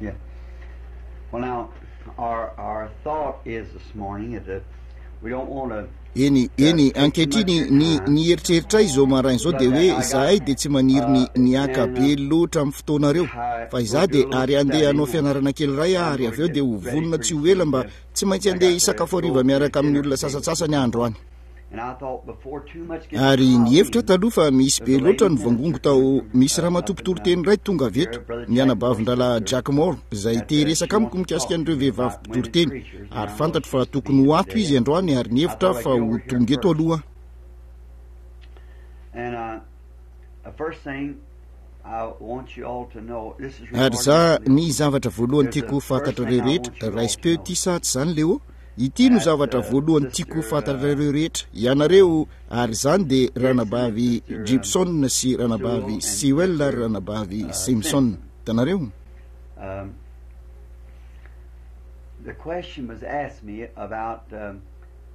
Yeah. Well now, our, our thought is this morning is that we don't want to Eny, eny, ankehitriny, ny, ny eritreritray izao maraina izao dia hoe izahay dia tsy maniry ny, ny haka be loatra amin'ny fotoanareo. Fa izaho dia, ary handeha hanao fianarana kely iray aho, ary avy eo dia ho vonona tsy ho ela mba tsy maintsy handeha hisakafo hariva miaraka amin'ny olona sasantsasany aho androany. Ary nihevitra aho taloha fa misy be loatra ny voangongo tao. Misy ramatoa mpitoriteny iray tonga avy eto, ny anabavin-drahalahy Jack Moore, izay te hiresaka amiko mikasika an'ireo vehivavy mpitoriteny. Ary fantatro fa tokony ho ato izy androany ary nihevitra aho fa ho tonga eto aloha aho. Ary za, ny zavatra voalohany tiako ho fantatrareo rehetra, raisim-peo ity sa tsy izany Leo? Ity no zavatra voalohany tiako ho fantatrareo rehetra, ianareo, ary izany dia Ranabavy Gibson sy Ranabavy Sewell ary Ranabavy Simpson. Hitanareo?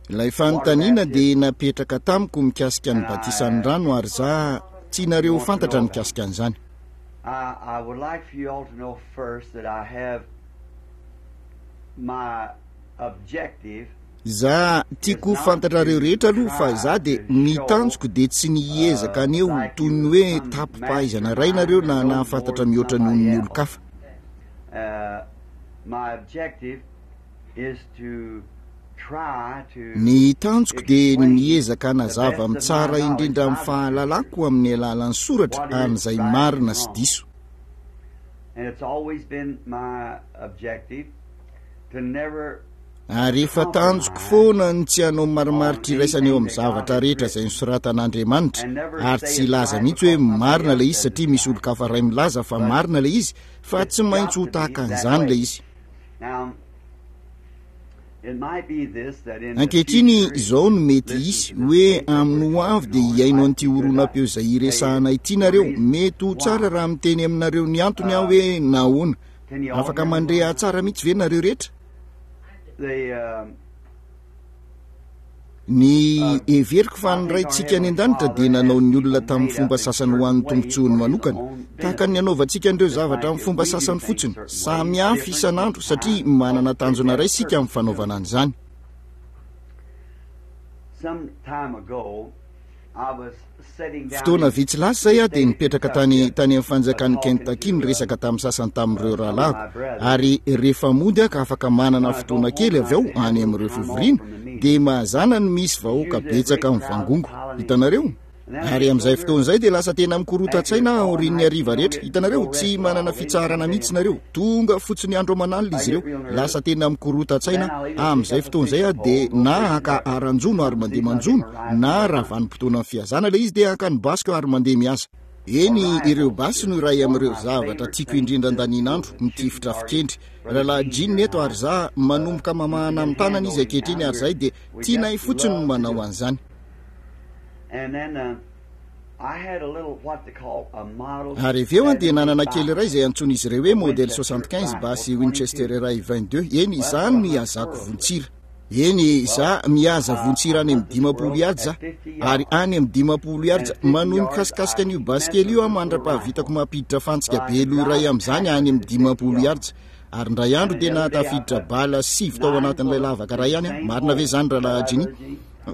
Ilay fanontaniana dia napetraka tamiko mikasika ny batisan'ny rano ary za tianareo ho fantatra mikasika an'izany. Za tiako ho fantatrareo rehetra aloha fa za dia ny tanjoko dia tsy ny hiezaka haneho toy ny hoe tapi-pahaizana iray nareo na nahafantatra mihoatra noho ny olon-kafa. Ny tanjoko dia ny miezaka hanazava amin'ny tsara indrindra amin'ny fahalalako amin'ny alalan'ny soratra an'izay marina sy diso. Ary efa tanjoko foana ny tsy hanao marimaritra iraisana eo amin'ny zavatra rehetra izay nosoratan'Andriamanitra, ary tsy hilaza mihitsy hoe marina ilay izy satria misy olon-kafa iray milaza fa marina ilay izy, fa tsy maintsy ho tahaka an'izany ilay izy. Ankehitriny, izao no mety hisy, hoe amin'ny ho avy dia hihaino an'ity horonam-peo izay hiresahana ity nareo. Mety ho tsara raha miteny aminareo ny antony aho hoe nahoana. Afaka mandre ahy tsara mihitsy ve nareo rehetra? Ny heveriko fa ny Raintsika any An-danitra dia nanao ny olona tamin'ny fomba sasany ho an'ny tombontsoany manokana, tahaka ny anaovantsika an'ireo zavatra amin'ny fomba sasany fotsiny, samy hafa isan'andro, satria manana tanjona iray isika amin'ny fanaovana an'izany. Fotoana vitsy lasa izay aho dia nipetraka tany tany amin'ny fanjakan'i Kentucky niresaka tamin'ny sasany tamin'ireo rahalahiko, ary rehefa mody aho ka afaka manana fotoana kely avy ao any amin'ireo fivoriana, dia mazàna no misy vahoaka betsaka mivangongo. Hitanareo? Ary amin'izay fotoana izay dia lasa tena mikorontan-tsaina aho aorian'ny hariva rehetra. Hitanareo, tsy manana fitsaharana mihitsy nareo. Tonga fotsiny andro aman'alina izy ireo. Lasa tena mikorontan-tsaina aho. Amin'izay fotoana izay aho dia na haka haran-jono ary mandeha manjono, na raha vanim-potoanan'ny fihazana ilay izy dia haka ny basiko ary mandeha mihaza. Eny, ireo basy no iray amin'ireo zavatra tiako indrindra andanin'andro, mitifitra fikendry. Rahalahy Gene eto ary za, manomboka mamahana amin'ny tanana izy ankehitriny ary izahay dia tianay fotsiny ny manao an'izany. Ary avy eo aho dia nanana kely iray izay antsoin'izy ireo hoe Model 75 basy Winchester iray 22. Eny, izany no ihazako vontsira. Eny, izaho mihaza vontsira any amin'ny 50 yards aho. Ary any amin'ny 50 yards, manohy mikasikasika an'io basy kely io aho mandra-pahavitako mampiditra fantsika be loha iray amin'izany any amin'ny 50 yards. Ary indray andro dia nahatafiditra bala sivy tao anatin'ilay lavaka iray ihany aho. Marina ve izany, Rahalahy Ginny?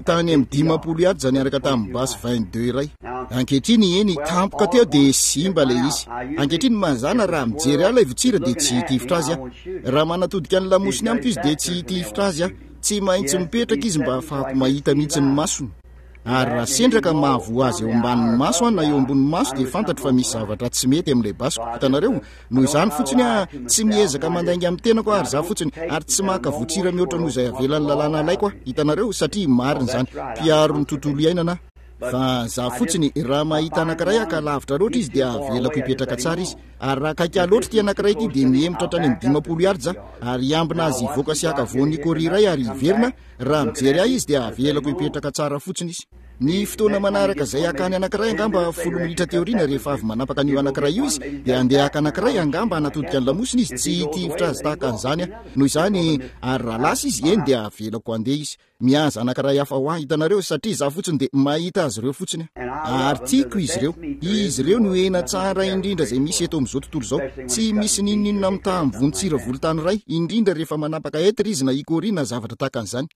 Tany amin'ny 50 yards niaraka tamin'ny basy 22 iray. Ankehitriny, eny, tampoka teo dia simba ilay izy. Ankehitriny, mazàna raha mijery ahy ilay votsira dia tsy hitifitra azy aho. Raha manatodika ny lamosiny amiko izy dia tsy hitifitra azy aho. Tsy maintsy mipetraka izy mba hahafahako mahita mihitsy ny masony. Ary raha sendra ka mahavoa azy eo ambanin'ny maso aho na eo ambonin'ny maso dia fantatro fa misy zavatra tsy mety amin'ilay basiko. Hitanareo? Noho izany fotsiny aho tsy miezaka mandainga amin'ny tenako aho ary za fotsiny ary tsy maka votsira mihoatra noho izay avelan'ny lalàna alaiko aho. Hitanareo? Satria marina izany. Mpiaro ny tontolo iainana aho. Fa za fotsiny, raha mahita anankiray aho ka lavitra loatra izy dia avelako hipetraka tsara izy. Ary raha akaiky ahy loatra ity anankiray ity dia mihemotra hatrany amin'ny 50 yards aho ary hiambina azy hivoaka sy haka voan'ny kôry iray ary hiverina, raha mijery ahy izy dia avelako hipetraka tsara fotsiny izy. Ny fotoana manaraka izay hakany anankiray, angamba folo minitra aty aoriana, rehefa avy manapaka an'io anankiray io izy, dia handeha haka anankiray, angamba hanatodika ny lamosiny izy, tsy hitifitra azy tahaka an'izany aho. Noho izany, ary raha lasa izy, eny, dia avelako handeha izy. Mihaza anankiray hafa ho ahy, hitanareo, satria izaho fotsiny dia mahita azy ireo fotsiny aho. Ary tiako izy ireo. Izy ireo no hena tsara indrindra izay misy eto amin'izao tontolo izao. Tsy misy n'inon'inona mitaha amin'ny vontsira volontany iray, indrindra rehefa manapaka hêtre izy na hickory na zavatra tahaka an'izany.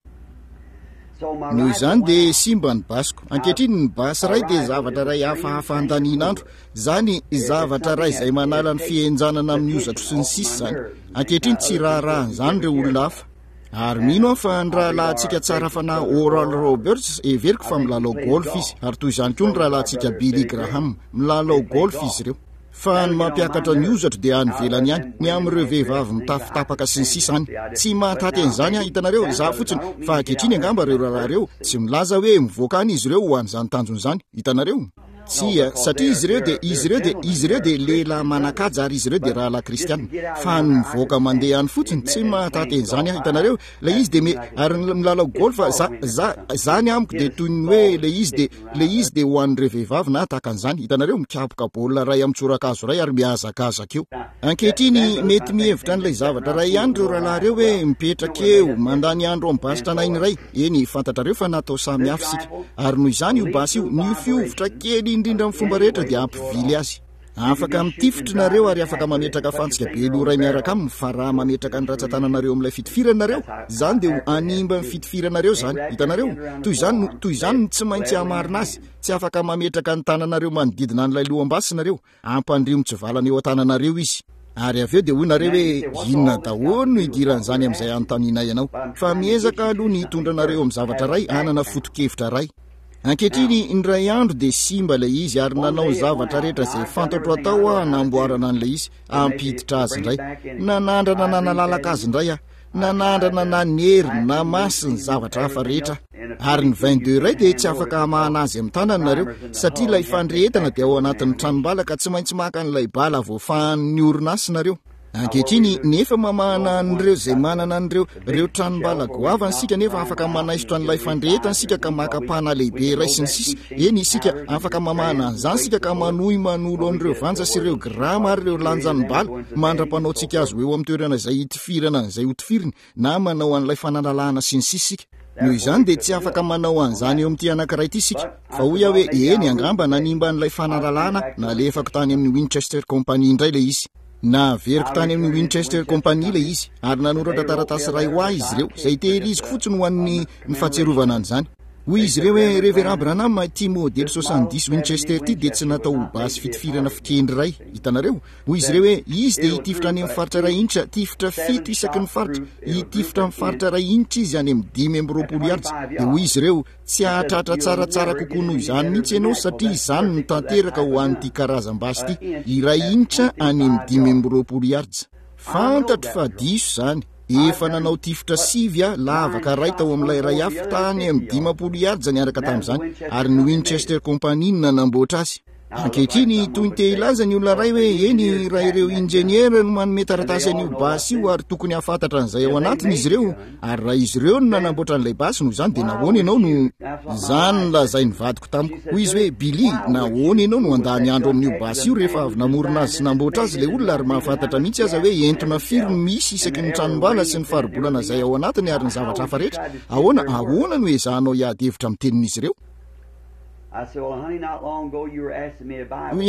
Noho izany dia simba ny basiko. Ankehitriny ny basy iray dia zavatra iray hafahafa andanian'andro. Izany zavatra iray izay manala ny fihenjanana amin'ny hozatro sy ny sisa izany. Ankehitriny tsy raharahan'izany ireo olona hafa. Ary mino aho fa ny rahalahintsika tsara fanahy Oral Roberts, heveriko fa milalao golf izy, ary toy izany koa ny rahalahintsika Billy Graham, milalao golf izy ireo. Fa ny mampiakatra ny hozatro dia any ivelany any, ny amin'ireo vehivavy mitafy tapaka sy ny sisa any. Tsy mahataty an'izany aho, hitanareo, izaho fotsiny, fa ankehitriny angamba ireo rahalahy ireo, tsy milaza hoe mivoaka any izy ireo ho an'izany tanjona izany, hitanareo. Tsia, satria izy ireo dia, izy ireo dia, izy ireo dia lehilahy manan-kaja ary izy ireo dia rahalahy kristiana. Fa ny mivoaka mandeha any fotsiny, tsy mahataty an'izany aho, hitanareo. Ilay izy dia me, ary ny milalao golf, za, za, izany amiko dia toy ny hoe ilay izy dia, ilay izy dia ho an'ireo vehivavy na tahaka an'izany, hitanareo, mikapoka baolina iray amin'ny tsorakazo iray ary mihazakazaka eo. Ankehitriny, mety mihevitra an'ilay zavatra iray ihany ireo rahalahy ireo hoe mipetraka eo, mandany andro amin'ny basy tranainy iray. Eny, fantatrareo fa natao samy hafa isika. Ary noho izany io basy io, ny fihovitra kely indrindra amin'ny fomba rehetra dia hampivily azy. Afaka mitifitra nareo ary afaka mametraka fantsika be loha iray miaraka aminy, fa raha mametraka ny ratsan-tananareo amin'ilay fitifirana nareo, izany dia ho hanimba ny fitifiranareo izany. Hitanareo? Toy izany no, toy izany no tsy maintsy hamarina azy. Tsy afaka mametraka ny tananareo manodidina an'ilay loham-basy nareo. Ampandrio mitsivalana eo an-tananareo izy. Ary avy eo dia hoy nareo hoe, Inona daholo no idiran'izany amin'izay anontanianay anao? Fa miezaka aloha ny hitondra anareo amin'ny zavatra iray hanana foto-kevitra iray. Ankehitriny, indray andro dia simba ilay izy ary nanao ny zavatra rehetra izay fantatro atao aho hanamboarana an'ilay izy, hampiditra azy indray. Nanandrana nanalalaka azy indray aho. Nanandrana nanery, namasy ny zavatra hafa rehetra aho. Ary ny vingt-deux iray dia tsy afaka hamahana azy amin'ny tanana nareo, satria ilay fandrehetana dia ao anatin'ny tranombala ka tsy maintsy maka an'ilay bala voafahan'ny orinasa nareo. Ankehitriny, nefa mamahana an'ireo izay manana an'ireo, ireo tranom-bala goavana isika, nefa afaka manaisotra an'ilay fandrehetana isika ka maka pana lehibe iray sy ny sisa. Eny, isika, afaka mamahana an'izany isika ka manohy manolo an'ireo vanja sy ireo grama ary ireo lanjan'ny bala, mandra-panaontsika azy ho eo amin'ny toerana izay hitifirana an'izay hotifiriny, na manao an'ilay fanalalahana sy ny sisa isika. Noho izany dia tsy afaka manao an'izany eo amin'ity anankiray ity isika. Fa hoy aho hoe, Eny, angamba nanimba an'ilay fanalalahana nalefako tany amin'ny Winchester Company indray ilay izy. Naveriko tany amin'ny Winchester Company ilay izy, ary nanoratra taratasy iray ho ahy izy ireo, izay tehiriziko fotsiny ho an'ny ny fahatsiarovana an'izany. Hoy izy ireo hoe, Reverend Branham, ity modely 70 Winchester ity dia tsy natao ho basy fitifirana fikendry iray. Hitanareo? Hoy izy ireo hoe, Izy dia hitifitra any amin'ny faritra iray inch, tifitra fito isaky ny faritra. Hitifitra amin'ny faritra iray inch izy any amin'ny 25 yards. Dia hoy izy ireo, Tsy hahatratra tsaratsara kokoa noho izany mihitsy ianao satria izany no tanteraka ho an'ity karazam-basy ity, iray inch any amin'ny 25 yards. Fantatro fa diso izany. Efa nanao tifitra sivy aho, lavaka iray tao amin'ilay iray hafa, tany amin'ny 50 yards niaraka tamin'izany, ary ny Winchester Company no nanamboatra azy. Ankehitriny, toy ny te hilaza ny olona iray hoe, Eny, raha ireo injeniera no manome taratasy an'io basy io ary tokony hahafantatra an'izay ao anatiny izy ireo, ary raha izy ireo no nanamboatra an'ilay basy, noho izany dia nahoana ianao no. Izany no lazain'ny vadiko tamiko. Hoy izy hoe, Billy, nahoana ianao no handany andro amin'io basy io rehefa avy namorona azy sy namboatra azy ilay olona ary mahafantatra mihitsy aza hoe entona firy no misy isaky ny tranom-bala sy ny faribolana izay ao anatiny ary ny zavatra hafa rehetra? Ahoana, ahoana no ezahanao hiady hevitra amin'ny tenin'izy ireo? Hoy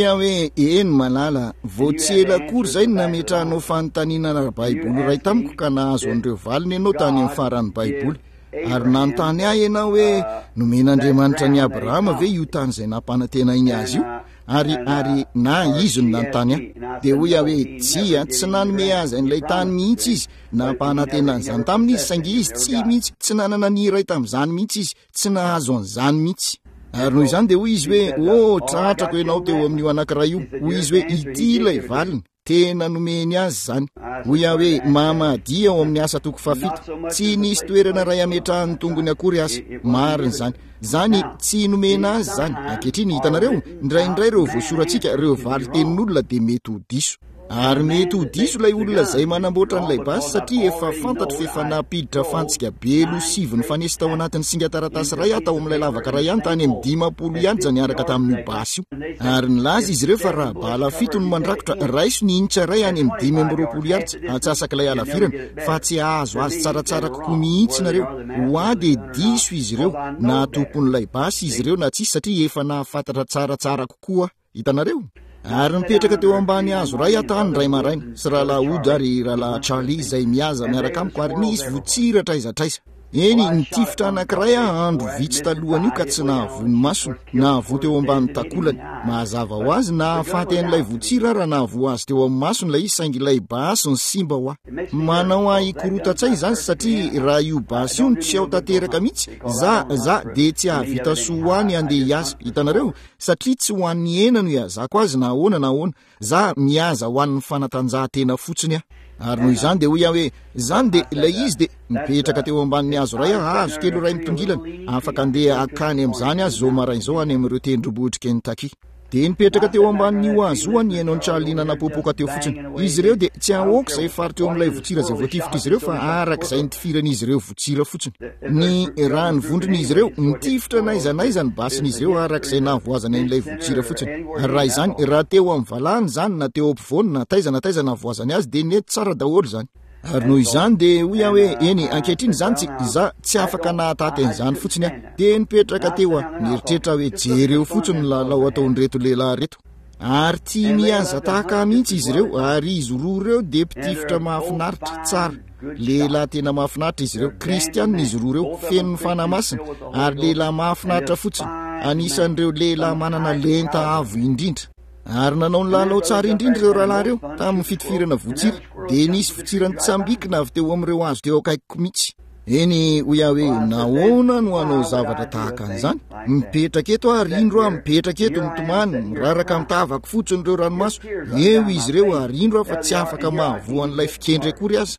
aho hoe, Eny, malala, vao tsy ela akory izay no nametrahanao fanontaniana ara-baiboly iray tamiko ka nahazo an'ireo valiny ianao tany amin'ny faran'ny Baiboly. Ary nanontany ahy ianao hoe, Nomen'Andriamanitra an'i Abrahama ve io tany izay nampanantenainy azy io? Ary, ary, na, izy no nanontany ahy. Dia hoy aho hoe, Tsia, tsy nanome azy an'ilay tany mihitsy izy. Nampanantena an'izany taminy izy, saingy izy tsy mihitsy, tsy nanana ny iray tamin'izany mihitsy izy. Tsy nahazo an'izany mihitsy. Ary noho izany dia hoy izy hoe, Oh, tratrako ianao teo amin'io anankiray io. Hoy izy hoe, Ity ilay valiny. Tena nomeny azy izany. Hoy aho hoe, Mamadia ao amin'ny asa toko fahafito. Tsy nisy toerana iray hametrahan'ny tongony akory aza. Marina izany. Izany, tsy nomena azy izany. Ankehitriny, hitanareo, indraindray ireo voasoratsika, ireo valin-tenin'olona dia mety ho diso. Ary mety ho diso ilay olona izay manamboatra an'ilay basy satria efa fantatro fa efa nampiditra fantsika belo sivy nifanesy tao anatin'ny singan-taratasy iray aho tao amin'ilay lavaka iray ihany tany amin'ny 50 yards niaraka tamin'io basy io. Ary nilaza izy ireo fa raha bala fito no mandrakotra, raiso ny inch iray any amin'ny 25 yards, antsasak'ilay halavirana, fa tsy hahazo azy tsaratsara kokoa mihitsy nareo. Ho ahy dia diso izy ireo, na tompon'ilay basy izy ireo na tsia, satria efa nahafantatra tsaratsara kokoa aho. Hitanareo? Ary nipetraka teo ambany hazo iray aho tany indray maraina, sy Rahalahy Wood ary Rahalahy Charlie izay mihaza miaraka amiko, ary nisy votsira hatraiza hatraiza. Eny, nitifitra anankiray aho andro vitsy talohan'io ka tsy nahavoa ny masony, nahavoa teo ambany takolany. Mazava ho azy, nahafaty an'ilay votsira aho raha nahavoa azy teo amin'ny masony ilay izy, saingy ilay basy no simba ho ahy. Manao ahy hikorotan-tsaina izany satria raha io basy io no tsy ao tanteraka mihitsy, za, za dia tsy hahavita soa ho ahy ny handeha hiasa. Hitanareo? Satria tsy ho an'ny hena no ihazako azy na ahoana na ahoana. Za mihaza ho an'ny fanatanjahantena fotsiny aho. Ary noho izany dia hoy aho hoe, Izany dia, ilay izy dia, nipetraka teo ambanin'ny hazo iray aho, hazo kely iray mitongilana, afaka andeha hankany amin'izany aho izao maraina izao any amin'ireo tendrombohitr'i Kentucky. Dia nipetraka teo ambanin'io hazo io aho nihaino an'i Charlie nanapoapoaka teo fotsiny. Izy ireo dia, tsy ahoako izay faritra eo amin'ilay votsira izay voatifitr'izy ireo fa arak'izay nitifiran'izy ireo votsira fotsiny. Ny raha ny vondron'izy ireo, nitifitra n'aiza n'aiza ny basin'izy ireo araka izay nahavoazany an'ilay votsira fotsiny. Ary raha izany, raha teo amin'ny valahany izany, na teo ampovoany, na taiza na taiza nahavoazany azy, dia nety tsara daholo izany. Ary noho izany dia hoy aho hoe, eny, ankehitriny izany tsy, izaho, tsy afaka nahataty an'izany fotsiny aho. Dia nipetraka teo aho, nieritreritra aho hoe, jereo fotsiny ny lalao ataon'ireto lehilahy ireto. Ary tia mihaza tahaka ahy mihitsy izy ireo, ary izy roa ireo dia mpitifitra mahafinaritra, tsara. Lehilahy tena mahafinaritra izy ireo. Kristianina izy roa ireo, feno ny Fanahy Masina, ary lehilahy mahafinaritra fotsiny, anisan'ireo lehilahy manana lenta avo indrindra. Ary nanao ny lalao tsara indrindra ireo rahalahy ireo, tamin'ny fitifirana votsira. Dia nisy votsira nitsambikina avy teo amin'ireo hazo teo akaikiko mihitsy. Eny, hoy aho hoe, nahoana no hanao zavatra tahaka an'izany? Mipetraka eto aho, ary indro aho mipetraka eto, mitomany, miraraka amin'ny tavako fotsiny ireo ranomaso. Eo izy ireo, ary indro aho fa tsy afaka mahavoa an'ilay fikendry akory aza.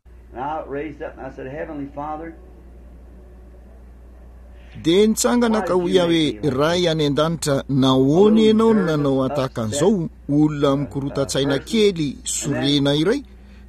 Dia nitsangana ka hoy aho hoe, Ray any An-danitra, nahoana Ianao no nanao ahy tahaka an'izao, olona mikorotan-tsaina kely, sorena iray?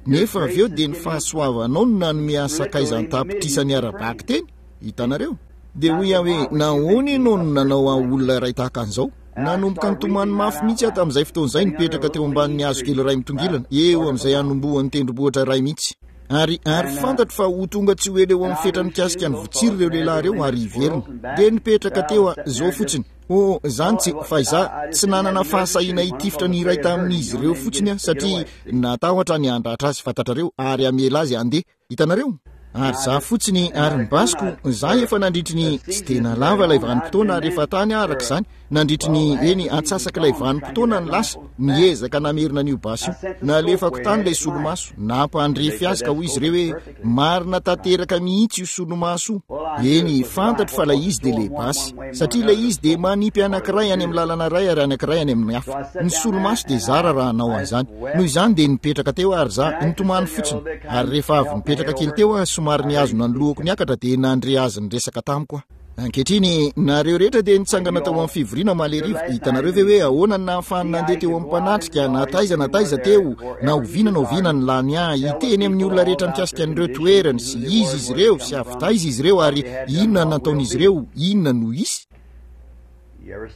Nefa avy eo dia ny fahasoavanao no nanome ahy sakaiza an-tapitrisany ara-bakiteny. Hitanareo? Dia hoy aho hoe, Nahoana ianao no nanao ahy olona iray tahaka an'izao? Nanomboka nitomany mafy mihitsy aho tamin'izay fotoana izay, nipetraka teo ambanin'ny hazo kely iray mitongilana, eo amin'izay hanombohan'ny tendrombohitra iray mihitsy. Ary, ary fantatro fa ho tonga tsy ho ela eo amin'ny fetra mikasika ny votsiry ireo lehilahy ireo ary hiverina. Dia nipetraka teo aho, izao fotsiny. Oh, izany tsy, fa izaho, tsy nanana fahasahiana hitifitra ny iray tamin'izy ireo fotsiny aho, satria natahotra ny handratra azy, fantatrareo, ary hamela azy handeha. Hitanareo? Ary izaho fotsiny, ary ny basiko, izaho efa nandritry ny, tsy dia nalava ilay vanim-potoana ary efa tany aho araka izany, nandritry ny, eny, antsasak'ilay vanim-potoana ny lasa, niezaka namerina an'io basy io. Nalefako tany ilay solomaso, nampandrefy azy ka hoy izy ireo hoe, Marina tanteraka mihitsy io solomaso io. Eny, fantatro fa ilay izy dia ilay basy. Satria ilay izy dia manipy anankiray any amin'ny lalana iray ary anankiray any amin'ny hafa. Ny solomaso dia zara raha hanao an'izany. Noho izany dia nipetraka teo aho ary za, nitomany fotsiny. Ary rehefa avy nipetraka kely teo aho, somary nihazona ny lohako niakatra dia nandre azy niresaka tamiko aho. Ankehitriny, nareo rehetra dia nitsangana tao amin'ny fivoriana omaly hariva. Hitanareo ve hoe ahoana no nahafahany nandeha teo amin'ny mpanatrika, na taiza na taiza teo, na oviana na oviana nilany ahy, hiteny amin'ny olona rehetra mikasika an'ireo toerany, sy iza izy ireo, sy avy taiza izy ireo, ary inona no nataon'izy ireo, inona no hisy?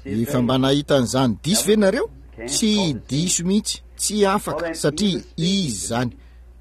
Efa mba nahita an'izany diso ve nareo? Tsy diso mihitsy, tsy afaka, satria izy izany.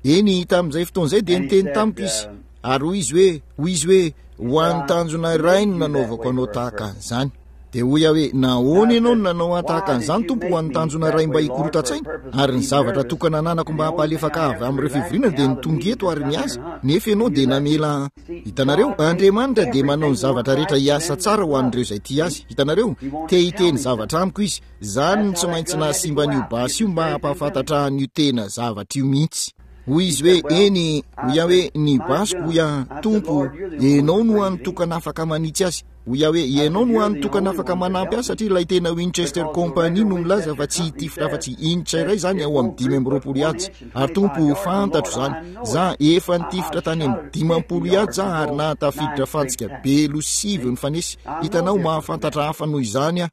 Eny, tamin'izay fotoana izay dia niteny tamiko izy. Ary hoy izy hoe, hoy izy hoe, Ho an'ny tanjona iray no nanaovako anao tahaka an'izany. Dia hoy aho hoe, Nahoana ianao no nanao ahy tahaka an'izany, Tompo, ho an'ny tanjona iray mba hikorotan-tsaina? Ary ny zavatra tokana ananako mba hampalefaka ahy avy amin'ireo fivoriana dia ny tonga eto ary miasa, nefa ianao dia namela ahy. Hitanareo, Andriamanitra dia manao ny zavatra rehetra hiasa tsara ho an'ireo izay tia Azy. Hitanareo? Te hiteny zavatra amiko Izy. Izany no tsy maintsy nahasimba an'io basy io mba hampahafantatra ahy an'io tena zavatra io mihitsy. Hoy izy hoe, Eny, hoy aho hoe, ny basiko, hoy aho, Tompo, Ianao no hany tokana afaka manitsy azy. Hoy aho hoe, Ianao no hany tokana afaka manampy ahy satria ilay tena Winchester Company no milaza fa tsy hitifitra afa-tsy inch iray izany ao amin'ny 25 yards. Ary Tompo, fantatro izany. Za, efa nitifitra tany amin'ny 50 yards aho ary nahatafiditra fantsika belo sivy nifanesy. Hitanao, mahafantatra hafa noho izany aho.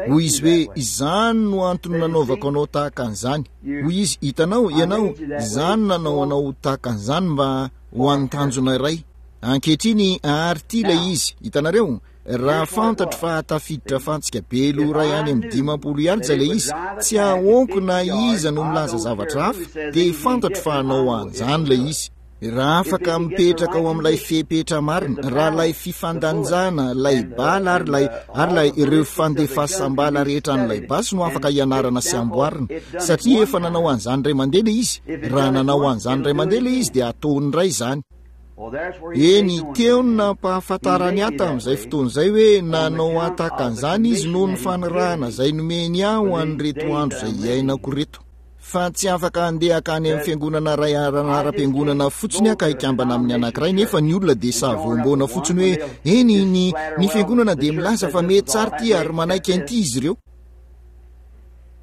Hoy izy hoe, Izany no antony nanaovako anao tahaka an'izany. Hoy izy, Hitanao, ianao, izaho no nanao anao ho tahaka an'izany mba ho an'ny tanjona iray. Ankehitriny, ary ity ilay izy. Hitanareo? Raha fantatro fa hahatafiditra fantsika be loha iray any amin'ny 50 yards ilay izy, tsy ahoako na iza no milaza zavatra hafa, dia fantatro fa hanao an'izany ilay izy. Raha afaka mipetraka ao amin'ilay fepetra marina, raha ilay fifandanjana, ilay bala ary ilay, ary ilay, ireo fandefasam-bala rehetra an'ilay basy no afaka hianarana sy amboarina, satria efa nanao an'izany indray mandeha ilay izy, raha nanao an'izany indray mandeha ilay izy dia hataony indray izany. Eny, teo no nampahafantarany ahy tamin'izay fotoana izay hoe nanao ahy tahaka an'izany izy noho ny fanirahana izay nomeny ahy ho an'ireto andro izay iainako ireto. Fa tsy afaka handeha hankany amin'ny fiangonana iray ara-anaram-piangonana fotsiny aho ka hikambana amin'ny anankiray, nefa ny olona dia savoamboana fotsiny hoe, Eny, ny, ny fiangonana dia milaza fa mety tsara ity ary manaiky an'ity izy ireo.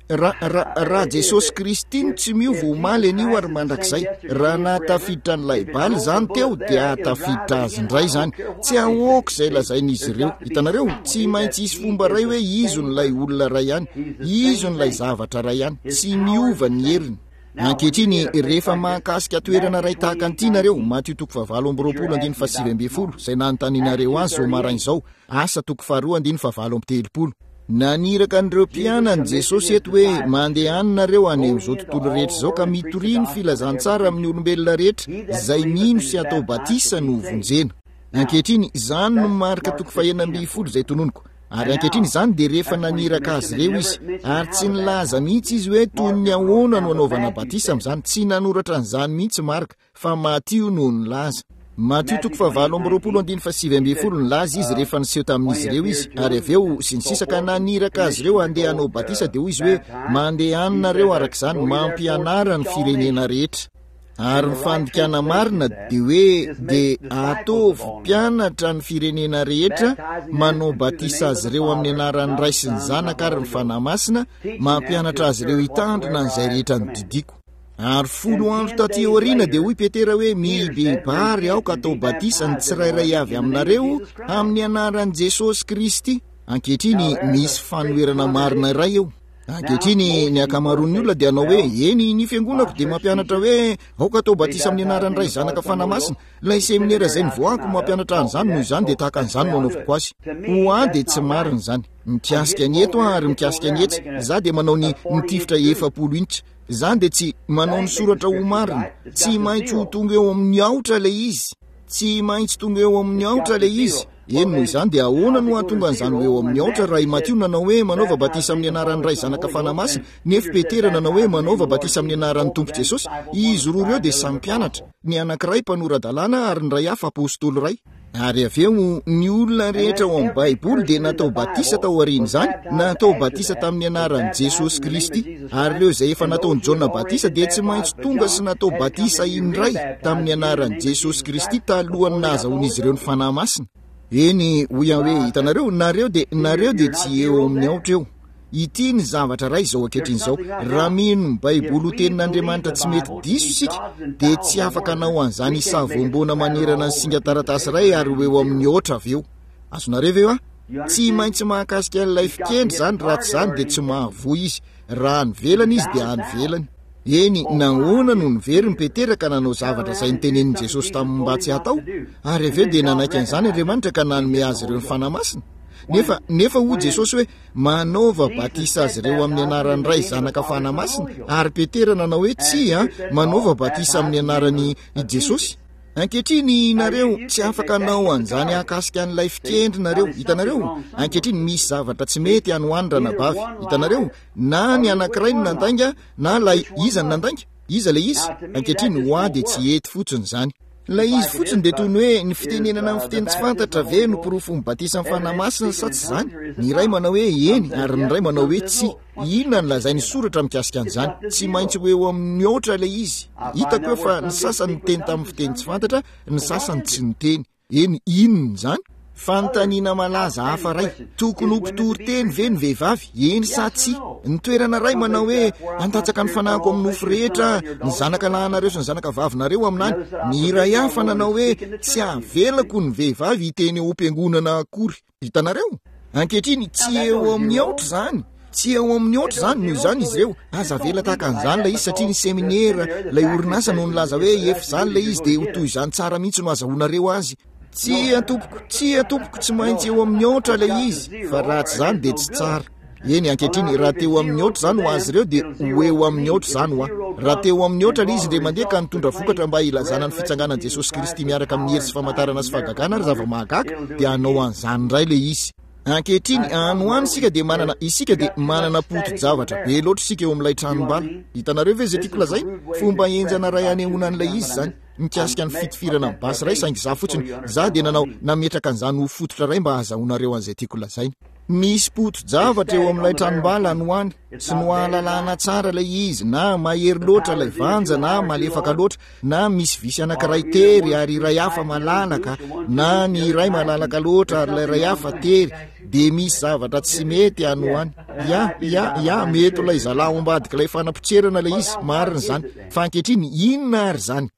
Ra, ra, raha Jesosy Kristy no tsy miova omaly, anio ary mandrakizay, raha nahatafiditra an'ilay bala izany teo, dia hahatafiditra azy indray izany. Tsy ahoako izay lazain'izy ireo. Hitanareo? Tsy maintsy hisy fomba iray hoe izy no ilay olona iray ihany. Izy no ilay zavatra iray ihany. Tsy miova ny heriny. Ankehitriny, rehefa mahakasika toerana iray tahaka an'ity nareo, Matio toko fahavalo amby roapolo andininy fahasivy ambin'ny folo, izay nanontanianareo azy izao maraina izao, Asa toko faharoa andininy fahavalo amby telopolo. Naniraka an'ireo mpianany Jesosy eto hoe, Mandehana nareo any amin'izao tontolo rehetra izao ka mitoria ny filazantsara amin'ny olombelona rehetra, izay mino sy atao batisa no hovonjena. Ankehitriny, izany no marika toko fahenina ambin'ny folo izay tononiko. Ary ankehitriny izany dia rehefa naniraka azy ireo izy. Ary tsy nilaza mihitsy izy hoe toy ny ahoana no anaovana batisa amin'izany. Tsy nanoratra an'izany mihitsy Marka, fa Matio no nilaza. Matio toko fahavalo amby roapolo andininy fahasivy ambin'ny folo, nilaza izy rehefa niseho tamin'izy ireo izy, ary avy eo, sy ny sisa, ka naniraka azy ireo handeha hanao batisa, dia hoy izy hoe, Mandehana nareo araka izany, mampianara ny firenena rehetra. Ary ny fandikana marina dia hoe dia ataovy mpianatra ny firenena rehetra, manao batisa azy ireo amin'ny anaran'ny Ray sy ny Zanaka ary ny Fanahy Masina, mampianatra azy ireo hitandrina an'izay rehetra nodidiako. Ary folo andro taty aoriana dia hoy Petera hoe mibebaha ary aoka atao batisa ny tsirairay avy aminareo amin'ny anaran'i Jesosy Kristy. Ankehitriny misy fanoherana marina iray eo. Ankehitriny, ny ankamaroan'ny olona dia hanao hoe, Eny, ny fiangonako dia mampianatra hoe, aoka atao batisa amin'ny anaran'ny Ray, Zanaka, Fanahy Masina. Ilay seminera izay nivoahako no mampianatra an'izany, noho izany dia tahaka an'izany no anaovako azy. Ho ahy dia tsy marina izany. Mikasika ny eto aho ary mikasika ny etsy, izaho dia manao ny mitifitra 40 inch. Izany dia tsy manao ny soratra ho marina. Tsy maintsy ho tonga eo amin'ny aotra ilay izy. Tsy maintsy tonga eo amin'ny aotra ilay izy. Eny, noho izany dia ahoana no hahatonga an'izany ho eo amin'ny aotra raha i Matio nanao hoe manaova batisa amin'ny anaran'ny Ray, Zanaka, Fanahy Masina, nefo Petera nanao hoe manaova batisa amin'ny anaran'ny Tompo Jesosy? Izy roa ireo dia samy mpianatra, ny anankiray mpanora-dalàna ary ny iray hafa apostoly iray. Ary avy eo, ny olona rehetra ao amin'ny Baiboly dia natao batisa tao aorian'izany, natao batisa tamin'ny anaran'i Jesosy Kristy. Ary ireo izay efa nataon'i Jaona batisa dia tsy maintsy tonga sy natao batisa indray tamin'ny anaran'i Jesosy Kristy talohan'ny nahazahoan'izy ireo ny Fanahy Masina. Eny, hoy aho hoe, hitanareo, nareo dia, nareo dia tsy eo amin'ny aotra eo. Ity ny zavatra iray izao ankehitriny izao, raha mino ny Baiboly ho Tenin'Andriamanitra tsy mety diso isika, dia tsy afaka hanao an'izany hisavoamboana manerana ny singan-taratasy iray ary ho eo amin'ny aotra avy eo. Azonareo ve hoa? Tsy maintsy mahakasika an'ilay fikendry izany, raha tsy izany dia tsy mahavoa izy. Raha any ivelany izy dia any ivelany. Eny, nahoana no niveriny Petera ka nanao zavatra izay notenenin'i Jesosy taminy mba tsy hatao? Ary avy eo dia nanaiky an'izany Andriamanitra ka nanome azy ireo ny Fanahy Masina. Nefa, nefa hoy Jesosy hoe, Manaova batisa azy ireo amin'ny anaran'ny Ray, Zanaka, Fanahy Masina. Ary Petera nanao hoe, Tsia, manaova batisa amin'ny anaran'i Jesosy. Ankehitriny, nareo, tsy afaka hanao an'izany hahakasika an'ilay fikendry nareo. Hitanareo? Ankehitriny, misy zavatra tsy mety any ho any, ranabavy. Hitanareo? Na ny anankiray no nandainga, na ilay, iza no nandainga? Iza ilay izy? Ankehitriny, ho ahy dia tsy hety fotsiny izany. Ilay izy fotsiny dia toy ny hoe ny fitenenana amin'ny fiteny tsy fantatra ve no porofon'ny batisan'ny Fanahy Masina sa tsy izany? Ny iray manao hoe eny ary ny iray manao hoe tsia. Inona no lazain'ny soratra mikasika an'izany? Tsy maintsy ho eo amin'ny mihoatra ilay izy. Hitako eo fa ny sasany niteny tamin'ny fiteny tsy fantatra, ny sasany tsy niteny. Eny, inona izany? Fanontaniana malaza hafa iray, tokony ho mpitory teny ve ny vehivavy, eny sa tsia? Ny toerana iray manao hoe, Handatsaka ny fanahiko amin'ny nofo rehetra ny zanaka lahinareo sy ny zanaka vavinareo aminany. Ny iray hafa nanao hoe, Tsy avelako ny vehivavy hiteny eo am-piangonana akory. Hitanareo? Ankehitriny, tsy eo amin'ny aotra izany. Tsy eo amin'ny aotra izany, noho izany izy ireo, aza avela tahaka an'izany ilay izy satria ny seminera, ilay orinasa no nilaza hoe efa izany ilay izy dia ho toy izany tsara mihitsy no azahoanareo azy. Tsia tompoko, tsia tompoko, tsy maintsy eo amin'ny aotra ilay izy, fa raha tsy izany dia tsy tsara. Eny, ankehitriny, raha teo amin'ny aotra izany ho azy ireo dia ho eo amin'ny aotra izany ho ahy. Raha teo amin'ny aotra ilay izy indray mandeha ka nitondra vokatra mba hilazana ny fitsanganan'i Jesosy Kristy miaraka amin'ny hery sy famantarana sy fahagagana ary zava-mahagaga, dia hanao an'izany indray ilay izy. Ankehitriny, any ho any isika dia manana, isika dia manana poti-javatra be loatra isika eo amin'ilay tranom-bala. Hitanareo ve izay tiako lazaina? Fomba henjana iray hanehoana an'ilay izy izany, mikasika ny fitifirana amin'ny basy iray, saingy izaho fotsiny, izaho dia nanao, nametraka an'izany ho fototra iray mba hahazahoanareo an'izay tiako lazaina. Misy poti-javatra eo amin'ilay tranom-bala any ho any, tsy noahalalana tsara ilay izy, na mahery loatra ilay vanja na malefaka loatra, na misy visy anankiray tery ary iray hafa malalaka, na ny iray malalaka loatra ary ilay iray hafa tery, dia misy zavatra tsy mety any ho any. Ya, ya, ya, mety ho ilay zalahy ao ambadik'ilay fanapotserana ilay izy, marina izany. Fa ankehitriny, inona ary izany?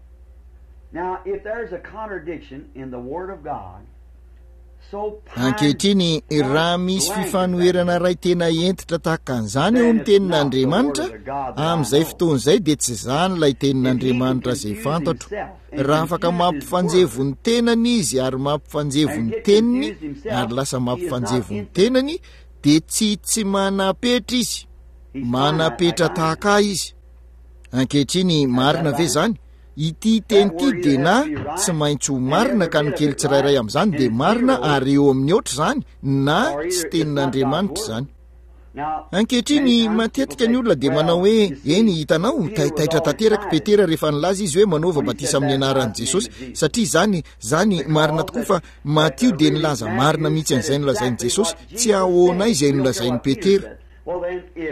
Now, if there's a contradiction in the Word of God, Ankehitriny, raha misy fifanoherana iray tena hentitra tahaka an'izany eo amin'ny Tenin'Andriamanitra, amin'izay fotoana izay dia tsy izany ilay Tenin'Andriamanitra izay fantatro. Raha afaka mampifanjevo ny tenany izy ary mampifanjevo ny teniny, ary lasa mampifanjevo ny tenany, dia tsy tsy manam-petra izy. Manam-petra tahaka ahy izy. Ankehitriny, marina ve izany? Ity teny ity dia na tsy maintsy ho marina ka ny kely tsirairay amin'izany dia marina ary eo amin'ny aotra izany na tsy tenin'Andriamanitra izany. Ankehitriny, matetika ny olona dia manao hoe, Eny, hitanao, taitaitra tanteraka i Petera rehefa nilaza izy hoe manaova batisa amin'ny anaran'i Jesosy, satria izany, izany, marina tokoa fa Matio dia nilaza marina mihitsy an'izay nolazain'i Jesosy, tsy ahoanay izay nolazain'i Petera.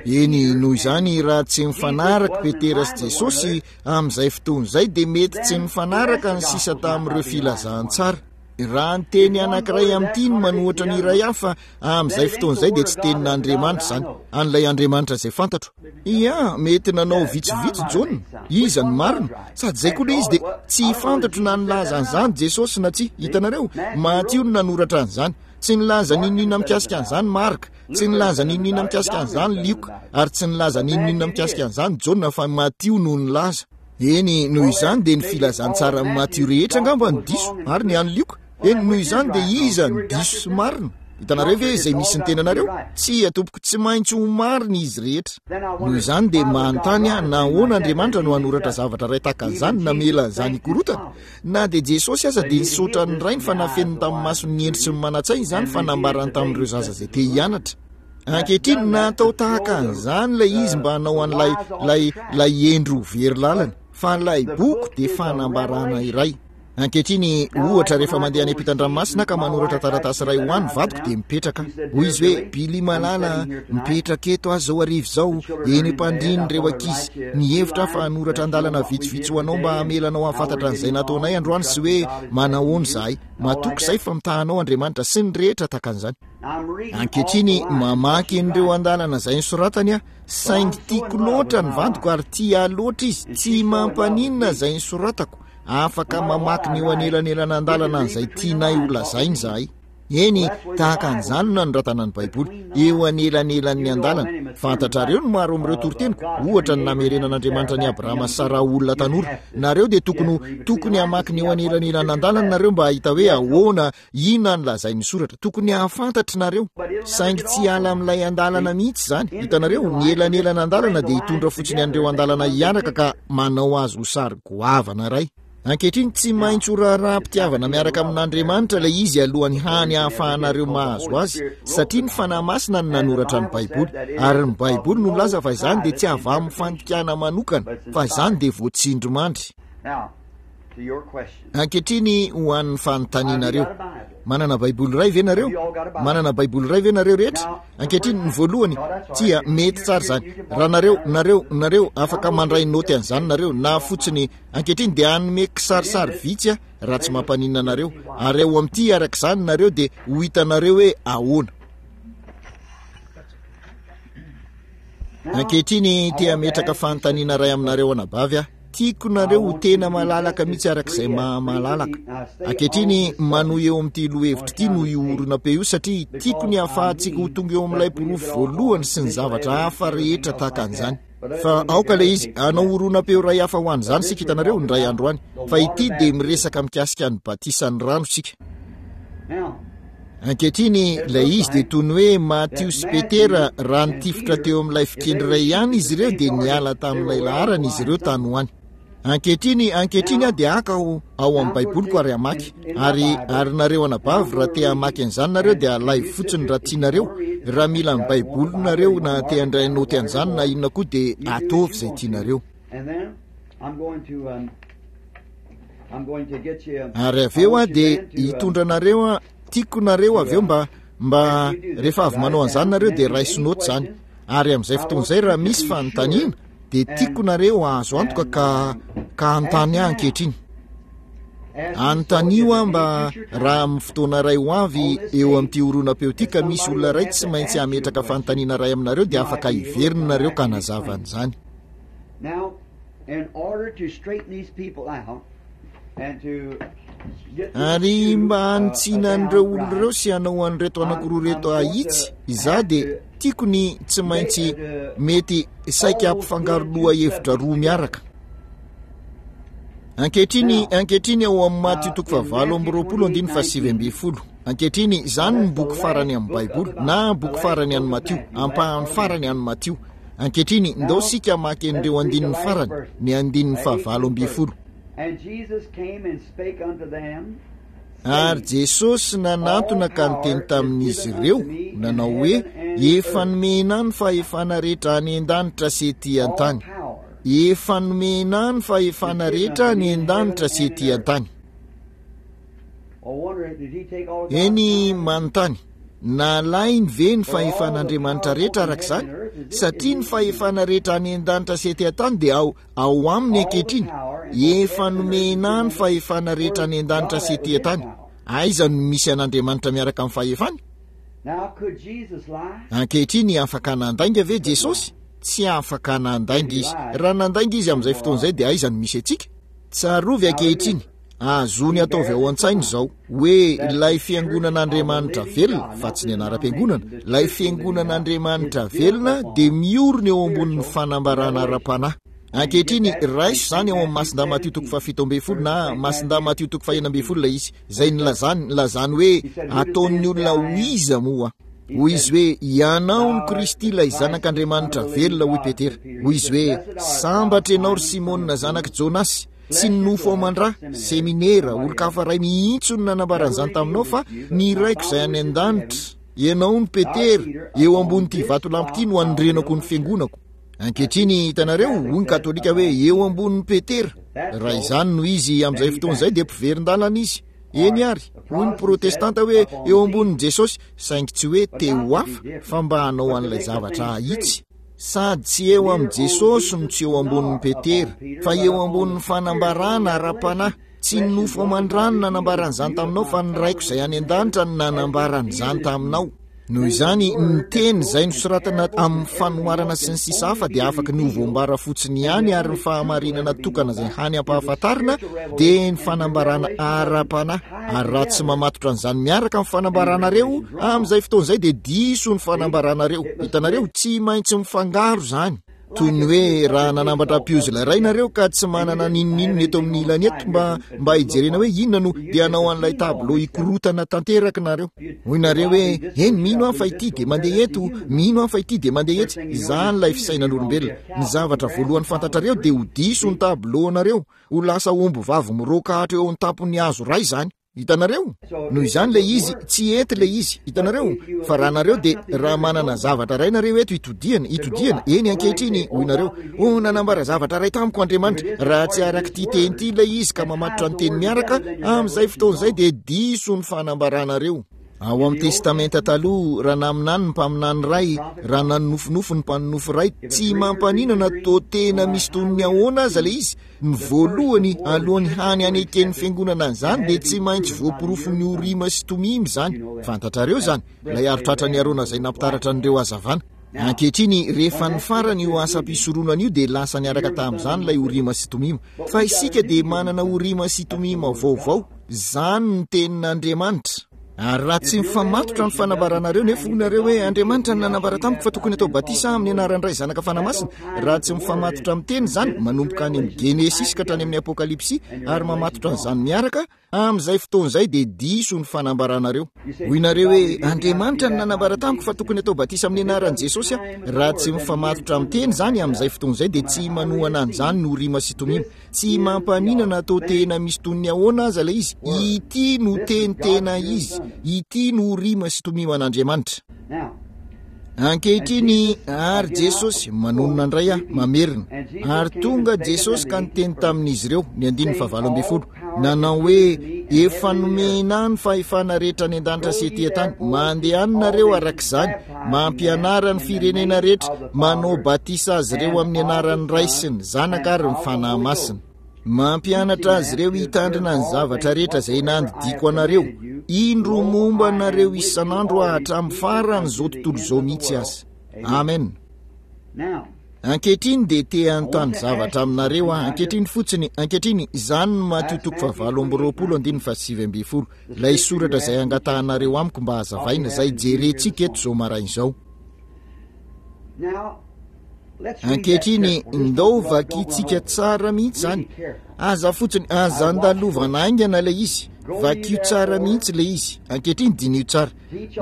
Eny, noho izany, raha tsy mifanaraka Petera sy Jesosy amin'izay fotoana izay, dia mety tsy mifanaraka ny sisa tamin'ireo filazantsara. Raha ny teny anankiray amin'ity no manohatra ny iray hafa, amin'izay fotoana izay dia tsy tenin'Andriamanitra izany, an'ilay Andriamanitra izay fantatro. Ia, mety nanao vitsivitsy Jaona. Iza no marina? Sady izay koa ilay izy dia tsy fantatro na nilaza an'izany Jesosy na tsia. Hitanareo? Matio no nanoratra an'izany. Tsy nilaza n'inon'inona mikasika an'izany Marka. Tsy nilaza n'inon'inona mikasika an'izany Lioka, ary tsy nilaza n'inon'inona mikasika an'izany Jaona, fa Matio no nilaza. Eny, noho izany dia ny filazantsaran'i Matio rehetra angamba no diso, ary ny an'i Lioka. Eny, noho izany dia iza no diso sy marina? Hitanareo ve izay misy ny tenanareo? Tsia, tompoko, tsy maintsy ho marina izy rehetra. Noho izany dia manontany aho, nahoana Andriamanitra no hanoratra zavatra iray tahaka an'izany, namela an'izany hikorotana? Na dia Jesosy aza dia nisaotra ny Rainy fa nafeniny tamin'ny mason'ny hendry sy ny manan-tsaina izany fa nambarany tamin'ireo zaza izay te hianatra. Ankehitriny, natao tahaka an'izany ilay izy mba hanao an'ilay, ilay, ilay hendry ho very lalana. Fa ilay boky dia fanambarana iray. Ankehitriny, ohatra, rehefa mandeha any ampitan-dranomasina aho ka manoratra taratasy iray ho ahy ny vadiko dia mipetraka aho. Hoy izy hoe, Billy malala a, mipetraka eto aho izao hariva izao, eny am-pandrian'ireo ankizy. Nihevitra aho fa hanoratra andalana vitsivitsy ho anao mba hamela anao hahafantatra an'izay nataonay androany sy hoe manahoana izahay. Matoky izahay fa mitaha anao Andriamanitra sy ny rehetra tahaka an'izany. Ankehitriny, mamaky an'ireo andalana izay nosoratany aho, saingy tiako loatra ny vadiko ary tia ahy loatra izy, tsy mampaninona izay nosoratako, afaka mamaky ny eo anelanelan'andalana an'izay tianay holazaina izahay. Eny, tahaka an'izany no nanoratana ny Baiboly, eo anelanelan'ny andalana. Fantatrareo ny maro amin'ireo toriteniko, ohatra ny namerenan'Andriamanitra an'i Abrahama sy Saraha ho olona tanora. Nareo dia tokony ho, tokony hamaky ny eo anelanelan'andalana nareo mba hahita hoe ahoana, inona no lazain'ny soratra. Tokony hahafantatra nareo. Saingy tsy hiala amin'ilay andalana mihitsy izany. Hitanareo, ny elanelan'andalana dia hitondra fotsiny an'ireo andalana hiaraka ka manao azy ho sary goavana iray. Ankehitriny, tsy maintsy ho raharaham-pitiavana miaraka amin'Andriamanitra ilay izy alohan'ny hany hahafahanareo mahazo azy, satria ny Fanahy Masina no nanoratra ny Baiboly, ary ny Baiboly no milaza fa izany dia tsy avy amin'ny fandikana manokana, fa izany dia voatsindrimandry. Ankehitriny, ho an'ny fanontanianareo. Manana Baiboly iray ve nareo? Manana Baiboly iray ve nareo rehetra? Ankehitriny, ny voalohany, tsia, mety tsara izany. Raha nareo, nareo, nareo, afaka mandray naoty an'izany nareo, na fotsiny Ankehitriny dia hanome kisarisary vitsy aho raha tsy mampaninona anareo, ary ao amin'ity araka izany nareo dia ho hitanareo hoe ahoana. Ankehitriny te hametraka fanontaniana iray aminareo anabavy aho. Tiako nareo ho tena malalaka mihitsy arak'izay maha-malalaka. Ankehitriny, manohy eo amin'ity lohahevitra ity noho io horonam-peo io satria tiako ny hahafahantsika ho tonga eo amin'ilay porofo voalohany sy ny zavatra hafa rehetra tahaka an'izany. Fa aoka ilay izy, hanao horonam-peo iray hafa ho an'izany isika, hitanareo, indray andro any. Fa ity dia miresaka mikasika ny batisan'ny rano isika. Ankehitriny, ilay izy dia toy ny hoe Matio sy Petera, raha nitifitra teo amin'ilay fikendry iray ihany izy ireo, dia niala tamin'ilay laharana izy ireo tany ho any. Ankehitriny, ankehitriny aho dia haka ao, ao amin'ny Baiboliko ary hamaky. Ary, ary nareo anabavy, raha te hamaky an'izany nareo, dia alaivo fotsiny raha tianareo. Raha mila ny Baiboly nareo, na te handray naoty an'izany, na inona koa, dia ataovy izay tianareo. Ary avy eo aho dia hitondra anareo aho, tiako nareo avy eo mba, mba rehefa avy manao an'izany nareo dia raiso note izany. Ary amin'izay fotoana izay raha misy fanontaniana dia tiako nareo hahazo antoka ka, ka hanontany ahy ankehitriny. Anontanio aho mba raha amin'ny fotoana iray ho avy eo amin'ity horonam-peo ity ka misy olona iray tsy maintsy hametraka fanontaniana iray aminareo dia afaka hiverina nareo ka hanazava an'izany. Now, in order to straighten these people out and to Ary mba hanitsiana an'ireo olona ireo sy hanao an'ireto anankiroa ireto hahitsy, izaho dia tiako ny tsy maintsy mety saika hampifangaro lohahevitra roa miaraka. Ankehitriny, ankehitriny ao amin'ny Matio toko fahavalo amby roapolo andininy faha-19. Ankehitriny, izany ny boky farany amin'ny Baiboly, na boky farany an'i Matio, ampahany farany an'i Matio. Ankehitriny, ndao isika hamaky an'ireo andininy farany, ny andininy faha-18. Ary Jesosy nanantona ka niteny tamin'izy ireo, nanao hoe, Efa nomena ahy ny fahefana rehetra any an-danitra sy ety an-tany. Efa nomena ahy ny fahefana rehetra any an-danitra sy ety an-tany. Eny, manontany, nalainy ve ny fahefan'Andriamanitra rehetra araka izany? Satria ny fahefana rehetra any an-danitra sy ety an-tany dia ao, ao aminy ankehitriny. Efa nomena ny fahefana rehetra any an-danitra sy ety an-tany. Aiza no misy an'Andriamanitra miaraka amin'ny fahefany? Ankehitriny, afaka nandainga ve Jesosy? Tsy afaka nandainga Izy. Raha nandainga Izy amin'izay fotoana izay dia aiza no misy antsika? Tsarovy ankehitriny, Azony ataovy ao an-tsaina izao, hoe ilay Fiangonan'Andriamanitra velona, fa tsy ny anaram-piangonana, ilay Fiangonan'Andriamanitra velona dia miorina eo ambonin'ny fanambarana ara-panahy. Ankehitriny, raiso izany ao amin'ny Masindahy Matio toko faha-17 na Masindahy Matio toko faha-16 ilay izy, izay nilazany, nilazany hoe, Ataon'ny olona ho iza moa Aho? Hoy izy hoe, Ianao no Kristy, ilay Zanak'Andriamanitra velona, hoy Petera. Hoy izy hoe, Sambatra ianao, ry Simona, zanak'i Jonasy, Tsy ny nofo aman-dra, seminera, olon-kafa iray mihitsy no nanambara an'izany taminao fa ny Raiko izay any an-danitra. Ianao no Petera, eo ambonin'ity vatolampy ity no hanorenako ny fiangonako. Ankehitriny, hitanareo, hoy ny Katolika hoe, eo ambonin'i Petera. Raha izany no izy amin'izay fotoana izay dia mpiverin-dalana izy. Eny ary, hoy ny Protestanta hoe, eo ambonin'i Jesosy, saingy tsy hoe te ho hafa fa mba hanao an'ilay zavatra hahitsy. Sady tsy eo amin'i Jesosy no tsy eo ambonin'i Petera, fa eo ambonin'ny fanambarana ara-panahy. Tsy ny nofo aman-drà no nanambara an'izany taminao, fa ny Raiko izay any an-danitra no nanambara an'izany taminao. Noho izany, ny teny izay nosoratana amin'ny fanoharana sy ny sisa hafa dia afaky ny ho voambara fotsiny ihany ary ny fahamarinana tokana izay hany ampahafantarina dia ny fanambarana ara-panahy. Ary raha tsy mamatotra an'izany miaraka amin'ny fanambaranareo, amin'izay fotoana izay dia diso ny fanambaranareo. Hitanareo, tsy maintsy mifangaro izany. Toy ny hoe raha nanambatra puzzle iray nareo ka tsy manana n'inon'inona eto amin'ny ilany eto mba, mba hijerena hoe inona no dia hanao an'ilay tableau hikorotana tanteraka nareo. Hoy nareo hoe, eny, mino aho fa ity dia mandeha eto, mino aho fa ity dia mandeha etsy. Izany ilay fisainan'olombelona. Ny zavatra voalohany fantatrareo dia ho diso ny tableau-nareo. Ho lasa omby vavy miroaka hatreo eo an-tampon'ny hazo iray izany. Hitanareo? Noho izany ilay izy, tsy hety ilay izy. Hitanareo? Fa raha nareo dia, raha manana zavatra iray nareo eto hitodihana, hitodihana, eny ankehitriny, hoy nareo, Oh, nanambara zavatra iray tamiko Andriamanitra. Raha tsy arak'ity teny ity ilay izy ka mamatotra ny teny miaraka, amin'izay fotoana izay dia diso ny fanambaranareo. Ao amin'ny Testamenta Taloha, raha naminany ny mpaminany iray, raha nanonofinofy ny mpanonofy iray, tsy mampaninona toa tena misy toy ny ahoana aza ilay izy, Ny voalohany, alohan'ny hany haneken'ny fiangonana an'izany, dia tsy maintsy voaporofon'ny Orima sy Tomima izany. Fantatrareo izany, ilay aro-tratran'i Arona izay nampitaratra an'ireo hazavana. Ankehitriny, rehefa nifarana io asam-pisoronana io dia lasa niaraka tamin'izany ilay Orima sy Tomima. Fa isika dia manana Orima sy Tomima vaovao. Izany no Tenin'Andriamanitra. Ary raha tsy mifamatotra ny fanambaranareo nefa hoy nareo hoe Andriamanitra no nanambara tamiko fa tokony atao batisa aho amin'ny anaran'ny Ray, Zanaka, Fanahy Masina, raha tsy mifamatotra amin'ny Teny izany, manomboka any amin'ny Genesisy ka hatrany amin'ny Apokalypsy, ary mamatotra an'izany miaraka, amin'izay fotoana izay dia diso ny fanambaranareo. Hoy nareo hoe Andriamanitra no nanambara tamiko fa tokony atao batisa amin'ny anaran'i Jesosy aho, raha tsy mifamatotra amin'ny Teny izany, amin'izay fotoana izay dia tsy manohana an'izany ny Orima sy Tomima. Tsy mampaninona na atao tena misy toy ny ahoana aza ilay izy, ity no teny tena izy, ity no Orima sy Tomima an'Andriamanitra. Ankehitriny, ary Jesosy, manonona indray aho, mamerina, ary tonga Jesosy ka niteny tamin'izy ireo, ny andininy fahavalo ambin'ny folo, nanao hoe, Efa nomena ahy ny fahefana rehetra any an-danitra sy ety an-tany, mandehana nareo araka izany, Mampianara ny firenena rehetra, manao batisa azy ireo amin'ny anaran'ny Ray sy ny Zanaka ary ny Fanahy Masina. Mampianatra azy ireo hitandrina ny zavatra rehetra izay nandidiako anareo. Indro momba anareo isan'andro aho hatramin'ny faran'izao tontolo izao mihitsy aza. Amen. Ankehitriny dia te hanontany zavatra aminareo aho. Ankehitriny fotsiny, ankehitriny, izany no Matio toko fahavalo amby roapolo andininy fahasivy ambin'ny folo. Ilay soratra izay angatahanareo amiko mba hazavaina, izay jerentsika eto izao maraina izao. Ankehitriny, ndao vakintsika tsara mihitsy izany. Aza fotsiny, aza andalovana haingana ilay izy. Vakio tsara mihitsy ilay izy. Ankehitriny, diniho tsara.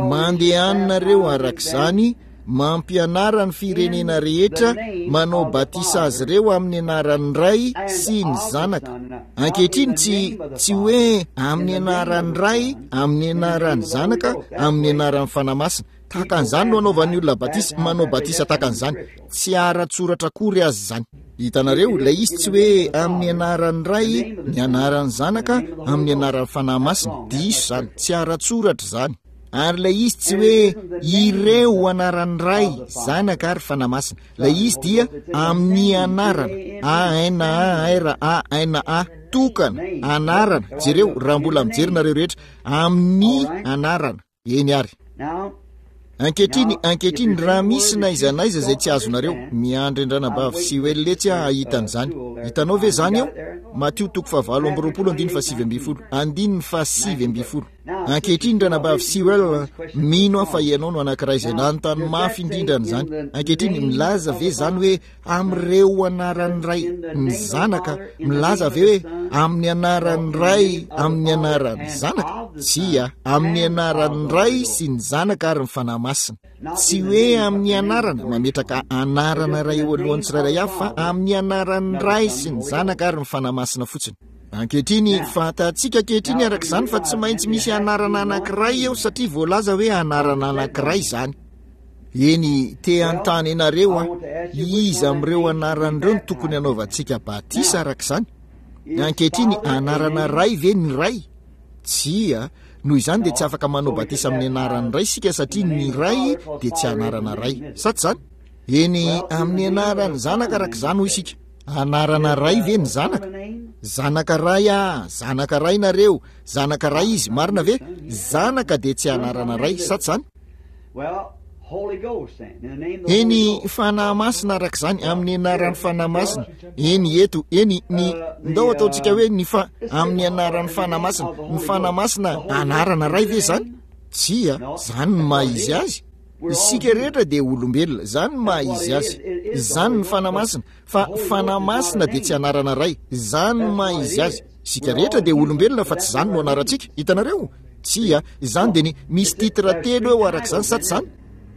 Mandehanareo araka izany. Mampianara ny firenena rehetra, manao batisa azy ireo amin'ny anaran'ny Ray sy ny Zanaka. Ankehitriny tsy, tsy hoe amin'ny anaran'ny Ray, amin'ny anaran'ny Zanaka, amin'ny anaran'ny Fanahy Masina. Tahaka an'izany no anaovan'ny olona batisa, manao batisa tahaka an'izany. Tsy ara-tsoratra akory aza izany. Hitanareo, ilay izy tsy hoe amin'ny anaran'ny Ray, ny anaran'ny Zanaka, amin'ny anaran'ny Fanahy Masina. Diso izany, tsy ara-tsoratra izany. Ary ilay izy tsy hoe ireo anaran'ny Ray, Zanaka ary Fanahy Masina. Ilay izy dia amin'ny anarana, A-N-A-R-A-N-A, tokana, anarana. Jereo, raha mbola mijery nareo rehetra, amin'ny anarana. Eny ary. Ankehitriny, ankehitriny, raha misy na aiza na aiza izay tsy azonareo, miandry an-dRanabavy Sewell etsy aho hahita an'izany. Hitanao ve izany eo? Matio toko fahavalo amby roapolo andininy fahasivy ambin'ny folo. Andininy fahasivy ambin'ny folo. Ankehitriny, Ranabavy Sewell, mino aho fa ianao no anankiray izay nanontany mafy indrindra an'izany. Ankehitriny, milaza ve izany hoe amin'ireo anaran'ny Ray, ny Zanaka? Milaza ve hoe amin'ny anaran'ny Ray, amin'ny anaran'ny Zanaka? Tsia, amin'ny anaran'ny Ray sy ny Zanaka ary ny Fanahy Masina. Tsy hoe amin'ny anarana, mametraka anarana iray eo alohan'ny tsirairay avy, fa amin'ny anaran'ny Ray sy ny Zanaka ary ny Fanahy Masina fotsiny. Ankehitriny, fantatsika ankehitriny araka izany fa tsy maintsy misy anarana anankiray eo satria voalaza hoe anarana anankiray izany. Eny, te hanontany anareo aho, iza amin'ireo anarana ireo no tokony hanaovantsika batisa araka izany? Ankehitriny, anarana Ray ve ny Ray? Tsia, noho izany dia tsy afaka manao batisa amin'ny anaran'ny Ray isika satria ny Ray dia tsy anarana Ray. Sa tsy izany? Eny, amin'ny anaran'ny Zanaka araka izany hoy isika. Anarana ray ve ny zanaka? Zanaka ray ah, zanaka ray nareo, zanaka ray izy, marina ve? Zanaka dia tsy anarana ray, sa tsy zany? Eny, Fanahy Masina araka izany, amin'ny anaran'ny Fanahy Masina. Eny, eto, eny, ny, ndao ataontsika hoe ny fa, amin'ny anaran'ny Fanahy Masina. Ny Fanahy Masina, anarana ray ve zany? Tsia, zany ny maha izy azy. Isika rehetra dia olombelona, izany ny maha izy azy. Izany ny Fanahy Masina, fa Fanahy Masina dia tsy anarana iray, izany ny maha izy azy. Isika rehetra dia olombelona fa tsy izany no anarantsika. Hitanareo? Tsia, izany dia ny, misy titre telo eo araka izany, sa tsy izany?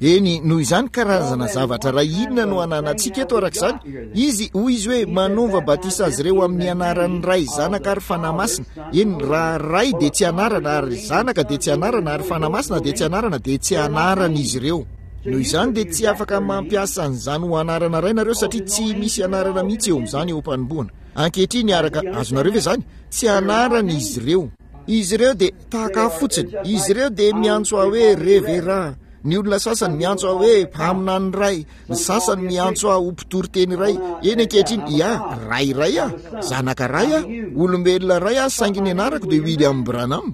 Eny, noho izany karazana zavatra iray inona no ananantsika eto araka izany? Izy, hoy izy hoe, manova batisa azy ireo amin'ny anaran'ny Ray, Zanaka ary Fanahy Masina. Eny, raha Ray dia tsy anarana, ary Zanaka dia tsy anarana, ary Fanahy Masina dia tsy anarana, dia tsy anarana izy ireo. Noho izany dia tsy afaka mampiasa an'izany ho anarana Ray nareo satria tsy misy anarana mihitsy eo amin'izany eo am-panombohana. Ankehitriny, araka, azonareo ve izany? Tsy anarana izy ireo. Izy ireo dia tahaka ahy fotsiny. Izy ireo dia miantso ahy hoe Reverend. Ny olona sasany miantso ahy hoe mpaminany iray. Ny sasany miantso ahy ho mpitory teny iray. Eny ankehitriny, ia, ray iray aho, zanaka ray aho, olombelona iray aho, saingy ny anarako dia William Branham.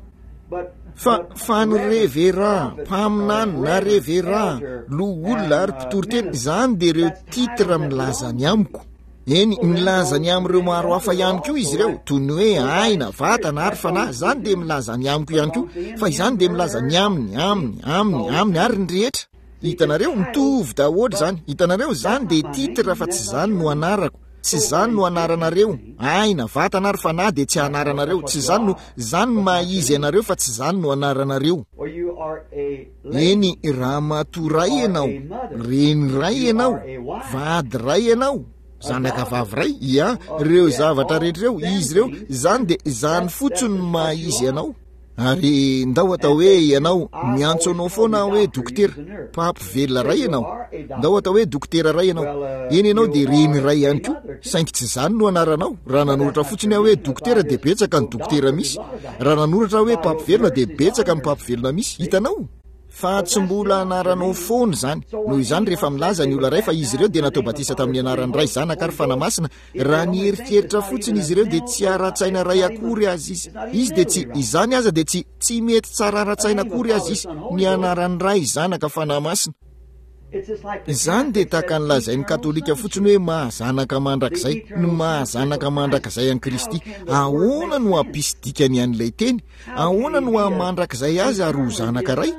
Fa, fa ny reverà, mpaminany, na reverà, loholona ary mpitoriteny, izany dia ireo titre milaza ny amiko. Eny, milaza ny amin'ireo maro hafa ihany koa izy ireo, toy ny hoe aina, vatana ary fanahy. Izany dia milaza ny amiko ihany koa, fa izany dia milaza ny aminy, aminy, aminy, aminy ary ny rehetra. Hitanareo, mitovy daholo izany. Hitanareo, izany dia titre fa tsy izany no anarako. Tsy izany no anaranareo. Aina, vatana ary fanahy dia tsy anaranareo. Tsy izany no, izany no maha izy anareo fa tsy izany no anaranareo. Eny, ramatoa ray ianao, reny ray ianao, vady ray ianao, zanaka vavy ray, ia, ireo zavatra rehetra ireo, izy ireo, izany dia izany fotsiny no maha izy anao. Ary ndao atao hoe ianao, miantso anao foana aho hoe dokotera, mpampivelona ray ianao. Ndao atao hoe dokotera ray ianao. Eny ianao dia reny ray ihany koa, saingy tsy izany no anaranao. Raha nanoratra fotsiny aho hoe dokotera dia betsaka ny dokotera misy. Raha nanoratra aho hoe mpampivelona dia betsaka ny mpampivelona misy. Hitanao? Fa tsy mbola anaranao foana izany. Noho izany rehefa milaza ny olona iray fa izy ireo dia natao batisa tamin'ny anaran'ny Ray, Zanaka ary Fanahy Masina, raha nieritreritra fotsiny izy ireo dia tsy ara-tsaina iray akory aza izy. Izy dia tsy, izany aza dia tsy, tsy mety tsara ara-tsaina akory aza izy, ny anaran'ny Ray, Zanaka, Fanahy Masina. Izany dia tahaka ny lazain'ny Katolika fotsiny hoe maha zanaka mandrakizay, ny maha zanaka mandrakizay an'i Kristy. Ahoana no hampisy dikany an'ilay teny? Ahoana no haha mandrakizay azy ary ho zanaka ray?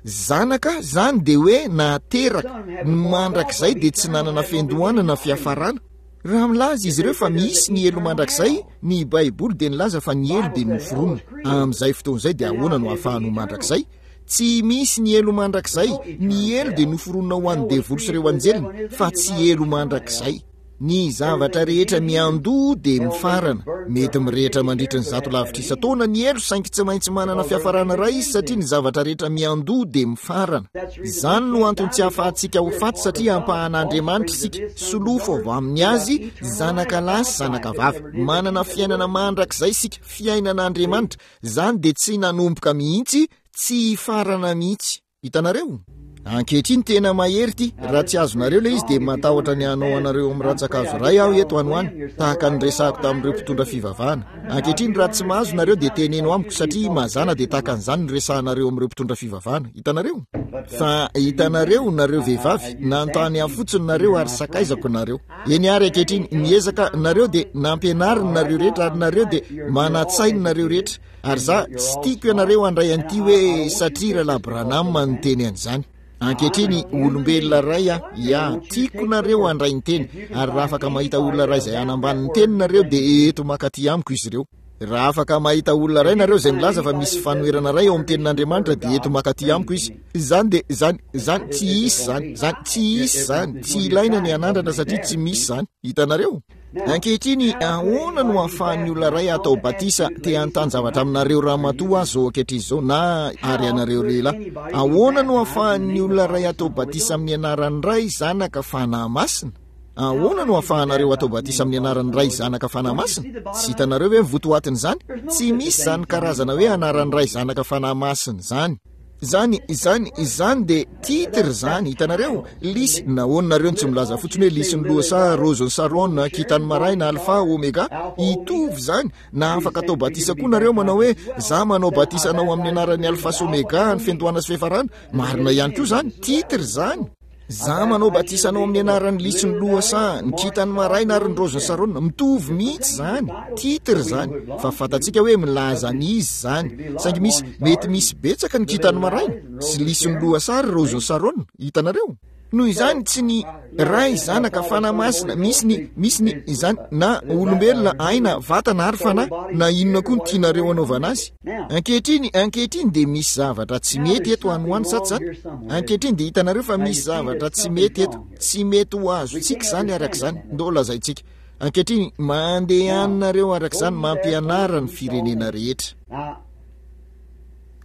Zanaka, izany dia hoe nateraka. Ny mandrakizay dia tsy nanana fiandohana na fiafarana. Raha milaza izy ireo fa misy ny helo mandrakizay, ny Baiboly dia nilaza fa ny helo dia noforonina. Amin'izay fotoana izay dia ahoana no hahafahany ho mandrakizay? Tsy misy ny helo mandrakizay. Ny helo dia noforonina ho an'ny devoly sy ireo anjeliny, fa tsy helo mandrakizay. Ny zavatra rehetra miandoha dia mifarana. Mety mirehitra mandritra ny zato lavitrisa taona ny helo, saingy tsy maintsy manana fiafarana iray izy satria ny zavatra rehetra miandoha dia mifarana. Izany no antony tsy ahafahantsika ho faty satria ampahan'Andriamanitra isika, solofo avy amin'ny Azy, zanaka lahy sy zanaka vavy. Manana fiainana mandrakizay isika, fiainan'Andriamanitra. Izany dia tsy nanomboka mihitsy, tsy hifarana mihitsy. Hitanareo? Ankehitriny tena mahery ity. Raha tsy azonareo ilay izy dia matahotra ny hanao anareo amin'ny rantsan-kazo iray aho eto any ho any, tahaka ny resahako tamin'ireo mpitondra fivavahana. Ankehitriny raha tsy mahazo nareo dia teneno amiko satria mazàna dia tahaka an'izany ny resahanareo amin'ireo mpitondra fivavahana. Hitanareo? Fa hitanareo, nareo vehivavy, nanontany ahy fotsiny nareo ary sakaizako nareo. Eny ary ankehitriny, miezaka nareo dia nampianariny nareo rehetra ary nareo dia manatsainy nareo rehetra. Ary za, tsy tiako ianareo handray an'ity hoe satria Rahalahy Branham niteny an'izany. Ankehitriny, olombelona iray aho, ya, tiako nareo handray ny teny. Ary raha afaka mahita olona iray izay hanambany ny teny nareo dia eto mankaty amiko izy ireo. Raha afaka mahita olona iray nareo izay milaza fa misy fanoherana iray ao amin'ny tenin'Andriamanitra dia eto mankaty amiko izy. Izany dia, izany, izany, tsy hisy izany, izany, tsy hisy izany, tsy ilaina ny hanandrana satria tsy misy izany. Hitanareo? Ankehitriny, ahoana no ahafahan'ny olona iray atao batisa, te hanontany zavatra aminareo ramatoa aho izao ankehitriny izao, na ary ianareo lehilahy. Ahoana no ahafahan'ny olona iray atao batisa amin'ny anaran'ny Ray, Zanaka, Fanahy Masina? Ahoana no ahafahanareo atao batisa amin'ny anaran'ny Ray, Zanaka, Fanahy Masina? Tsy hitanareo ve ny votoatin'izany? Tsy misy izany karazana hoe anaran'ny Ray, Zanaka, Fanahy Masina izany. Izany, izany, izany dia titre izany, hitanareo? Lisy, nahoana nareo no tsy milaza fotsiny hoe lisin'ny lohasaha, rozin'ny Sarona, kintan'ny maraina, alfa, omega? Hitovy izany. Na afaka atao batisa koa nareo manao hoe, za manao batisa anao amin'ny anaran'ny alfa sy omega, ny fiandohana sy fiafarana. Marina ihany koa izany, titre izany. Za manao batisa anao amin'ny anaran'ny lisy ny lohasaha, ny kintan'ny maraina ary ny raozin'i Sarona. Mitovy mihitsy izany. Titre izany. Fa fantatsika hoe milaza an'iza izany. Saingy misy, mety misy betsaka ny kintan'ny maraina, sy lisy ny lohasaha ary raozin'i Sarona. Hitanareo? Noho izany, tsy ny Ray, Zanaka, Fanahy Masina, misy ny, misy ny, izany, na olombelona, aina, vatana ary fanahy, na inona koa no tianareo hanaovana azy. Ankehitriny, ankehitriny dia misy zavatra tsy mety eto any ho any, sa tsy izany? Ankehitriny dia hitanareo fa misy zavatra tsy mety eto. Tsy mety ho azontsika izany araka izany. Ndao lazaintsika. Ankehitriny, mandehana nareo araka izany, mampianara ny firenena rehetra.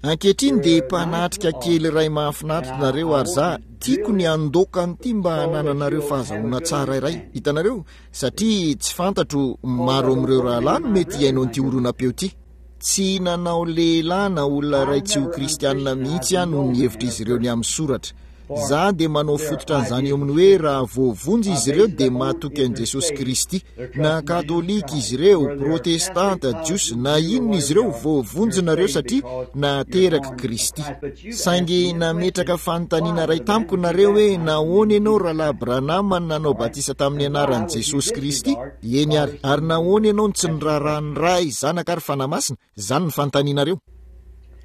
Ankehitriny dia mpanatrika kely iray mahafinaritra nareo ary za tiako ny handoaka an'ity mba hanananareo fahazahoana tsara iray. Hitanareo? Satria tsy fantatro maro amin'ireo rahalahy no mety hihaino an'ity horonam-peo ity. Tsy nanao lehilahy na olona iray tsy ho kristianina mihitsy aho noho ny hevitr'izy ireo ny amin'ny soratra. Za dia manao fototra an'izany eo amin'ny hoe raha voavonjy izy ireo dia matoky an'i Jesosy Kristy. Na katolika izy ireo, protestanta, jiosy, na inona izy ireo, voavonjy nareo satria naterak'i Kristy. Saingy nametraka fanontaniana iray tamiko nareo hoe nahoana ianao Rahalahy Branham no nanao batisa tamin'ny anaran'i Jesosy Kristy? Eny ary, ary nahoana ianao no tsy niraharaha ny Ray, Zanaka ary Fanahy Masina? Izany ny fanontanianareo.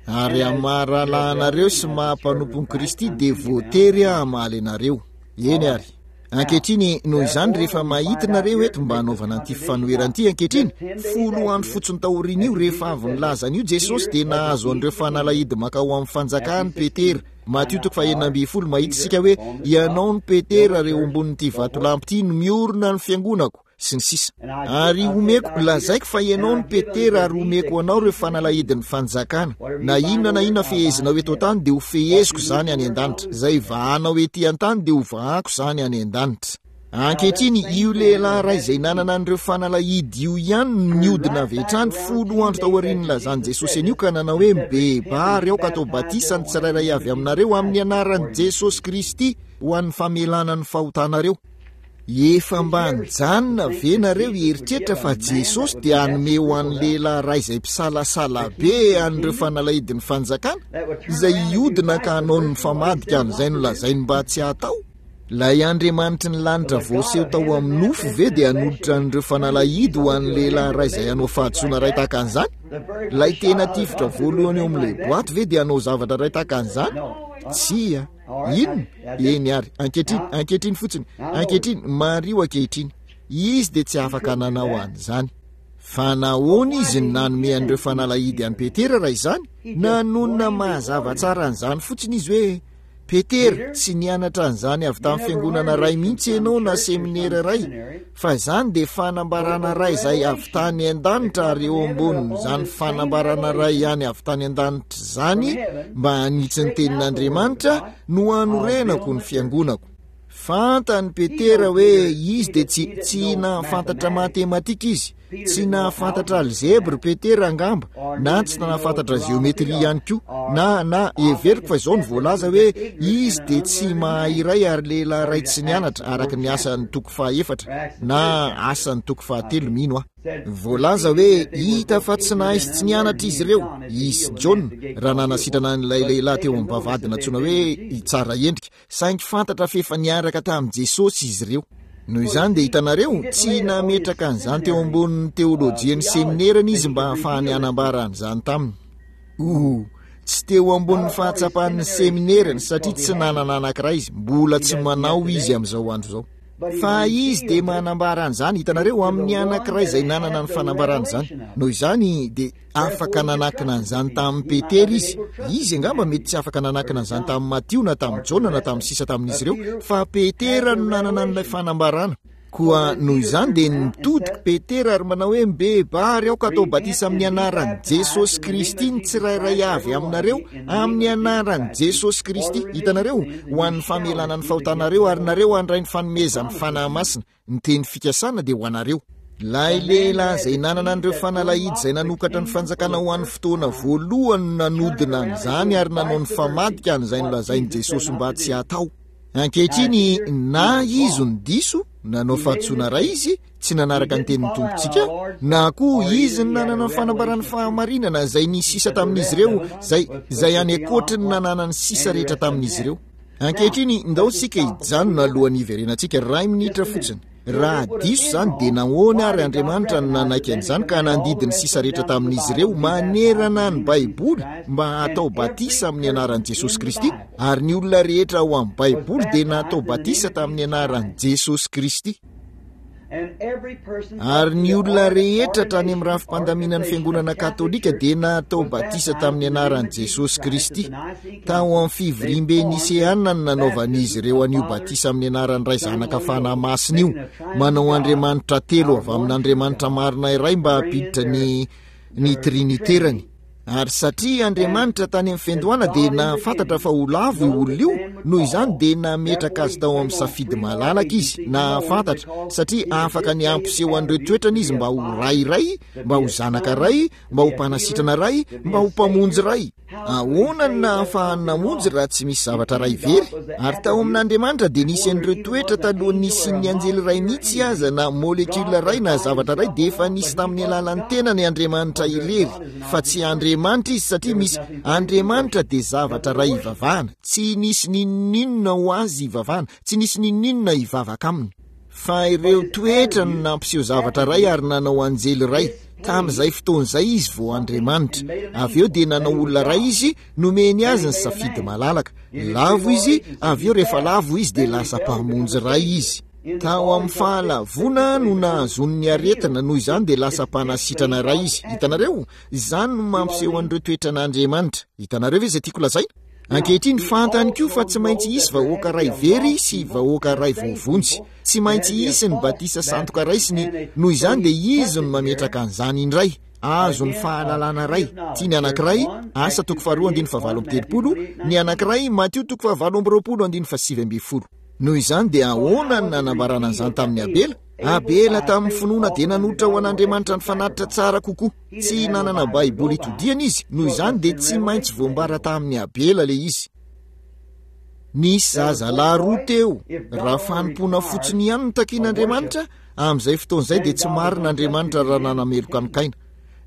Ary amin'ny maha rahalahy anareo sy maha mpanompon'i Kristy dia voatery aho hamaly anareo. Eny ary. Ankehitriny, noho izany, rehefa mahita nareo eto mba hanaovana an'ity fanoherana ity ankehitriny, folo andro fotsiny taorian'io, rehefa avy nilaza an'io Jesosy, dia nahazo an'ireo fanalahidy mankao amin'ny fanjakany Petera. Matio toko fahenina ambin'ny folo, mahita isika hoe, Ianao no Petera, ary eo ambonin'ity vatolampy ity no miorina ny fiangonako. sy ny sisa Ary homeko, lazaiko fa ianao no Petera ary homeko anao ireo fanalahidin'ny fanjakana. Na inona na inona fehezinao eto an-tany dia ho feheziko izany any an-danitra. Izay vahanao ety an-tany dia ho vahako izany any an-danitra. Ankehitriny, io lehilahy iray izay nanana an'ireo fanalahidy io ihany no niodina avy hatrany folo andro taorian'ny nilazan'i Jesosy an'io ka nanao hoe, Mibebaha ary aoka atao batisa ny tsirairay avy aminareo amin'ny anaran'i Jesosy Kristy ho an'ny famelana ny fahotanareo. Efa mba nijanona ve nareo hieritreritra fa Jesosy dia hanome ho an'ny lehilahy iray izay mpisalasala be an'ireo fanalahidin'ny fanjakana, izay hiodina ka hanao ny mifamadika amin'izay nolazainy mba tsy hatao? Ilay Andriamanitry ny lanitra voaseho tao amin'ny nofo ve dia hanolotra an'ireo fanalahidy ho an'ny lehilahy iray izay hanao fahadisoana iray tahaka an'izany? Ilay tena tifitra voalohany eo amin'ilay boaty ve dia hanao zavatra iray tahaka an'izany? Tsia. Inona? Eny ary. Ankehitriny, ankehitriny fotsiny. Ankehitriny, mariho ankehitriny. Izy dia tsy afaka nanao an'izany. Fa nahoana izy no nanome an'ireo fanalahidy an'i Petera raha izany? Nanonona mazava tsara an'izany fotsiny izy hoe, Petera, tsy nianatra an'izany avy tamin'ny fiangonana iray mihitsy ianao na seminera iray, Fa izany dia fanambarana iray izay avy tany an-danitra ary eo ambonin'izany fanambarana iray ihany avy tany an-danitra izany mba hanitsy ny tenin'Andriamanitra no hanorenako ny fiangonako. Fantan'i Petera hoe izy dia tsy, tsy nahafantatra matematika izy. Tsy nahafantatra alzebre Petera angamba, na tsy nahafantatra jeometria ihany koa, na, na, heveriko fa izao no voalaza hoe izy dia tsy mahay iray ary lehilahy iray tsy nianatra araka ny asan'ny toko fahaefatra, na asan'ny toko fahatelo mino aho. Voalaza hoe hita fa tsy nahay sy tsy nianatra izy ireo, izy sy Jaona, raha nanasitrana an'ilay lehilahy teo amin'ny vavahady nantsoina hoe i Tsaraendrika. Saingy fantatra f'efa niaraka tamin'i Jesosy izy ireo. Noho izany dia hitanareo, tsy nametraka an'izany teo ambonin'ny teolojian'ny seminerany izy mba hahafahany hanambara an'izany taminy. Oh, tsy teo ambonin'ny fahatsapan'ny seminerany satria tsy nanana anankiray izy, mbola tsy manao izy amin'izao andro izao. Fa izy dia manambara an'izany, hitanareo, amin'ny anankiray izay nanana ny fanambarana izany. Noho izany dia Afaka nanakina an'izany tamin'i Petera izy. Izy angamba mety tsy afaka nanakina an'izany tamin'i Matio na tamin'i Jaona na tamin'ny sisa tamin'izy ireo, fa Petera no nanana an'ilay fanambarana. Koa noho izany dia nitodika Petera ary manao hoe, Mibebaha ary aoka atao batisa amin'ny anaran'i Jesosy Kristy ny tsirairay avy aminareo, amin'ny anaran'i Jesosy Kristy. Hitanareo? Ho an'ny famelana ny fahotanareo ary nareo handray ny fanomezan'ny Fanahy Masina. Ny teny fikasana dia ho anareo. Ilay lehilahy izay nanana an'ireo fanalahidy izay nanokatra ny fanjakana ho an'ny fotoana voalohany no nanodina an'izany ary nanao ny famadika an'izay nolazain'i Jesosy mba tsy hatao. Ankehitriny, na izy no diso, nanao fahadisoana iray izy, tsy nanaraka ny tenin'ny Tompontsika, na koa izy no nanana ny fanambaran'ny fahamarinana izay ny sisa tamin'izy ireo, izay, izay any ankoatry ny nananan'ny sisa rehetra tamin'izy ireo. Ankehitriny, ndao isika hijanona alohan'ny hiverenantsika, iray minitra fotsiny. Raha diso izany, dia nahoana àry Andriamanitra no nanaiky an'izany ka nandidy ny sisa rehetra tamin'izy ireo manerana ny Baiboly mba hatao batisa amin'ny anaran'i Jesosy Kristy? Ary ny olona rehetra ao amin'ny Baiboly dia natao batisa tamin'ny anaran'i Jesosy Kristy. Ary ny olona rehetra hatrany amin'ny rafi-pandaminan'ny Fiangonana Katolika dia natao batisa tamin'ny anaran'i Jesosy Kristy. Tao amin'ny fivoriambe Niseana no nanaovan'izy ireo an'io batisa amin'ny anaran'ny Ray Zanaka Fanahy Masina io, manao Andriamanitra telo avy amin'Andriamanitra marina iray mba hampiditra ny ny Triniterany. Ary satria Andriamanitra tany amin'ny fiandohana dia nahafantatra fa ho lavo io olona io, noho izany dia nametraka azy tao amin'ny safidy malalaka Izy, nahafantatra, satria afaka ny hampiseho an'ireo toetrany Izy mba ho Ray iray, mba ho Zanaka iray, mba ho Mpanasitrana iray, mba ho Mpamonjy iray. Ahoana no nahafahany namonjy raha tsy misy zavatra iray very? Ary tao amin'Andriamanitra dia nisy an'ireo toetra talohan'ny nisian'ny anjely iray mihitsy aza na molekiola iray na zavatra iray dia efa nisy tamin'ny alalan'ny tenany Andriamanitra irery fa tsy Andriamanitra izy satria misy Andriamanitra dia zavatra iray ivavahana tsy nisy n'inon'inona ho azy ivavahana tsy nisy n'inon'inona hivavaka aminy Fa ireo toetra no nampiseho zavatra iray ary nanao anjely iray. Tamin'izay fotoana izay izy vao Andriamanitra. Avy eo dia nanao olona iray izy, nomeny azy ny safidy malalaka. Lavo izy, avy eo rehefa lavo izy dia lasa mpamonjy iray izy. Tao amin'ny fahalavoana no nahazoany ny aretina, noho izany dia lasa mpanasitrana iray izy. Hitanareo? Izany no mampiseho an'ireo toetran'Andriamanitra. Hitanareo ve izay tiako lazaina? Ankehitriny, fantany koa fa tsy maintsy hisy vahoaka iray very sy vahoaka iray voavonjy. Tsy maintsy hisy ny batisa sandoka iray sy ny, noho izany dia izy no mametraka an'izany indray. Azo ny fahalalana iray. Tia ny anankiray, Asa toko faharoa andininy fahavalo amby 30, ny anankiray, Matio toko fahavalo amby 20 andininy faha-19. Noho izany dia ahoana no nanambarana an'izany tamin'i Abela? Abela tamin'ny finoana dia nanolotra ho an'Andriamanitra ny fanatitra tsara kokoa. Tsy nanana Baiboly hitodihana izy, noho izany dia tsy maintsy voambara tamin'i Abela ilay izy. Nisy zazalahy roa teo. Raha fanompoana fotsiny ihany no takian'Andriamanitra, amin'izay fotoana izay dia tsy marina Andriamanitra raha nanameloka an'i Kaina.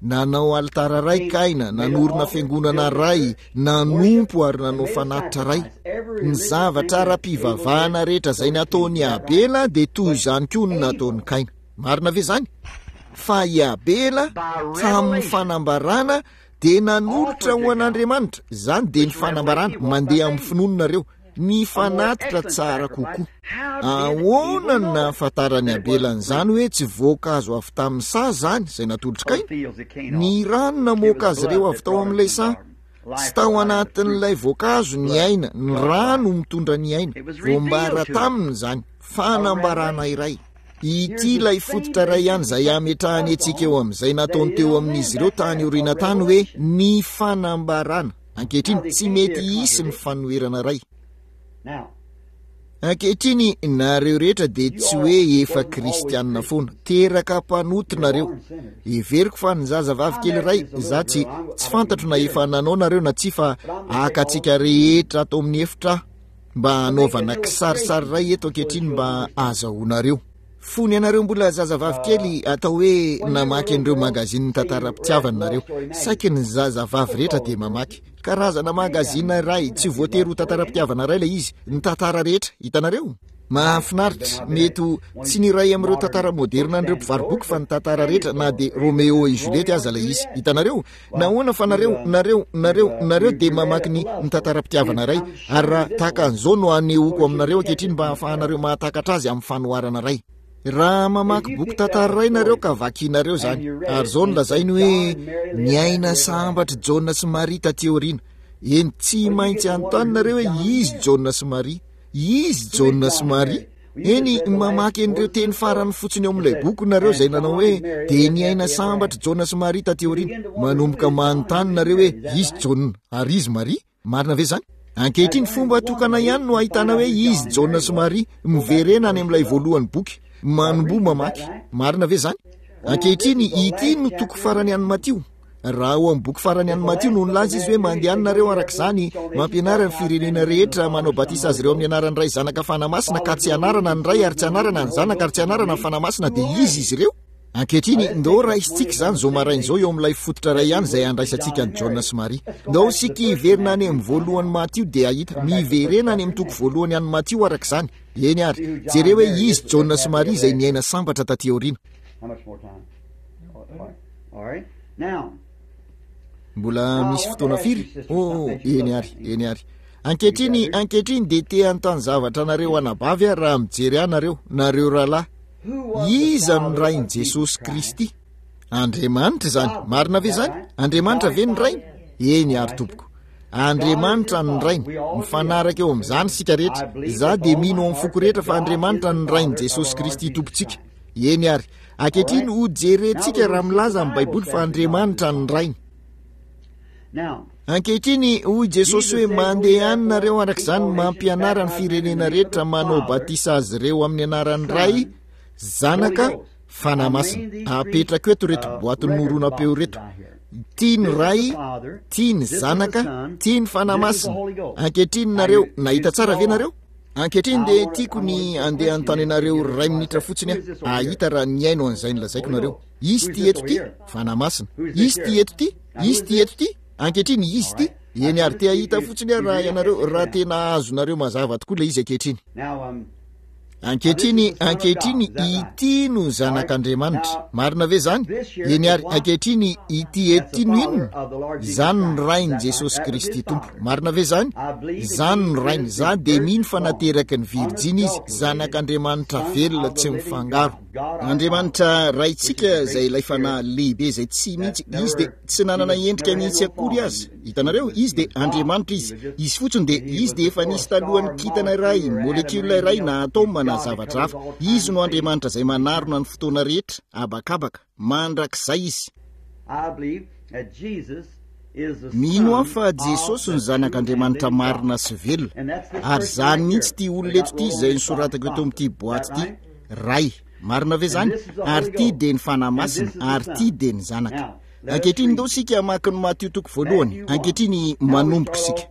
Nanao alitara iray Kaina, nanorina fiangonana iray, nanompo ary nanao fanatitra iray. Ny zavatra ara-pivavahana rehetra izay nataon'i Abela dia toy izany koa no nataon'i Kaina. Marina ve izany? Fa i Abela, tamin'ny fanambarana, dia nanolotra ho an'Andriamanitra, izany dia ny fanambarana, mandeha amin'ny finoana nareo, ny fanatitra tsara kokoa. Ahoana no nahafantaran'i Abela an'izany hoe tsy voankazo avy tamin'ny saha izany, izay natolotr'i Kaina? Ny rano namoaka azy ireo avy tao amin'ilay saha. Tsy tao anatin'ilay voankazo ny aina, ny rà no mitondra ny aina. Voambara taminy izany, fanambarana iray. Ity ilay fototra iray ihany izay hametrahany antsika eo amin'izay nataony teo amin'izy ireo tany aoriana tany hoe ny fanambarana. Ankehitriny, tsy mety hisy ny fanoherana iray. Ankehitriny, nareo rehetra dia tsy hoe efa kristianina foana. Teraka mpanota nareo. Heveriko fa ny zazavavy kely iray, za tsy, tsy fantatro na efa nanao nareo na tsia fa haka antsika rehetra ato amin'ny efitra aho mba hanaovana kisarisary iray eto ankehitriny mba ahazahoanareo. Fony ianareo mbola zazavavy kely, atao hoe namaky an'ireo magazinin'ny tantaram-pitiavana nareo. Saiky ny zazavavy rehetra dia mamaky. Karazana magazina iray, tsy voatery ho tantaram-pitiavana iray ilay izy, ny tantara rehetra, hitanareo? Mahafinaritra, mety ho tsy ny iray amin'ireo tantara moderina an'ireo mpivaro-boky fa ny tantara rehetra na dia Romeo et Juliette aza ilay izy, hitanareo? Nahoana fa nareo, nareo, nareo, nareo dia mamaky ny, ny tantaram-pitiavana iray, ary raha tahaka an'izao no anehoako aminareo ankehitriny mba hahafahanareo mahatakatra azy amin'ny fanoharana iray. Raha mamaky boky tantara iray nareo ka vakinareo izany, ary izao no lazainy hoe, Niaina sambatra Jaona sy Maria taty aoriana. Eny, tsy maintsy hanontany nareo hoe izy Jaona sy Maria. Izy Jaona sy Maria. Eny, mamaky an'ireo teny farany fotsiny ao amin'ilay boky nareo izay nanao hoe, dia niaina sambatra Jaona sy Maria taty aoriana. Manomboka manontany nareo hoe, izy Jaona ary izy Maria. Marina ve izany? Ankehitriny, fomba tokana ihany no ahitana hoe izy Jaona sy Maria. Miverena any amin'ilay voalohan'ny boky. Manomboha mamaky. Marina ve izany? Ankehitriny, ity no toko farany an'i Matio. Raha ao amin'ny boky farany an'i Matio no nilaza izy hoe mandehana nareo araka izany, mampianara ny firenena rehetra, manao batisa azy ireo amin'ny anaran'ny Ray, Zanaka, Fanahy Masina, ka tsy anarana ny Ray ary tsy anarana ny Zanaka ary tsy anarana ny Fanahy Masina, dia izy izy ireo. Ankehitriny, ndao raisintsika izany izao maraina izao eo amin'ilay fototra iray ihany izay handraisantsika an'i Jaona sy Maria. Ndao isika hiverina any amin'ny voalohan'i Matio dia hahita. Miverena any amin'ny toko voalohany an'i Matio araka izany. Eny ary. Jereo hoe izy Jaona sy Maria izay niaina sambatra taty aoriana. Mbola misy fotoana firy? Oh, eny ary, eny ary. Ankehitriny, ankehitriny dia te hanontany zavatra anareo anabavy aho raha mijery ahy nareo, nareo rahalahy. Iza no Rain'i Jesosy Kristy? Andriamanitra izany. Marina ve izany? Andriamanitra ve ny Rainy? Eny ary tompoko. Andriamanitra ny Rainy. Mifanaraka eo amin'izany isika rehetra. Izaho dia mino amin'ny foko rehetra fa Andriamanitra ny Rain'i Jesosy Kristy Tompontsika. Eny ary. Ankehitriny ho jerentsika raha milaza ny Baiboly fa Andriamanitra ny Rainy. Ankehitriny, hoy Jesosy hoe, Mandehana nareo araka izany mampianara ny firenena rehetra manao batisa azy ireo amin'ny anaran'ny Ray, Zanaka, Fanahy Masina. Apetrako eto ireto boatin'ny horonam-peo ireto. Ity ny Ray, ity ny Zanaka, ity ny Fanahy Masina. Ankehitriny nareo, nahita tsara ve nareo? Ankehitriny dia tiako ny andeha hanontany anareo iray minitra fotsiny aho, hahita raha nihaino an'izay nolazaiko nareo. Izy ity eto ity, Fanahy Masina. Izy ity eto ity, izy ity eto ity, ankehitriny izy ity. Eny ary te hahita fotsiny aho raha ianareo, raha tena azonareo mazava tokoa ilay izy ankehitriny. Ankehitriny, ankehitriny, ity no Zanak'Andriamanitra. Marina ve izany? Eny ary, ankehitriny, ity eto ity no inona? Izany no Rain'i Jesosy Kristy Tompo. Marina ve izany? Izany no Rainy. Izaho dia mino fa nateraky ny Virjiny Izy, Zanak'Andriamanitra velona tsy mifangaro. Andriamanitra Raintsika izay ilay Fanahy lehibe izay tsy mihitsy, Izy dia tsy nanana endrika mihitsy akory aza. Hitanareo? Izy dia Andriamanitra Izy. Izy fotsiny dia, Izy dia efa nisy talohan'ny kintana iray, molekiola iray na atoma na zavatra hafa. Izy no Andriamanitra izay manarona ny fotoana rehetra, habakabaka. Mandrakizay Izy. Mino aho fa Jesosy no Zanak'Andriamanitra marina sy velona. Ary izany mihitsy ity olona eto ity izay nosoratako eto amin'ity boaty ity. Ray. Marina ve izany? Ary ity dia ny Fanahy Masina, ary ity dia ny Zanaka. Ankehitriny ndao isika hamaky ny Matio toko voalohany. Ankehitriny manomboka isika.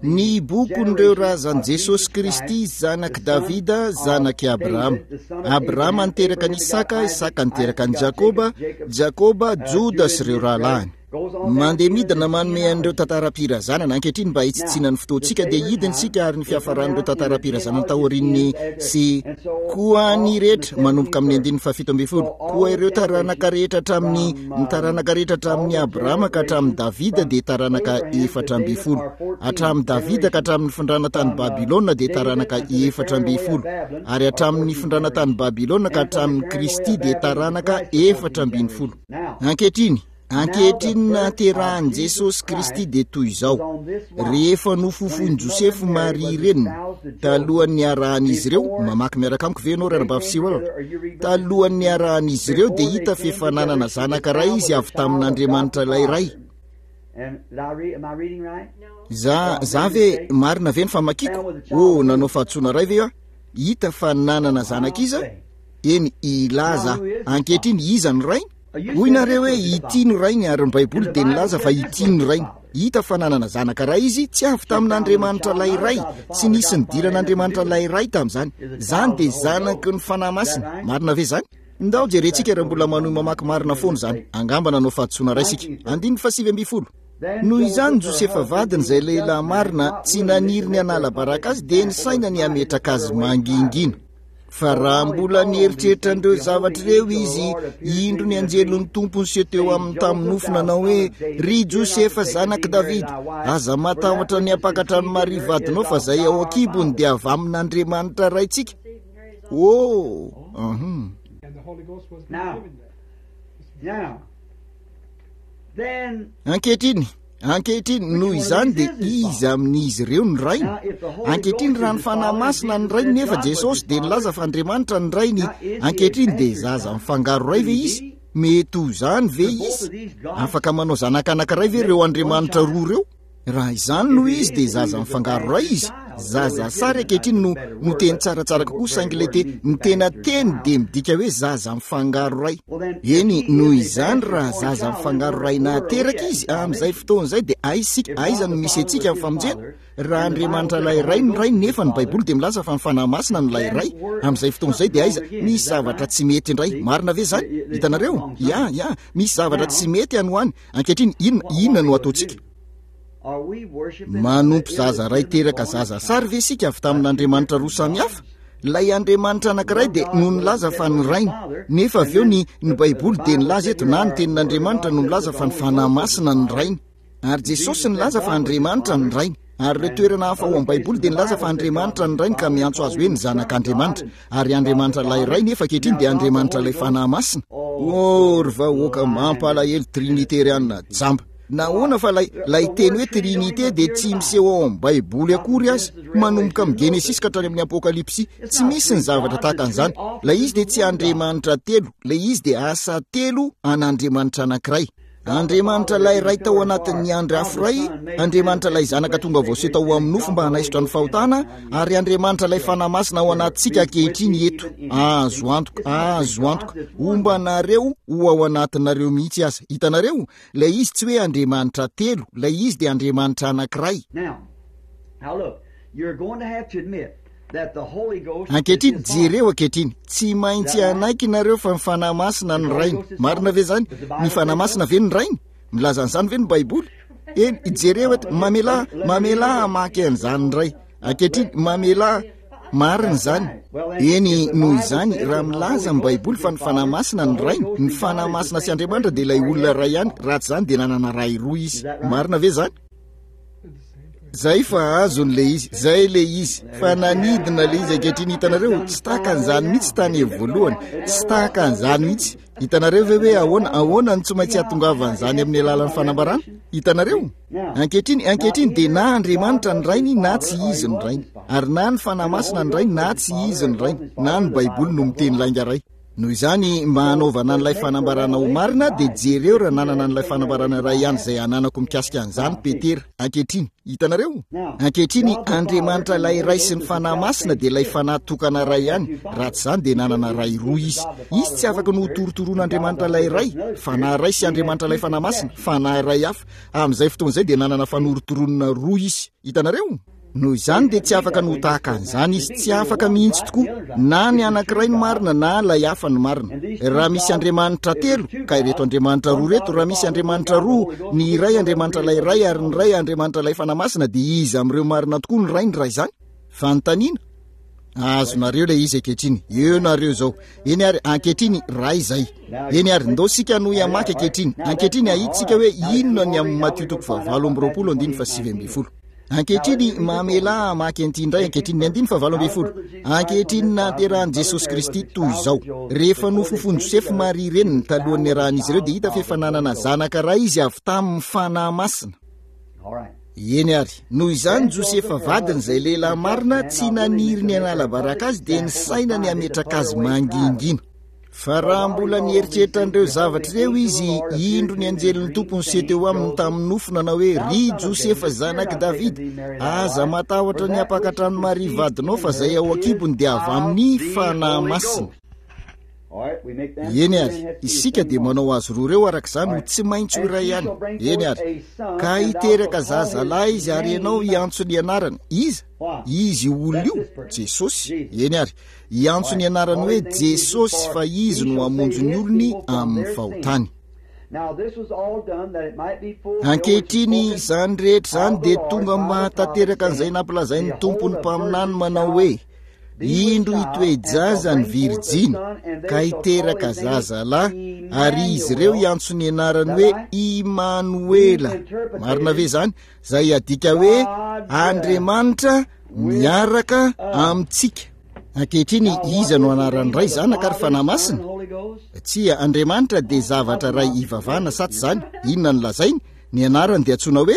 Ny bokin'ireo razan'i Jesosy Kristy, zanak'i Davida, zanak'i Abrahama. Abrahama niteraka an'i Isaka, Isaka niteraka an'i Jakoba, Jakoba, Joda sy ireo rahalahiny. Mandeha midina manome an'ireo tantaram-pirazanana. Ankehitriny mba hitsitsiana ny fotoantsika dia hidina isika ary ny fiafaran'ireo tantaram-pirazanana taorian'ny sy koa ny rehetra manomboka amin'ny andininy faha-17. Koa ireo taranaka rehetra hatramin'ny ny taranaka rehetra hatramin'i Abrahama ka hatramin'i Davida dia taranaka 14. Hatramin'i Davida ka hatramin'ny nifindrana tany Babylona dia taranaka 14. Ary hatramin'ny nifindrana tany Babylona ka hatramin'i Kristy dia taranaka 14. Ankehitriny, Ankehitriny ny nahaterahan'i Jesosy Kristy dia toy izao, rehefa nofofoin'i Josefo Maria reniny, talohan'ny niarahan'izy ireo, mamaky miaraka amiko ve ianao Ranabavy Sewell? Talohan'ny niarahan'izy ireo dia hita fa efa nanana zanaka iray izy avy tamin'Andriamanitra ilay Ray. Za, za ve, marina ve ny famakiako? Oh, nanao fahadisoana iray ve aho? Hita fa nanana zanaka iza? Eny, hilaza aho. Ankehitriny, iza no rainy? Hoy nareo hoe ity no rainy ary ny Baiboly dia nilaza fa ity no rainy. Hita fa nanana zanaka iray izy, tsy avy tamin'Andriamanitra ilay Ray, tsy nisy nidiran'Andriamanitra ilay Ray tamin'izany. Izany dia zanaky ny Fanahy Masina. Marina ve izany? Ndao jerentsika raha mbola manohy mamaky marina foana izany. Angamba nanao fahadisoana iray isika. Andininy faha-19. Noho izany Josefa vadiny izay lehilahy marina, tsy naniry ny hanala baraka azy dia nisaina ny hametraka azy mangingina. Fa raha mbola nieritreritra an'ireo zavatra ireo izy, indro ny anjelin'ny Tompo niseho teo aminy tamin'ny nofy nanao hoe, Ry Josefa zanak'i Davida, aza matahotra ny hampakatra an'i Maria vadinao fa izay ao an-kibony dia avy amin'Andriamanitra Raintsika. Oh! Uh-huh. Ankehitriny, ankehitriny, noho izany dia iza amin'izy ireo ny Rainy? Ankehitriny, raha ny Fanahy Masina ny Rainy nefa Jesosy dia nilaza fa Andriamanitra ny Rainy, ankehitriny dia zaza mifangaro ray ve Izy? Mety ho izany ve Izy? Afaka manao zanaka anankiray ve ireo Andriamanitra roa ireo? Raha izany no izy dia zaza mifangaro ray izy, zaza sary ankehitriny no no teny tsaratsara kokoa saingy ilay te ny tena teny dia midika hoe zaza mifangaro ray. Eny, noho izany raha zaza mifangaro ray nahateraka izy amin'izay fotoana izay dia aiza isika, aiza no misy antsika amin'ny famonjena? Raha Andriamanitra ilay Ray no Ray nefa ny Baiboly dia milaza fa ny Fanahy Masina no ilay Ray, amin'izay fotoana izay dia aiza? Misy zavatra tsy mety indray. Marina ve izany? Hitanareo? Ya, ya, misy zavatra tsy mety any ho any. Ankehitriny, inona, inona no ataontsika? Manompo zaza ray teraka zaza sary ve isika avy tamin'Andriamanitra roa samy hafa? Ilay Andriamanitra anankiray dia no nilaza fa ny Rainy, nefa avy eo ny, ny Baiboly dia nilaza eto, na ny Tenin'Andriamanitra no milaza fa ny Fanahy Masina ny Rainy. Ary Jesosy nilaza fa Andriamanitra ny Rainy. Ary ireo toerana hafa ao amin'ny Baiboly dia nilaza fa Andriamanitra ny Rainy ka miantso azy hoe ny Zanak'Andriamanitra. Ary Andriamanitra ilay Ray nefa ankehitriny dia Andriamanitra ilay Fanahy Masina. Oh, ry vahoaka mampalahelo triniteriana jamba. Nahoana fa ilay, ilay teny hoe trinite dia tsy miseho ao amin'ny Baiboly akory aza, manomboka amin'ny Genesisy ka hatrany amin'ny Apokalypsy. Tsy misy ny zavatra tahaka an'izany. Ilay izy dia tsy Andriamanitra telo, ilay izy dia asa telo an'Andriamanitra anankiray. Andriamanitra ilay Ray tao anatin'ny andry afo iray, Andriamanitra ilay Zanaka tonga voaseho tao amin'ny nofo mba hanaisotra ny fahotana, ary Andriamanitra ilay Fanahy Masina ao anatintsika ankehitriny eto. Azo antoka, azo antoka, homba anareo ho ao anatinareo mihitsy aza. Hitanareo? Ilay izy tsy hoe Andriamanitra telo, ilay izy dia Andriamanitra anankiray. Now, look, you're going to have to admit Ankehitriny, jereo ankehitriny, tsy maintsy hanaiky nareo fa ny Fanahy Masina no Rainy. Marina ve izany? Ny Fanahy Masina ve no Rainy? Milaza an'izany ve ny Baiboly? Eny, jereo eto, mamelà, mamelà hamaky an'izany indray. Ankehitriny, mamelà, marina izany. Eny, noho izany, raha milaza ny Baiboly fa ny Fanahy Masina no Rainy, ny Fanahy Masina sy Andriamanitra dia ilay olona iray ihany, raha tsy izany dia nanana ray roa izy. Marina ve izany? Zay fa azony le izy, zay le izy, fa nanidina le izy ankehitriny hitanareo, tsy tahaka an'izany mihitsy tany voalohany, tsy tahaka an'izany mihitsy. Hitanareo ve hoe ahoana, ahoana no tsy maintsy hahatongavan'izany amin'ny alalan'ny fanambarana? Hitanareo? Ankehitriny, ankehitriny dia na Andriamanitra ny Rainy na tsy Izy ny Rainy, ary na ny Fanahy Masina ny Rainy na tsy Izy ny Rainy, na ny Baiboly no miteny lainga iray. Noho izany, mba hanaovana an'ilay fanambarana ho marina, dia jereo raha nanana an'ilay fanambarana iray ihany izay ananako mikasika an'izany Petera. Ankehitriny, hitanareo? Ankehitriny, Andriamanitra ilay Ray sy ny Fanahy Masina dia ilay Fanahy tokana iray ihany, raha tsy izany dia nanana Ray roa Izy. Izy tsy afaka ny ho torotoroan'Andriamanitra ilay Ray, Fanahy iray sy Andriamanitra ilay Fanahy Masina, Fanahy iray hafa. Amin'izay fotoana izay dia nanana fanorotoroana roa Izy. Hitanareo? Noho izany dia tsy afaka ny ho tahaka an'izany izy, tsy afaka mihitsy tokoa, na ny anankiray no marina na ilay hafa no marina. Raha misy Andriamanitra telo, ka ireto Andriamanitra roa ireto, raha misy Andriamanitra roa, ny iray Andriamanitra ilay Ray ary ny iray Andriamanitra ilay Fanahy Masina, dia iza amin'ireo marina tokoa no Rainy raha izany? Fanontaniana? Azonareo ilay izy ankehitriny. Eo nareo izao. Eny ary, ankehitriny, Ray izay. Eny ary, ndao isika hanohy hamaky ankehitriny. Ankehitriny hahita isika hoe inona ny amin'ny Matio toko fahavalo amby roapolo andininy faha-19. Ankehitriny, mamelà hamaky an'ity indray ankehitriny, ny andininy fahavalo ambin'ny folo. Ankehitriny nahaterahan'i Jesosy Kristy toy izao. Rehefa nofofoin'i Josefa Maria reniny talohan'ny niarahan'izy ireo dia hita fa efa nanana zanaka iray izy avy tamin'ny Fanahy Masina. Eny ary, noho izany Josefa vadiny izay lehilahy marina tsy naniry ny hanala baraka azy dia nisaina ny hametraka azy mangingina. Fa raha mbola nieritreritra an'ireo zavatra ireo izy, indro ny anjelin'ny Tompo niseho teo aminy tamin'ny nofy nanao hoe, Ry Josefa zanak'i Davida, aza matahotra ny hampakatra an'i Maria vadinao fa izay ao an-kibony dia avy amin'ny Fanahy Masina. Eny ary, isika dia manao azy roa ireo araka izany ho tsy maintsy ho iray ihany. Eny ary, ka hiteraka zazalahy izy ary ianao hiantso ny anarany. Iza? Izy io olona io? Jesosy. Eny ary. Hiantso ny anarany hoe Jesosy fa Izy no hamonjy ny olony amin'ny fahotany. Ankehitriny izany rehetra izany dia tonga mba hahatanteraka an'izay nampilazain'ny Tompo ny mpaminany manao hoe, Indro hitoe-jaza ny virijiny ka hiteraka zazalahy ary izy ireo hiantso ny anarany hoe Imanoela. Marina ve izany? Izay adika hoe Andriamanitra miaraka amintsika. Ankehitriny, iza no anaran'ny Ray, Zanaka ary Fanahy Masina? Tsia, Andriamanitra dia zavatra iray ivavahana, sa tsy izany? Inona no lazainy? Ny anarany dia antsoina hoe?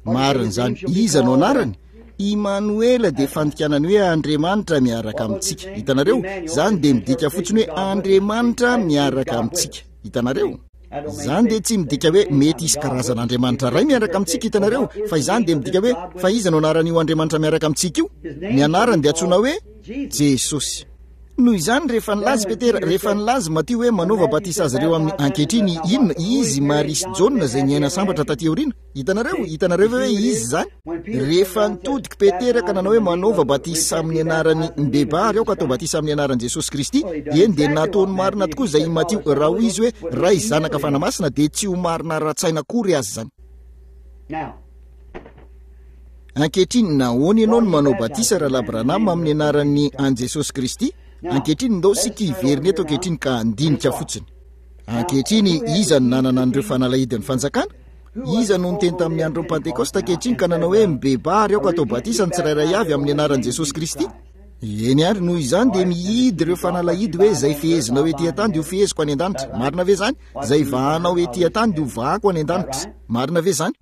Marina izany. Iza no anarany? Imanoela dia fandikana ny hoe Andriamanitra miaraka amintsika. Hitanareo? Izany dia midika fotsiny hoe Andriamanitra miaraka amintsika. Hitanareo? Izany dia tsy midika hoe mety hisy karazana Andriamanitra iray miaraka amintsika, hitanareo, fa izany dia midika hoe, fa iza no anaran'io Andriamanitra miaraka amintsika io? Ny anarany dia antsoina hoe Jesosy. Noho izany, rehefa nilaza i Petera, rehefa nilaza i Matio hoe manaova batisa azy ireo amin'ny, ankehitriny, inona? Izy, Maria sy Jaona izay niaina sambatra taty aoriana. Hitanareo? Hitanareo ve hoe izy izany? Rehefa nitodika Petera ka nanao hoe manaova batisa amin'ny anaran'i Mibebaha ary aoka atao batisa amin'ny anaran'i Jesosy Kristy, eny dia nataony marina tokoa izay i Matio. Raha hoy izy hoe Ray, Zanaka, Fanahy Masina dia tsy ho marina ara-tsaina akory aza izany. Ankehitriny, nahoana ianao no manao batisa, Rahalahy Branham, amin'ny anaran'ny an'i Jesosy Kristy? Ankehitriny, ndao isika hiverina eto ankehitriny ka handinika fotsiny. Ankehitriny, iza no nanana an'ireo fanalahidin'ny fanjakana? Iza no niteny tamin'ny andron'ny Pantekosta ankehitriny ka nanao hoe mibebaha ary aoka atao batisa ny tsirairay avy amin'ny anaran'i Jesosy Kristy? Eny ary, noho izany dia mihidy ireo fanalahidy hoe izay fehezinao ety an-tany dia ho feheziko any an-danitra. Marina ve izany? Izay vahanao ety an-tany dia ho vahako any an-danitra. Marina ve izany?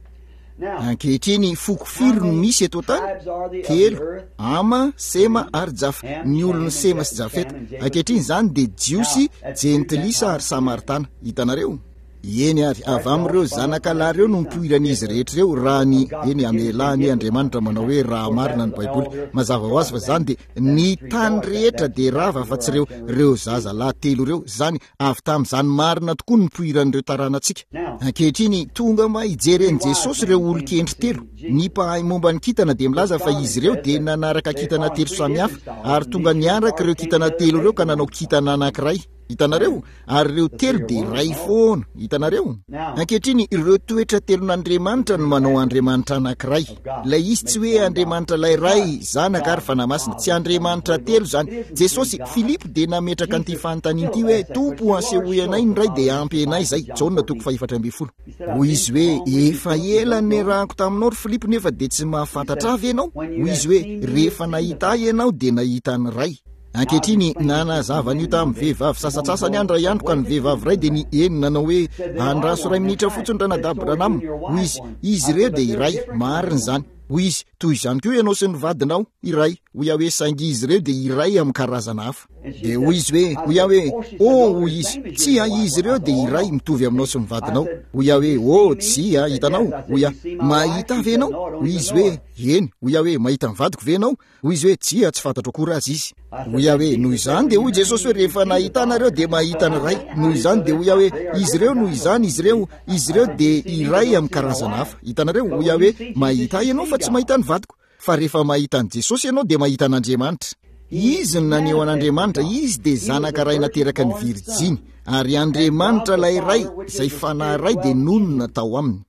Ankehitriny, foko firy no misy eto an-tany? Telo, Hama, Sema ary Jafa. Ny olon'i Sema sy Jafeta. Ankehitriny izany dia Jiosy, Jentilisa ary Samaritana. Hitanareo? Eny ary, avy amin'ireo zanaka lahy ireo no nipoiran'izy rehetra ireo, raha ny, eny, amelà anie Andriamanitra manao hoe raha marina ny Baiboly. Mazava ho azy fa izany dia, ny tany rehetra dia rava afa-tsy ireo, ireo zaza lahy telo ireo. Izany, avy tamin'izany marina tokoa no nipoiran'ireo taranantsika. Ankehitriny, tonga mba hijery an'i Jesosy ireo olon-kendry telo. Ny mpahay momba ny kintana dia milaza fa izy ireo dia nanaraka kintana telo samihafa, ary tonga niaraka ireo kintana telo ireo ka nanao kintana anankiray. Hitanareo? Ary ireo telo dia iray foana. Hitanareo? Ankehitriny, ireo toetra telon'Andriamanitra no manao Andriamanitra anankiray. Ilay izy tsy hoe Andriamanitra ilay Ray, Zanaka ary Fanahy Masina. Tsy Andriamanitra telo izany. Jesosy, Filipo dia nametraka an'ity fanontaniana ity hoe, Tompo, asehoy anay ny Ray dia ampy anay izay. Jaona toko fahefatra ambin'ny folo. Hoy izy hoe, Efa ela no niarahako taminao ry Filipo nefa dia tsy mahafantatra ahy ve ianao? Hoy izy hoe, Rehefa nahita ahy ianao dia nahita ny Ray. Ankehitriny, nanazava an'io tamin'ny vehivavy sasantsasany aho indray andro, ka ny vehivavy iray dia ny eny nanao hoe, Andraso iray minitra fotsiny Ranadahy Branham. Hoy izy, Izy ireo dia iray. Marina izany. Hoy izy, Toy izany koa ianao sy ny vadinao, iray. Hoy aho hoe, Saingy izy ireo dia iray amin'ny karazana hafa. Dia hoy izy hoe, hoy aho hoe, Oh, hoy izy, tsia, izy ireo dia iray mitovy aminao sy ny vadinao. Hoy aho hoe, Oh, tsia, hitanao, hoy aho, mahita ahy ve ianao? Hoy izy hoe, Eny. Hoy aho hoe, Mahita ny vadiko ve ianao? Hoy izy hoe, Tsia, tsy fantatro akory aza izy. Hoy aho hoe, Noho izany dia hoy Jesosy hoe, Rehefa nahita anareo dia mahita ny Ray. Noho izany dia hoy aho hoe, Izy ireo, noho izany, izy ireo, izy ireo dia iray amin'ny karazana hafa. Hitanareo? Hoy aho hoe, Mahita ahy ianao fa tsy mahita ny vadiko. Fa rehefa mahita an'i Jesosy ianao dia mahita an'Andriamanitra. Izy no naneho an'Andriamanitra, Izy dia Zanaka Ray nateraka ny Virjiny. Ary Andriamanitra ilay Ray, izay Fanahy Ray dia nonina tao Aminy.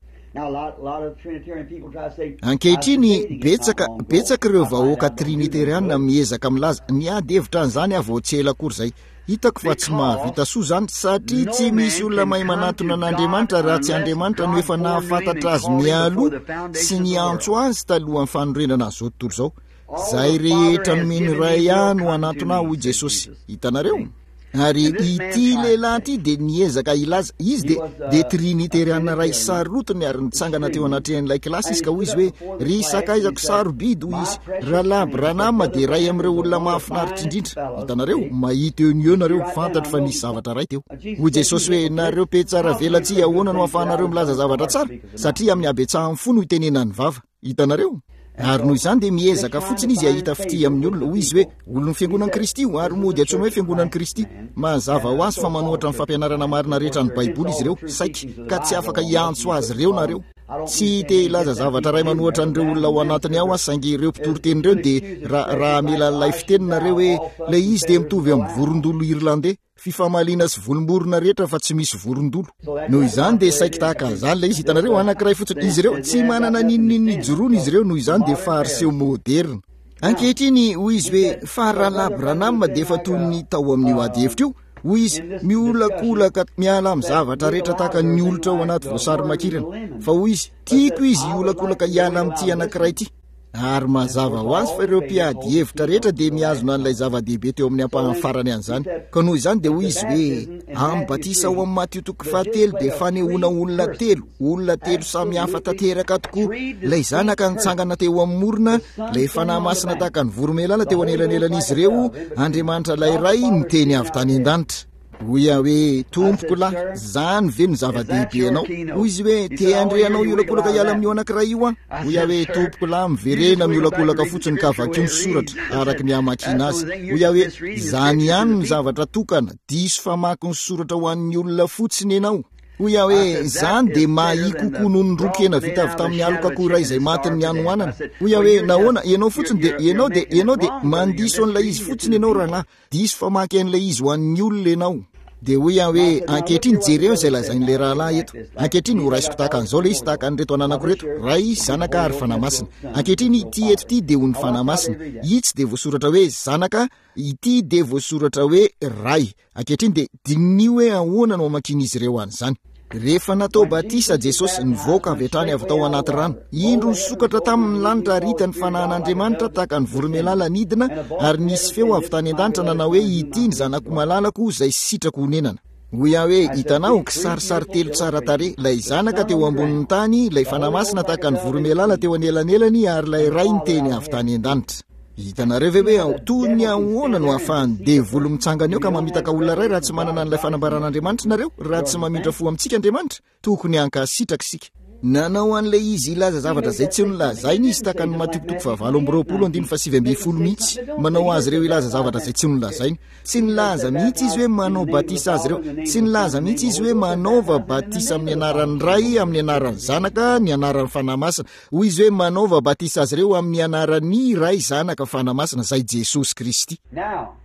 Ankehitriny, betsaka, betsaka ireo vahoaka triniteriana miezaka milaza, niady hevitra an'izany aho vao tsy ela akory izay. Hitako fa tsy mahavita soa izany, satria tsy misy olona mahay manatona an'Andriamanitra raha tsy Andriamanitra no efa nahafantatra azy mialoha sy niantso azy talohan'ny fanorenana an'izao tontolo izao. Izay rehetra nomen'ny Ray ahy no hanatona ahy, hoy Jesosy. Hitanareo? Ary ity lehilahy ity dia niezaka hilaza, izy dia, dia triniteriana iray sarotiny ary nitsangana teo anatrehan'ilay kilasy izy ka hoy izy hoe, Ry sakaizako sarobidy, hoy izy, Rahalahy Branham dia iray amin'ireo olona mahafinaritra indrindra. Hitanareo, mahita eo no eo nareo, fantatro fa nisy zavatra iray teo. Hoy Jesosy hoe, Nareo mpihatsaravelatsihy, ahoana no ahafahanareo milaza zavatra tsara? Satria amin'ny habetsahan'ny fo no itenenan'ny vava. Hitanareo? Ary noho izany dia miezaka fotsiny izy hahita fitia amin'ny olona. Hoy izy hoe, Olon'ny Fiangonan'i Kristy io, ary mody antsoina hoe Fiangonan'i Kristy. Mazava ho azy fa manohatra ny fampianarana marina rehetra an'ny Baiboly izy ireo, saiky, ka tsy afaka hiantso azy ireo nareo. Tsy te hilaza zavatra iray manohatra an'ireo olona ao anatiny ao aho, saingy ireo mpitoriteny ireo dia, raha, raha hamela an'ilay fiteny nareo hoe, Ilay izy dia mitovy amin'ny vorondolo Irlandey. Fifamaliana sy volom-borona rehetra fa tsy misy vorondolo. Noho izany dia saiky tahaka an'izany ilay izy, hitanareo, anankiray fotsiny. Izy ireo, tsy manana n'inon'inona ijoroana izy ireo, noho izany dia fariseo moderina. Ankehitriny, hoy izy hoe, fa Rahalahy Branham dia efa toy ny tao amin'io ady hevitra io, hoy izy, miolakolaka miala amin'ny zavatra rehetra tahaka ny olitra ao anaty voasary makirana. Fa hoy izy, tiako izy hiolakolaka hiala amin'ity anankiray ity. Ary mazava ho azy fa ireo mpiady hevitra rehetra dia mihazona an'ilay zava-dehibe teo amin'ny ampahany farany an'izany. Ka noho izany dia hoy izy hoe, Amin'ny batisa ao amin'ny Matio toko fahatelo dia fanehoana olona telo, olona telo samy hafa tanteraka tokoa, ilay Zanaka nitsangana teo amin'ny morona, ilay Fanahy Masina tahaka ny voromailala teo anelanelan'izy ireo, Andriamanitra ilay Ray niteny avy tany an-danitra. Hoy aho hoe, Tompoko lahy, izany ve no zava-dehibe anao? Hoy izy hoe, Te handre anao hiolakolaka hiala amin'io anankiray io aho. Hoy aho hoe, Tompoko lahy, miverena miolakolaka fotsiny ka vakio ny soratra araka ny hamakiana azy. Hoy aho hoe, Izany ihany no zavatra tokana, diso famaky ny soratra ho an'ny olona fotsiny ianao. Hoy aho hoe, Izany dia mahia kokoa noho ny ron-kena vita avy tamin'ny alok'akoho iray izay matin'ny hanoanana. Hoy aho hoe, Nahoana, ianao fotsiny dia, ianao dia, ianao dia mandiso an'ilay izy fotsiny ianao, rahalahy. Diso famaky an'ilay izy ho an'ny olona ianao. Dia hoy aho hoe, Ankehitriny jereo izay lazain'ilay rahalahy eto. Ankehitriny horaisiko tahaka an'izao ilay izy, tahaka an'ireto ananako ireto, Ray, Zanaka ary Fanahy Masina. Ankehitriny ity eto ity dia ho ny Fanahy Masina. Itsy dia voasoratra hoe Zanaka, ity dia voasoratra hoe Ray. Ankehitriny dia diniho hoe ahoana no hamakian'izy ireo an'izany. Rehefa natao batisa Jesosy, nivoaka avy hatrany avy tao anaty rano. Indro nisokatra taminy ny lanitra ary hita ny fanahin'Andriamanitra tahaka ny voromailala nidina, ary nisy feo avy tany an-danitra nanao hoe, Ity ny Zanako malalako, izay sitrako honenana. Hoy aho hoe, Hitanao, kisarisary telo tsara tarehy, ilay Zanaka teo ambonin'ny tany, ilay Fanahy Masina tahaka ny voromailala teo anelanelany, ary ilay Ray niteny avy tany an-danitra. Hitanareo ve hoe toy ny ahoana no ahafahan'ny devoly mitsangana eo ka mamitaka olona iray raha tsy manana an'ilay fanambaran'Andriamanitra nareo, raha tsy mamindra fo amintsika Andriamanitra? Tokony hankasitraka isika. Nanao an'ilay izy hilaza zavatra izay tsy nolazainy izy tahaka ny Matio toko fahavalo amby roapolo andininy fahasivy ambin'ny folo mihitsy. Manao azy ireo hilaza zavatra izay tsy nolazainy. Tsy nilaza mihitsy izy hoe manao batisa azy ireo. Tsy nilaza mihitsy izy hoe manaova batisa amin'ny anaran'ny Ray, amin'ny anaran'ny Zanaka, ny anaran'ny Fanahy Masina. Hoy izy hoe manaova batisa azy ireo amin'ny anaran'ny Ray, Zanaka, Fanahy Masina, izay Jesosy Kristy. Now,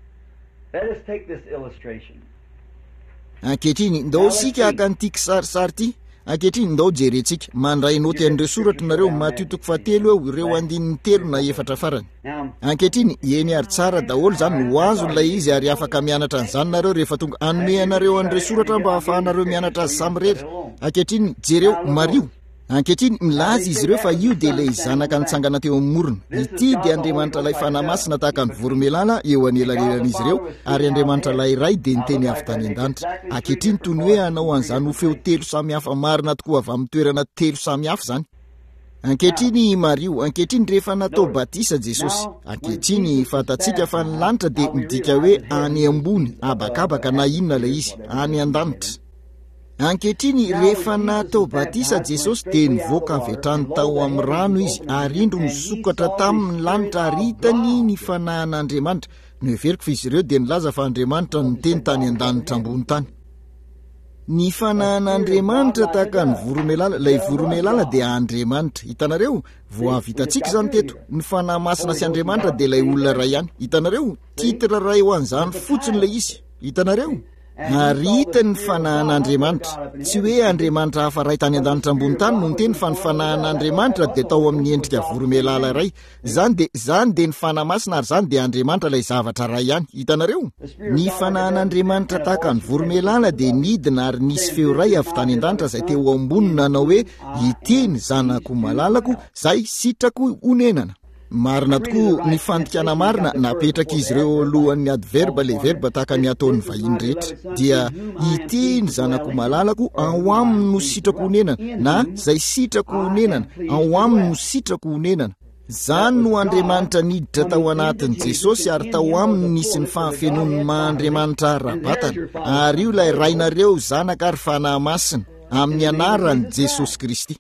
let us take this illustration. Ankehitriny, ndao isika haka an'ity kisarisary ity. Ankehitriny, ndao jerentsika. Mandray naoty an'ireo soratra nareo, Matio toko fahatelo eo, ireo andininy telo na efatra farany. Ankehitriny, eny ary tsara daholo izany, ho azony ilay izy ary afaka mianatra an'izany nareo rehefa tonga. Hanome anareo an'ireo soratra mba hahafahanareo mianatra azy samirery. Ankehitriny, jereo, mariho. Ankehitriny, milaza izy ireo fa io dia ilay Zanaka nitsangana teo amin'ny morona. Ity dia Andriamanitra ilay Fanahy Masina tahaka ny voromailala eo anelanelan'izy ireo, ary Andriamanitra ilay Ray dia niteny avy tany an-danitra. Ankehitriny, toy ny hoe hanao an'izany ho feo telo samy hafa marina tokoa avy amin'ny toerana telo samy hafa izany. Ankehitriny, mariho, ankehitriny, rehefa natao batisa Jesosy. Ankehitriny, fantatsika fa ny lanitra dia midika hoe any ambony, habakabaka na inona ilay izy, any an-danitra. Ankehitriny, rehefa natao batisa Jesosy, dia nivoaka avy hatrany tao amin'ny rano Izy, ary indro nisokatra taminy ny lanitra ary hitany ny Fanahin'Andriamanitra. Noheveriko fa izy ireo dia nilaza fa Andriamanitra no niteny tany an-danitra ambony tany. Ny Fanahin'Andriamanitra tahaka ny voromailala, ilay voromailala dia Andriamanitra. Hitanareo? Vao avy hitantsika izany teto. Ny Fanahy Masina sy Andriamanitra dia ilay olona iray ihany. Hitanareo? Titre iray ho an'izany fotsiny ilay izy. Hitanareo? Ary hitany ny Fanahin'Andriamanitra. Tsy hoe Andriamanitra hafa iray tany an-danitra ambony tany no niteny fa ny Fanahin'Andriamanitra dia tao amin'ny endrika voromailala iray. Izany dia, izany dia ny Fanahy Masina ary izany dia Andriamanitra ilay zavatra iray ihany. Hitanareo? Ny Fanahin'Andriamanitra tahaka ny voromailala dia nidina ary nisy feo iray avy tany an-danitra izay teo amboniny nanao hoe, Ity ny Zanako malalako, izay sitrako honenana. Marina tokoa, ny fandikana marina napetrak'izy ireo eo alohan'ny adverbe ilay verbe tahaka ny ataon'ny vahiny rehetra dia ity ny zanako malalako ao aminy no sitrako honenana na izay sitrako honenana ao aminy no sitrako honenana. Izany no Andriamanitra niditra tao anatin'i Jesosy ary tao aminy nisy ny fahafenoan'ny maha Andriamanitra ara-batana. Ary io ilay Rainareo, Zanaka ary Fanahy Masina, amin'ny anaran'i Jesosy Kristy.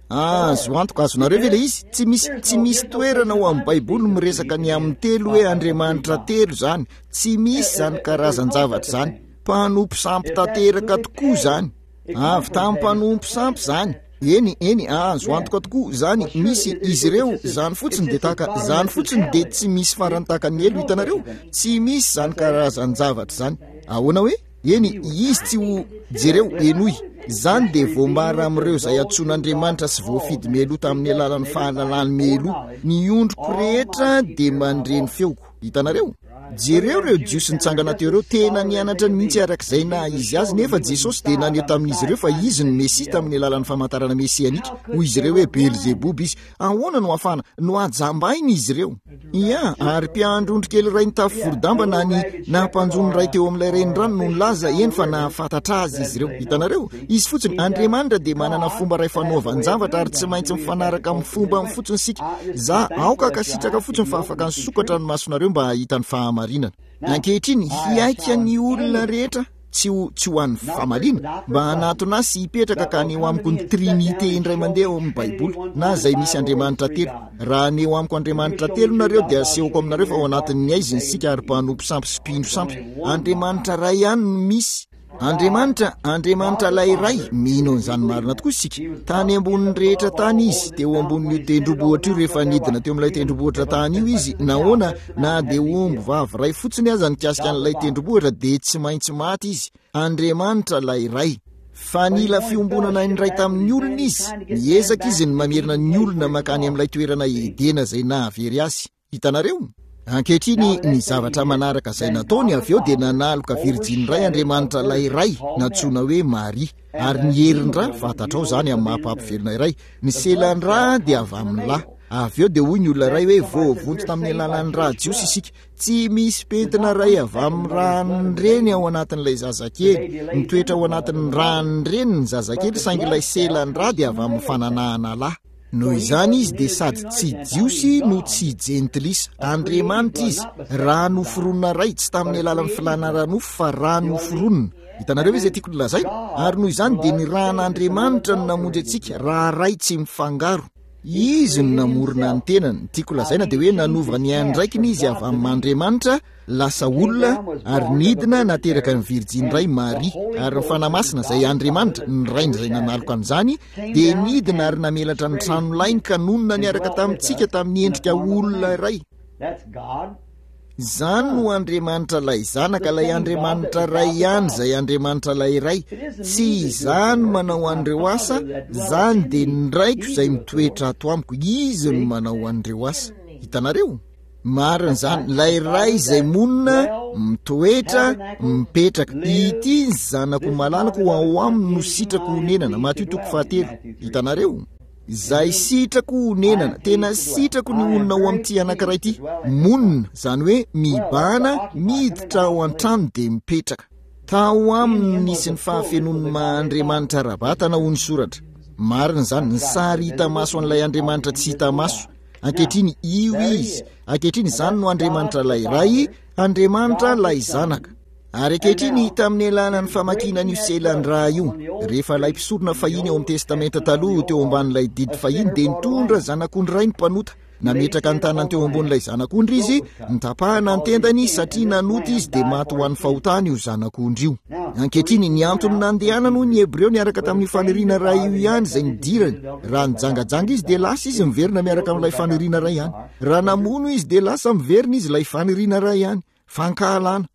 Azo antoka, azonareo ve ilay izy? Tsy misy, tsy misy toerana ao amin'ny Baiboly miresaka ny amin'ny telo hoe Andriamanitra telo izany. Tsy misy izany karazan-javatra izany. Mpanompo sampy tanteraka tokoa izany. Avy tamin'ny mpanompo sampy izany. Eny, eny, azo antoka tokoa izany. Misy izy ireo, izany fotsiny dia tahaka, izany fotsiny dia tsy misy farany tahaka ny helo, hitanareo? Tsy misy izany karazan-javatra izany. Ahoana hoe? Eny, izy tsy ho, jereo, henoy, izany dia voambara amin'ireo izay antsoin'Andriamanitra sy voafidy mialoha tamin'ny alalan'ny fahalalany mialoha. Ny ondriko rehetra dia mandre ny feoko. Hitanareo? Jereo ireo Jiosy nitsangana teo ireo, tena nianatra mihitsy arak'izay naha izy azy, nefa Jesosy dia naneho tamin'izy ireo fa Izy no Mesia tamin'ny alalan'ny famantarana mesianika. Hoy izy ireo hoe Belzeboba Izy. Ahoana no ahafahana, nohajambaina izy ireo. Ia, ary mpiandry ondry kely iray nitafy vorodamba na ny nampanjono iray teo amin'ilay renirano no nilaza, eny fa nahafantatra azy izy ireo. Hitanareo? Izy fotsiny, Andriamanitra dia manana fomba iray fanaovan-javatra ary tsy maintsy mifanaraka amin'ny fombany fotsiny isika. Za, aoka hankasitraka fotsiny fa afaka nisokatra ny masonareo mba hahita ny fahamarinana. Ankehitriny, hihaika ny olona rehetra. tsy ho tsy ho an'ny famaliana, mba hanatona ahy sy hipetraka ka haneho amiko ny Trinite indray mandeha ao amin'ny Baiboly, na izay misy Andriamanitra telo. Raha haneho amiko Andriamanitra telo nareo, dia asehoko aminareo fa ao anatin'ny haizina isika ary mpanompo sampy sy mpino sampy. Andriamanitra iray ihany no misy. Andriamanitra, Andriamanitra ilay Ray, mino an'izany marina tokoa isika. Tany ambonin'ny rehetra tany Izy, teo ambonin'io tendrombohitra io rehefa nidina teo amin'ilay tendrombohitra tany io Izy, nahoana, Na dia omby vavy iray fotsiny aza nikasika an'ilay tendrombohitra dia tsy maintsy maty izy. Andriamanitra ilay Ray. Fa nila fiombonana indray tamin'ny olona izy. Niezaka izy ny mamerina ny olona mankany amin'ilay toerana Edena izay nahavery azy. Hitanareo? Ankehitriny, ny zavatra manaraka izay nataony avy eo dia nanaloka virjiny iray Andriamanitra ilay Ray, nantsoina hoe Maria. Ary ny herin-dra, fantatrao izany amin'ny maha mpampivelona iray, ny selan-dra dia avy amin'ny lahy. Avy eo dia hoy ny olona iray hoe voavonjy tamin'ny alalan'ny ra jiosy isika. Tsy misy pentina iray avy amin'ny ran'ny reny ao anatin'ilay zazakely. Mitoetra ao anatin'ny ran'ny reny ny zazakely saingy ilay selan-dra dia avy amin'ny fananahana lahy. Noho izany Izy dia sady tsy Jiosy no tsy Jentilisa. Andriamanitra Izy, raha noforonina Ray, tsy tamin'ny alalan'ny filàna ara-nofo fa raha noforonina. Hitanareo ve izay tiako nolazaina? Ary noho izany dia ny ràn'Andriamanitra no namonjy antsika, raha Ray tsy mifangaro. Izy no namorona ny tenany. Ny tiako lazaina dia hoe nanova ny andraikiny Izy avy amin'Andriamanitra, lasa olona, ary nidina nateraka ny Virjiny iray, Maria. Ary ny Fanahy Masina, izay Andriamanitra, ny Rainy izay nanaloka an'izany, dia nidina ary namelatra ny tranolainy ka nonina niaraka tamintsika tamin'ny endrika olona iray. Izany no Andriamanitra ilay Zanaka, ilay Andriamanitra Ray ihany izay Andriamanitra ilay Ray. Tsy Izaho no manao an'ireo asa, izany dia ny Raiko izay mitoetra ato amiko. Izy no manao an'ireo asa. Hitanareo? Marina izany, ilay Ray izay monina, mitoetra, mipetraka. Ity ny Zanako malalako, ao aminy no sitrako honenana. Matio toko fahatelo. Hitanareo? Izay sitrako honenana, tena sitrako ny honina ao amin'ity anankiray ity. Monina, izany hoe mibahana, miditra ao an-trano dia mipetraka. Tao aminy no nisy ny fahafenoan'ny maha Andriamanitra ara-batana hoy ny soratra. Marina izany, ny sary hita maso an'ilay Andriamanitra tsy hita maso. Ankehitriny io Izy. Ankehitriny izany no Andriamanitra ilay Ray, Andriamanitra ilay Zanaka. Ary ankehitriny, tamin'ny alalan'ny famakiana an'io selan-drà io, rehefa ilay mpisorona fahiny ao amin'ny Testamenta Taloha teo ambanin'ilay didy fahiny dia nitondra zanak'ondry iray ny mpanota. Nametraka ny tanany teo ambonin'ilay zanak'ondry izy, notapahana ny tendany satria nanota izy dia maty ho an'ny fahotany io zanak'ondry io. Ankehitriny, ny antony nandehanany hoy ny Hebreo niaraka tamin'io faniriana iray io ihany izay nidirany. Raha nijangajanga izy dia lasa izy miverina miaraka amin'ilay faniriana iray ihany. Raha namono izy dia lasa miverina izy ilay faniriana iray ihany. Fankahalana.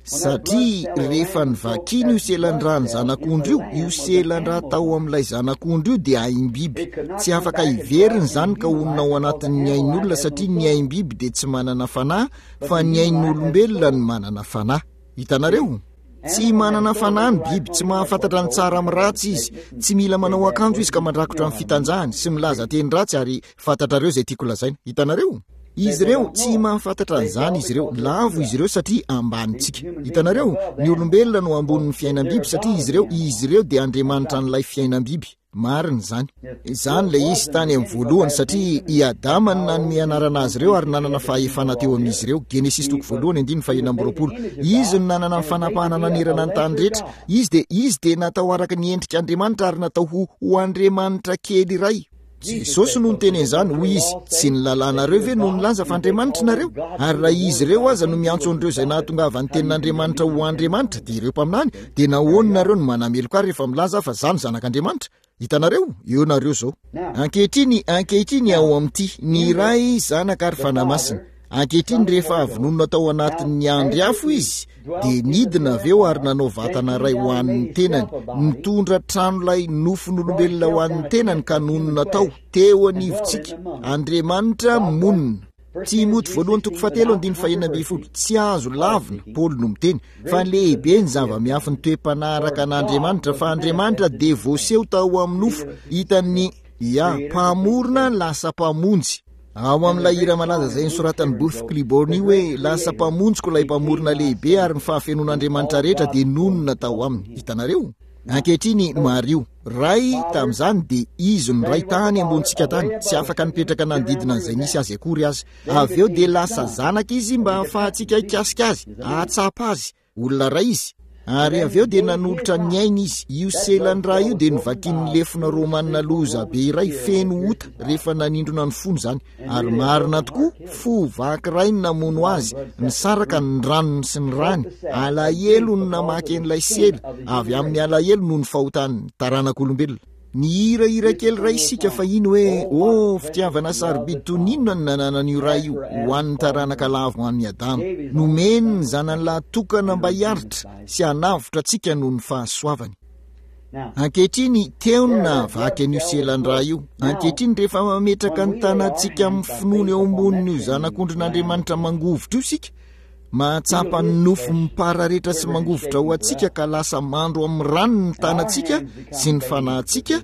Satria rehefa novakiana io selan-dràn'ny zanak'ondry io, io selan-drà tao amin'ilay zanak'ondry io dia aim-biby. Tsy afaka hiverina izany ka honina ao anatin'ny ain'olona satria ny aim-biby dia tsy manana fanahy fa ny ain'olombelona no manana fanahy. Hitanareo? Tsy manana fanahy ny biby, tsy mahafantatra ny tsara amin'ny ratsy izy, tsy mila manao akanjo izy ka mandrakotra ny fitanjahany sy milaza teny ratsy ary fantatrareo izay tiako lazaina. Hitanareo? Izy ireo, tsy mahafantatra an'izany izy ireo, lavo izy ireo satria ambanintsika. Hitanareo? Ny olombelona no ambonin'ny fiainam-biby satria izy ireo, izy ireo dia andriamanitra an'ilay fiainam-biby. Marina izany. Izany ilay izy tany amin'ny voalohany, satria i Adama no nanome anarana azy ireo ary nanana fahefana teo amin'izy ireo. Genesisy toko voalohany andininy fahenina amby roapolo. Izy no nanana ny fanapahana nanerana ny tany rehetra. Izy dia, izy dia natao araka ny endrik'Andriamanitra ary natao ho, ho Andriamanitra kely iray. Jesosy no niteny an'izany, hoy izy, tsy ny lalànareo ve no nilaza fa andriamanitra nareo? Ary raha izy ireo aza no miantso an'ireo izay nahatongavan'ny tenin'Andriamanitra ho andriamanitra, dia ireo mpaminany, dia nahoana nareo no manameloka ahy rehefa milaza aho fa izaho no zanak'Andriamanitra? Hitanareo? Eo nareo izao. Ankehitriny, ankehitriny ao amin'ity, ny Ray, Zanaka ary Fanahy Masina. Ankehitriny rehefa avy nonina tao anatin'ny andry afo izy, dia nidina avy eo ary nanao vatana iray ho an'ny tenany, nitondra tranolay nofon'olombelona ho an'ny tenany ka nonina tao, teo anivontsika. Andriamanitra monina. Timoty voalohany toko fahatelo andininy fahenina ambin'ny folo. Tsy azo lavina, Paoly no miteny, fa lehibe ny zava-miafin'ny toe-panahy araka an'Andriamanitra, fa Andriamanitra dia voaseho tao amin'ny nofo, hitan'ny Ia, mpamorona lasa mpamonjy. Ao amin'ilay hira malaza izay nosoratan'i Booth Clibborn io hoe, Lasa mpamonjiko ilay Mpamorona lehibe ary ny fahafenoan'Andriamanitra rehetra dia nonina tao aminy. Hitanareo? Ankehitriny, mariho. Ray, tamin'izany dia Izy no Ray tany ambonintsika tany, tsy afaka nipetraka nanodidina an'izay nisy Azy akory aza. Avy eo dia lasa Zanaka Izy mba hahafahantsika hikasika Azy, hahatsapa Azy. Olona iray izy, ary avy eo dia nanolotra ny ainy izy. Io selan-drà io dia novakian'ny lefona romanina loza be iray feno ota rehefa nanindrona ny fony izany. Ary marina tokoa, fo vaky iray no namono azy, nisaraka ny ranony sy ny rany. Alahelo no namaky an'ilay sela, avy amin'ny alahelo noho ny fahotan'ny taranak'olombelona. Nihira hira kely iray isika fahiny hoe, Oh, fitiavana sarobidy toy ny inona no nananan'io Ray io ho an'ny taranaka lavo an'i Adama. Nomeny ny Zanany lahy tokana mba hiaritra sy hanavotra antsika noho ny fahasoavany. Ankehitriny, teo no nahavaky an'io selan-drà io. Ankehitriny, rehefa mametraka ny tanantsika amin'ny finoana eo ambonin'io Zanak'ondrin'Andriamanitra mangovitra io isika, Mahatsapa ny nofo mipararetra sy mangovitra ho antsika ka lasa mandro amin'ny rano ny tanantsika sy ny fanahintsika,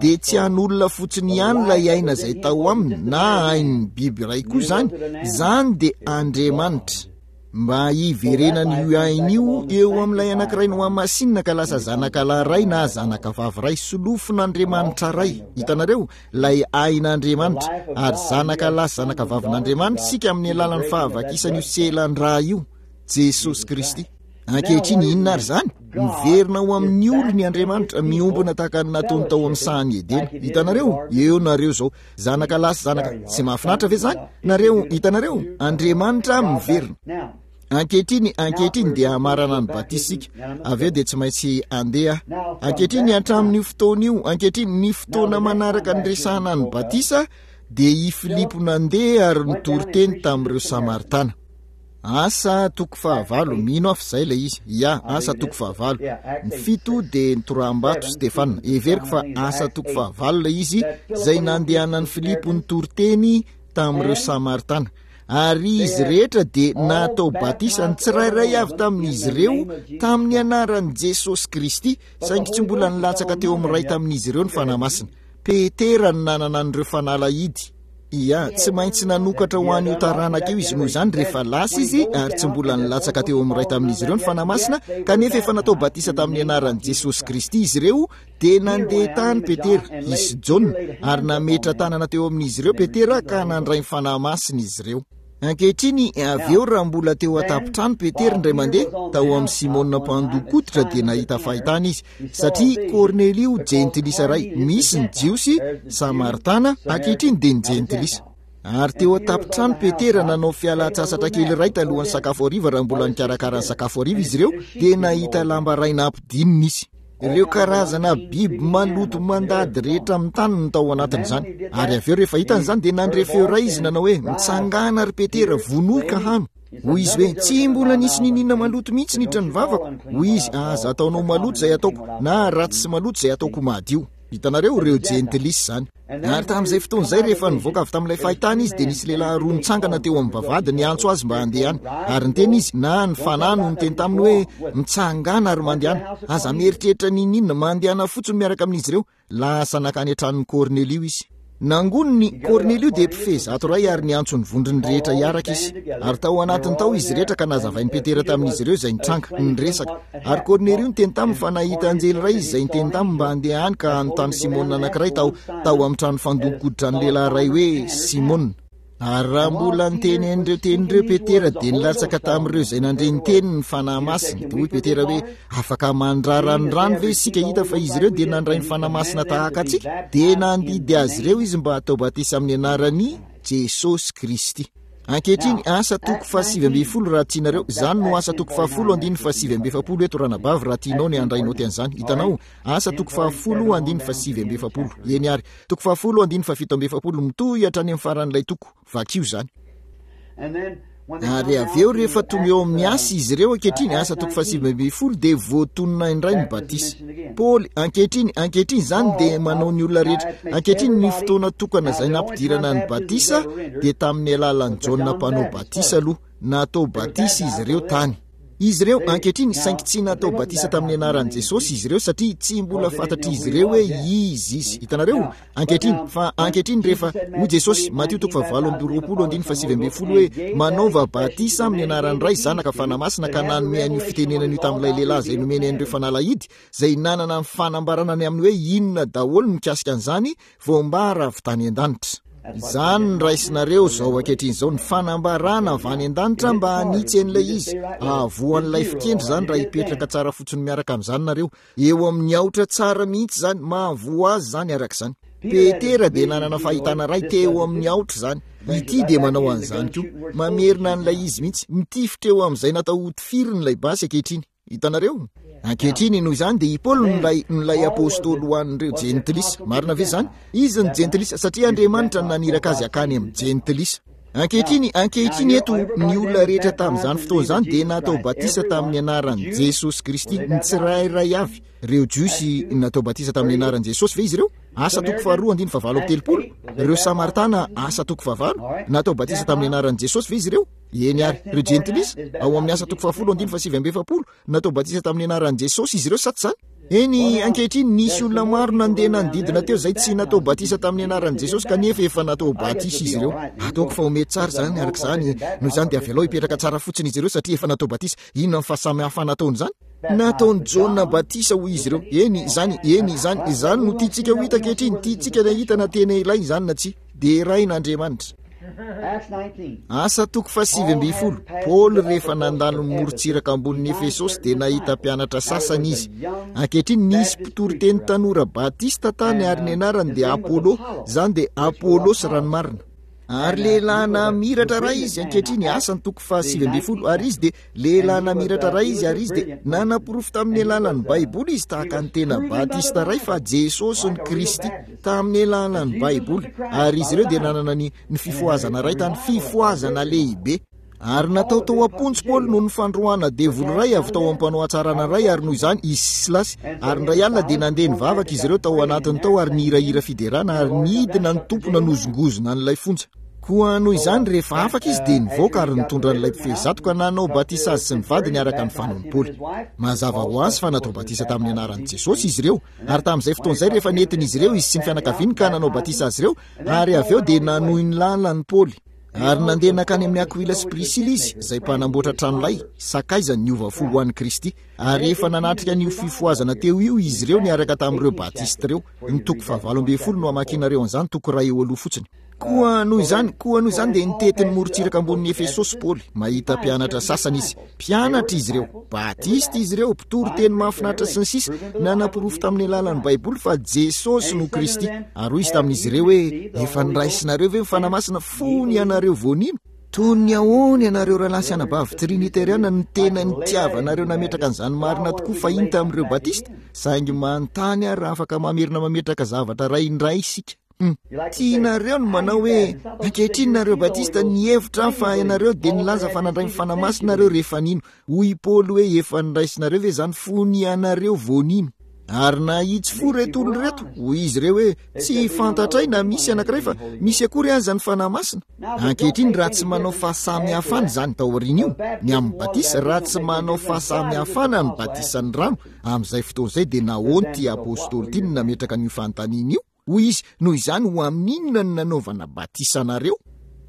dia tsy an'olona fotsiny ihany ilay aina izay tao aminy na ain'ny biby iray koa izany, izany dia Andriamanitra. Mba hiverenan'io aina io eo amin'ilay anankiray nohamasinina ka lasa zanaka lahy iray na zanaka vavy iray, solofon'Andriamanitra Ray. Hitanareo? Ilay ain'Andriamanitra. Ary zanaka lahy sy zanaka vavin'Andriamanitra isika amin'ny alalan'ny fahavakisan'io selan-drà io, Jesosy Kristy. Ankehitriny, inona ary izany? Miverina ho amin'ny olony Andriamanitra, miombona tahaka ny nataony tao amin'ny sahan'i Edena. Hitanareo? Eo nareo izao. Zanaka lahy sy zanaka. Tsy mahafinaritra ve izany? Nareo, hitanareo? Andriamanitra miverina. Ankehitriny, ankehitriny dia hamarana ny batisa isika. Avy eo dia tsy maintsy handeha. Ankehitriny, hatramin'io fotoana io, ankehitriny, ny fotoana manaraka niresahana ny batisa dia i Filipo nandeha ary nitory teny tamin'ireo Samaritana. Asa toko fahavalo, mino aho fa izay ilay izy. Ya, Asa toko fahavalo. Ny fito dia nitoraham-bato Stefana. Heveriko fa Asa toko fahavalo ilay izy, izay nandehanan'i Filipo nitory teny tamin'ireo Samaritana. Ary izy rehetra dia natao batisa, ny tsirairay avy tamin'izy ireo, tamin'ny anaran'i Jesosy Kristy, saingy tsy mbola nilatsaka teo amin'ny iray tamin'izy ireo ny Fanahy Masina. Petera no nanana an'ireo fanalahidy. Ia, tsy maintsy nanokatra ho an'io taranaka io izy, noho izany rehefa lasa izy ary tsy mbola nilatsaka teo amin'ny iray tamin'izy ireo ny Fanahy Masina, kanefa efa natao batisa tamin'ny anaran'i Jesosy Kristy izy ireo, dia nandeha tany Petera, izy sy Jaona, ary nametra-tanana teo amin'izy ireo Petera ka nandray ny Fanahy Masina izy ireo. Ankehitriny, avy eo raha mbola teo an-tampon-trano Petera indray mandeha, tao amin'i Simona mpandoko-koditra, dia nahita fahitana izy, satria Kornelio jentilisa iray, misy ny Jiosy, Samaritana, ankehitriny dia ny jentilisa. Ary teo an-tampon-trano Petera nanao fialan-tsasatra kely iray talohan'ny sakafo hariva raha mbola nikarakara ny sakafo hariva izy ireo, dia nahita lamba iray nampidinina izy. Ireo karazana biby maloto mandady rehetra amin'ny tany no tao anatin'izany. Ary avy eo rehefa hitany izany dia nandre feo iray izy nanao hoe, Mitsangàna ry Petera, vonoy ka hano. Hoy izy hoe, Tsy mbola nisy niniana maloto mihitsy niditra ny vavako. Hoy izy, Aza ataonao maloto izay ataoko, na ratsy sy maloto izay ataoko madio. Hitanareo, ireo jentilisa izany. Ary tamin'izay fotoana izay, rehefa nivoaka avy tamin'ilay fahitana izy, dia nisy lehilahy roa nitsangana teo amin'ny vavahady niantso azy mba handeha any. Ary niteny izy, na ny Fanahy no niteny taminy hoe, Mitsangàna ary mandehana. Aza mieritreritra n'inon'inona, mandehana fotsiny miaraka amin'izy ireo. Lasa nankany an-tranon'i Kornelio izy. Nangoniny, Kornelio dia mpifehy 100 ary niantso ny vondrony rehetra hiaraka izy. Ary tao anatiny tao izy rehetra ka nazavain'i Petera tamin'izy ireo izay nitranga, niresaka. Ary Kornelio niteny taminy fa nahita anjely iray izy izay niteny taminy mba handeha any ka hanontany Simona anankiray tao tao amin'ny trano fandon-koditra ny lehilahy iray hoe Simona. Ary raha mbola niteny an'ireo teny ireo Petera dia nilatsaka tamin'ireo izay nandre ny teniny ny Fanahy Masina. Dia hoy Petera hoe, Afaka mandrara ny rano ve isika hita fa izy ireo dia nandray ny Fanahy Masina tahaka antsika? Dia nandidy azy ireo izy mba hatao batisa amin'ny anaran'i Jesosy Kristy. Ankehitriny, Asa toko faha-19 raha tianareo. Izany no Asa toko fahafolo andininy faha-49 eto, ranabavy, raha tianao ny handray naoty an'izany. Hitanao? Asa toko fahafolo andininy faha-49. Eny àry. Toko fahafolo andininy faha-47, mitohy hatrany amin'ny faran'ilay toko. Vakio izany. Ary avy eo rehefa tonga eo amin'ny asa izy ireo ankehitriny, asa toko faha-19, dia voatonona indray ny batisa. Paoly, ankehitriny, ankehitriny izany dia manao ny olona rehetra. Ankehitriny ny fotoana tokana izay nampidirana ny batisa dia tamin'ny alalan'i Jaona mpanao batisa aloha. Natao batisa izy ireo tany. Izy ireo, ankehitriny, saingy tsy natao batisa tamin'ny anaran'i Jesosy izy ireo satria tsy mbola fantatr'izy ireo hoe iza Izy. Hitanareo? Ankehitriny, fa ankehitriny rehefa, hoy Jesosy, Matio toko fahavalo amby roapolo andininy faha-19 hoe, Manaova batisa amin'ny anaran'ny Ray, Zanaka, Fanahy Masina, ka nanome an'io fitenenana io tamin'ilay lehilahy izay nomeny an'ireo fanalahidy, izay nanana ny fanambarana ny amin'ny hoe inona daholo mikasika an'izany, voambara avy tany an-danitra. Izany no raisinareo izao ankehitriny izao, ny fanambarana avy any an-danitra mba hanitsy an'ilay izy. Hahavoa an'ilay fikendry izany raha hipetraka tsara fotsiny miaraka amin'izany nareo. Eo amin'ny aotra tsara mihitsy izany, mahavoa azy izany araka izany. Petera dia nanana fahitana iray teo amin'ny aotra izany. Ity dia manao an'izany koa. Mamerina an'ilay izy mihitsy. Mitifitra eo amin'izay natao hotifiriny ilay basy ankehitriny. Hitanareo? Ankehitriny, noho izany, dia i Paoly no ilay, no ilay apostoly ho an'ireo jentilisa. Marina ve izany? Izy no jentilisa, satria Andriamanitra no naniraka azy hakany amin'ny jentilisa. Ankehitriny, ankehitriny eto, ny olona rehetra tamin'izany fotoana izany dia natao batisa tamin'ny anaran'i Jesosy Kristy, ny tsirairay avy. Ireo Jiosy natao batisa tamin'ny anaran'i Jesosy ve izy ireo? Asa toko faharoa andininy fahavalo amby telopolo. Ireo Samaritana, Asa toko fahavalo, natao batisa tamin'ny anaran'i Jesosy ve izy ireo? Eny ary. Ireo Jentilisa, ao amin'ny Asa toko fahafolo andininy fahasivy amby efapolo, natao batisa tamin'ny anaran'i Jesosy izy ireo sa tsy izany? Eny, ankehitriny, nisy olona maro nandeha nanodidina teo izay tsy natao batisa tamin'ny anaran'i Jesosy, kanefa efa natao batisa izy ireo. Ataoko fa ho mety tsara izany, araka izany. Noho izany dia avelao hipetraka tsara fotsiny izy ireo satria efa natao batisa. Inona ny fahasamihafana ataon'izany? Nataon'i Jaona batisa, hoy izy ireo. Eny, izany, eny, izany, izany no tiantsika ho hita ankehitriny. Tiantsika ny hahita na tena ilaina izany na tsia. Deraina Andriamanitra. Asa toko faha-19, Paoly rehefa nandalo ny morontsiraka ambonin'i Efesosy dia nahita mpianatra sasany izy. Ankehitriny nisy mpitoriteny tanora batista tany ary ny anarany dia Apollo, izany dia Apolosy raha ny marina. Ary lehilahy namiratra iray izy, ankehitriny Asa ny toko faha-19, ary izy dia Lehilahy namiratra iray izy ary izy dia nanaporofo tamin'ny alalan'ny Baiboly izy tahaka ny tena Batista iray fa Jesosy ny Kristy tamin'ny alalan'ny Baiboly ary izy ireo dia nanana ny ny fifohazana iray tany fifohazana lehibe. Ary natao tao am-ponja Paoly noho ny fandroahana devoly iray avy tao amin'ny mpanao hatsarana iray ary noho izany izy sy Silasy ary indray alina dia nandeha nivavaka izy ireo tao anatiny tao ary nihirahira fiderana ary nidina ny Tompo nanozongozona an'ilay fonja. Koa noho izany, rehefa afaka izy dia nivoaka ary nitondra an'ilay mpifehy zatoka nanao batisa azy sy ny vadiny araka ny fanaon'i Paoly. Mazava ho azy fa natao batisa tamin'ny anaran'i Jesosy izy ireo, ary tamin'izay fotoana izay rehefa nentin'izy ireo izy sy ny fianakaviany ka nanao batisa azy ireo, ary avy eo dia nanohy ny lalan'i Paoly. Ary nandeha nankany amin'i Akoila sy Prisila izy, izay mpanamboatra tranolay, sakaizany niova fo ho an'i Kristy. Ary efa nanatrika an'io fifohazana teo io izy ireo niaraka tamin'ireo Batista ireo. Ny toko faha-18 no hamakianareo an'izany, toko iray eo aloha fotsiny. Koa noho izany, koa noho izany dia nitety ny morontsiraka ambonin'i Efesosy Paoly. Mahita mpianatra sasany izy. Mpianatra izy ireo. Batista izy ireo, mpitory teny mahafinaritra sy ny sisa, nanaporofo tamin'ny alalan'ny Baiboly fa Jesosy no Kristy. Ary hoy izy tamin'izy ireo hoe, Efa noraisinareo ve ny Fanahy Masina fony ianareo vao nino? Toy ny ahoana ianareo rahalahy sy anabavy Triniteriana no tena nitiavanareo nametraka an'izany marina tokoa fahiny tamin'ireo Batista? Saingy manontany aho raha afaka mamerina mametraka zavatra iray indray isika. Hum. Tianareo ny manao hoe, Ankehitriny nareo Batista, nihevitra aho fa ianareo dia nilaza fa nandray ny Fanahy Masina nareo rehefa nino. Hoy i Paoly hoe, Efa noraisinareo ve izany fony ianareo vao nino? Ary nahitsy fo ireto olona ireto. Hoy izy ireo hoe, Tsy fantatray na misy anankiray fa misy akory aza ny Fanahy Masina. Ankehitriny, raha tsy manao fahasamihafana izany taorian'io, ny amin'ny batisa, raha tsy manao fahasamihafana ny batisan'ny rano, amin'izay fotoana izay dia nahoana ity apostoly ity no nametraka an'io fanontaniana io? Hoy izy, Noho izany, ho amin'inona no nanaovana batisa anareo?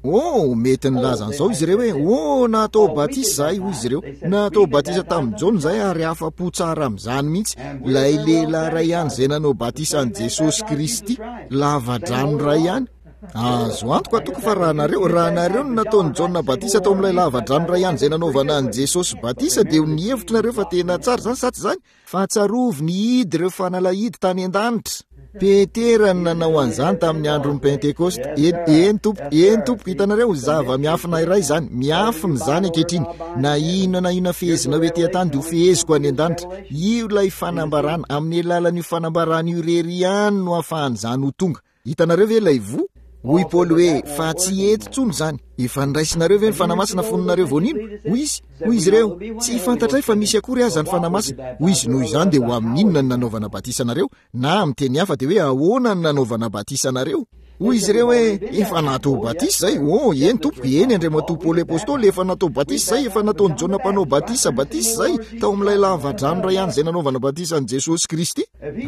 Oh, mety nilaza an'izao izy ireo hoe, Oh, natao batisa izahay, hoy izy ireo. Natao batisa tamin'i Jaona izahay ary afa-po tsara amin'izany mihitsy. Ilay lehilahy iray ihany izay nanao batisa an'i Jesosy Kristy, lava-drano iray ihany. Azo antoka tokoa fa raha nareo, raha nareo no nataon'i Jaona batisa tao amin'ilay lava-drano iray ihany izay nanaovana an'i Jesosy batisa, dia ho nihevitra nareo fa tena tsara izany, sa tsy izany? Fa tsarovy nihidy ireo fanalahidy tany an-danitra. Petera no nanao an'izany tamin'ny andron'ny Pentekosta. Eny, eny tompoko, eny tompoko, hitanareo, zava-miafina iray izany. Miafina izany ankehitriny. Na inona na inona fehezinao ety an-tany dia ho feheziko any an-danitra. Io ilay fanambarana. Amin'ny alalan'io fanambarana io irery ihany no ahafahan'izany ho tonga. Hitanareo ve ilay voa? Hoy Paoly hoe, Fa tsy eto intsony izany. Efa noraisinareo ve ny Fanahy Masina fony nareo vao nino? Hoy izy. Hoy izy ireo, Tsy fantatray fa misy akory aza ny Fanahy Masina. Hoy izy, Noho izany dia ho amin'ny inona no nanaovana batisa anareo? Na amin'ny teny hafa dia hoe ahoana no nanaovana batisa anareo? Hoy izy ireo hoe, Efa natao batisa izay. Oh, eny tompoko, eny Andriamatoa Paoly Apostoly, efa natao batisa izay, efa nataon'i Jaona Mpanao Batisa batisa izay, tao amin'ilay lava-drano iray ihany izay nanaovana batisa an'i Jesosy Kristy.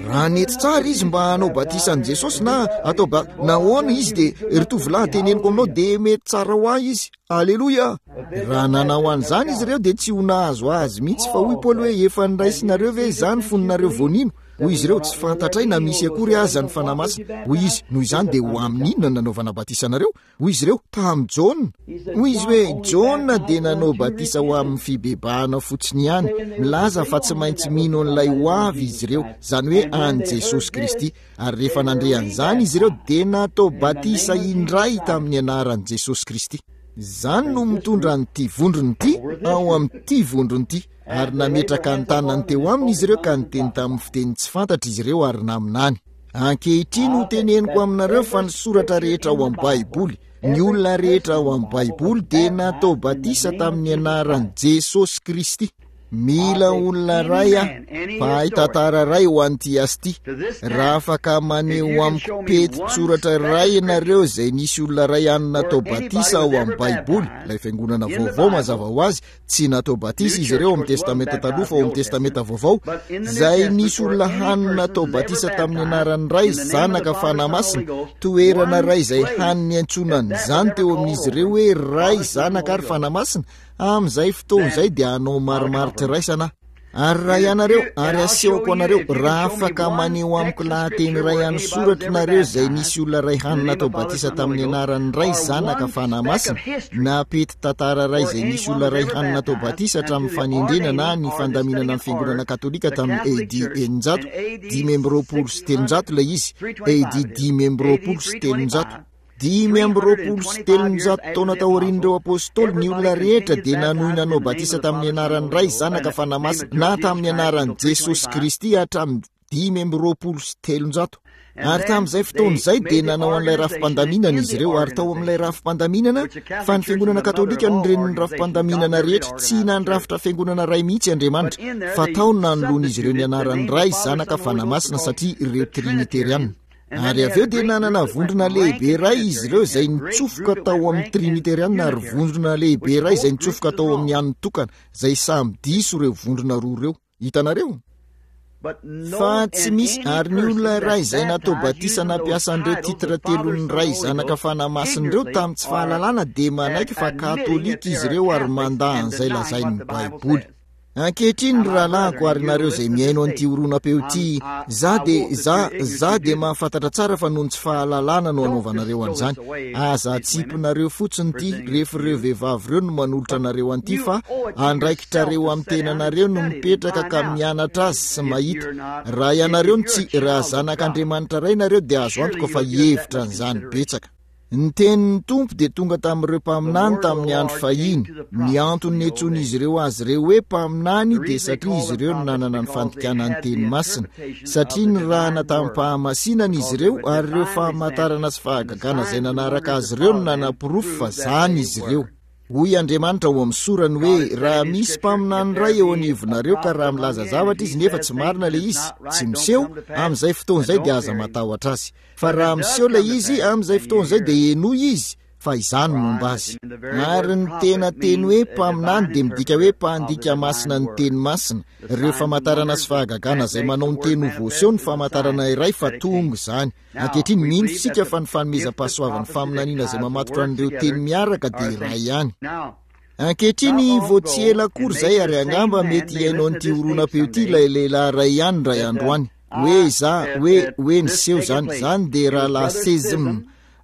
Raha nety tsara izy mba hanao batisa an'i Jesosy na atao ba nahoana izy dia ry tovolahy teneniko aminao dia mety tsara ho ahy izy. Aleloia! Raha nanao an'izany izy ireo dia tsy ho nahazo azy mihitsy fa hoy Paoly hoe efa niraisinareo ve izany fony nareo vao nino? Hoy izy ireo tsy fantatray na misy akory aza ny Fanahy Masina. Hoy izy, noho izany dia ho amin'ny inona no nanaovana batisa anareo? Hoy izy ireo, Tamin'i Jaona. Hoy izy hoe, Jaona dia nanao batisa ho amin'ny fibebahana fotsiny ihany, milaza fa tsy maintsy mino an'ilay ho avy izy ireo, izany hoe an'i Jesosy Kristy. Ary rehefa nandre an'izany izy ireo, dia natao batisa indray tamin'ny anaran'i Jesosy Kristy. Izany no mitondra an'ity vondrona ity ao amin'ity vondrona ity. Ary nametraka ny tanany teo aminy izy ireo ka niteny tamin'ny fiteny tsy fantatra izy ireo ary naminany. Ankehitriny ho teneniko aminareo fa ny soratra rehetra ao amin'ny Baiboly, ny olona rehetra ao amin'ny Baiboly dia natao batisa tamin'ny anaran'i Jesosy Kristy. Mila olona iray aho, mpahay tantara iray ho an'ity asa ity. Raha afaka maneho amiko peti-tsoratra iray ianareo izay nisy olona iray any natao batisa ao amin'ny Baiboly, ilay fiangonana vaovao mazava ho azy, tsy natao batisa izy ireo ao amin'ny Testamenta Taloha fa ao amin'ny Testamenta Vaovao, izay nisy olona hany natao batisa tamin'ny anaran'ny Ray, Zanaka, Fanahy Masina, toerana iray izay hany niantsoana an'izany teo amin'izy ireo hoe Ray, Zanaka ary Fanahy Masina, Amin'izay fotoana izay dia hanao marimaritra-iraisana aho. Ary raha ianareo, ary asehoko anareo, raha afaka maneho amiko lahateny iray an'ny soratra nareo izay nisy olona iray hany natao batisa tamin'ny anaran'ny Ray, Zanaka, Fanahy Masina, na pety tantara iray izay nisy olona iray hany natao batisa hatramin'ny fanendrena na ny fandaminana ny Fiangonana Katolika tamin'ny AD 600, 325 ilay izy, AD 325. 325 taona taorian'ireo apostoly, ny olona rehetra dia nanohy nanao batisa tamin'ny anaran'ny Ray, Zanaka, Fanahy Masina, na tamin'ny anaran'i Jesosy Kristy hatramin'ny 325. Ary tamin'izay fotoana izay dia nanao an'ilay rafi-pandaminana izy ireo, ary tao amin'ilay rafi-pandaminana, fa ny fiangonana katolika no renin'ny rafi-pandaminana rehetra, tsy nandrafitra fiangonana iray mihitsy Andriamanitra, fa tao no nanoloan'izy ireo ny anaran'ny Ray, Zanaka, Fanahy Masina, satria ireo Trinitariana. Ary avy eo dia nanana vondrona lehibe iray izy ireo izay nitsofoka tao amin'ny Triniteriana ary vondrona lehibe iray izay nitsofoka tao amin'ny an'ny tokana, izay samy diso ireo vondrona roa ireo. Hitanareo? Fa tsy misy, ary ny olona iray izay natao batisa nampiasa an'ireo titre telon'ny Ray, Zanaka, Fanahy Masina ireo tamin'ny tsy fahalalana dia manaiky fa katolika izy ireo ary mandà an'izay lazain'ny Baiboly. Ankehitriny, ry rahalahiko, ary nareo izay mihaino an'ity horonam-peo ity, za dia, za, za dia mahafantatra tsara fa noho ny tsy fahalalana no anaovanareo an'izany. Aza atsipinareo fotsiny ity, rehefa ireo vehivavy ireo no manolotra anareo an'ity, fa andraikitrareo amin'ny tenanareo no mipetraka ka mianatra azy sy mahita. Raha ianareo no tsy, raha zanak'Andriamanitra Ray nareo dia azo antoka fa hihevitra an'izany betsaka. Ny tenin'ny Tompo dia tonga tamin'ireo mpaminany tamin'ny andro fahiny. Ny antony niantsoan'izy ireo azy ireo hoe mpaminany dia satria izy ireo no nanana ny fandikana ny teny masina, satria nirahana tamim-pahamasinana izy ireo ary ireo famantarana sy fahagagana izay nanaraka azy ireo no nanaporofo fa zany izy ireo. Hoy Andriamanitra ao amin'ny sorany hoe, Raha misy mpaminany iray eo anivonareo ka raha milaza zavatra izy nefa tsy marina ilay izy, tsy miseho, amin'izay fotoana izay dia aza matahotra azy. Fa raha miseho ilay izy, amin'izay fotoana izay dia henoy izy, fa izaho no momba azy. Ary ny tena teny hoe mpaminany dia midika hoe mpandika masina ny teny masina. Ireo famantarana sy fahagagana izay manao ny teny ho voaseho ny famantarana iray fa tonga izany. Ankehitriny, mino isika fa ny fanomezam-pahasoavan'ny faminaniana izay mamatotra an'ireo teny miaraka dia iray ihany. Ankehitriny, vao tsy ela akory izay, ary angamba mety hihaino an'ity horonam-peo ity ilay lehilahy iray ihany indray andro any, hoe izaho, hoe, hoe niseho izany. Izany dia Rahalahy Sezm,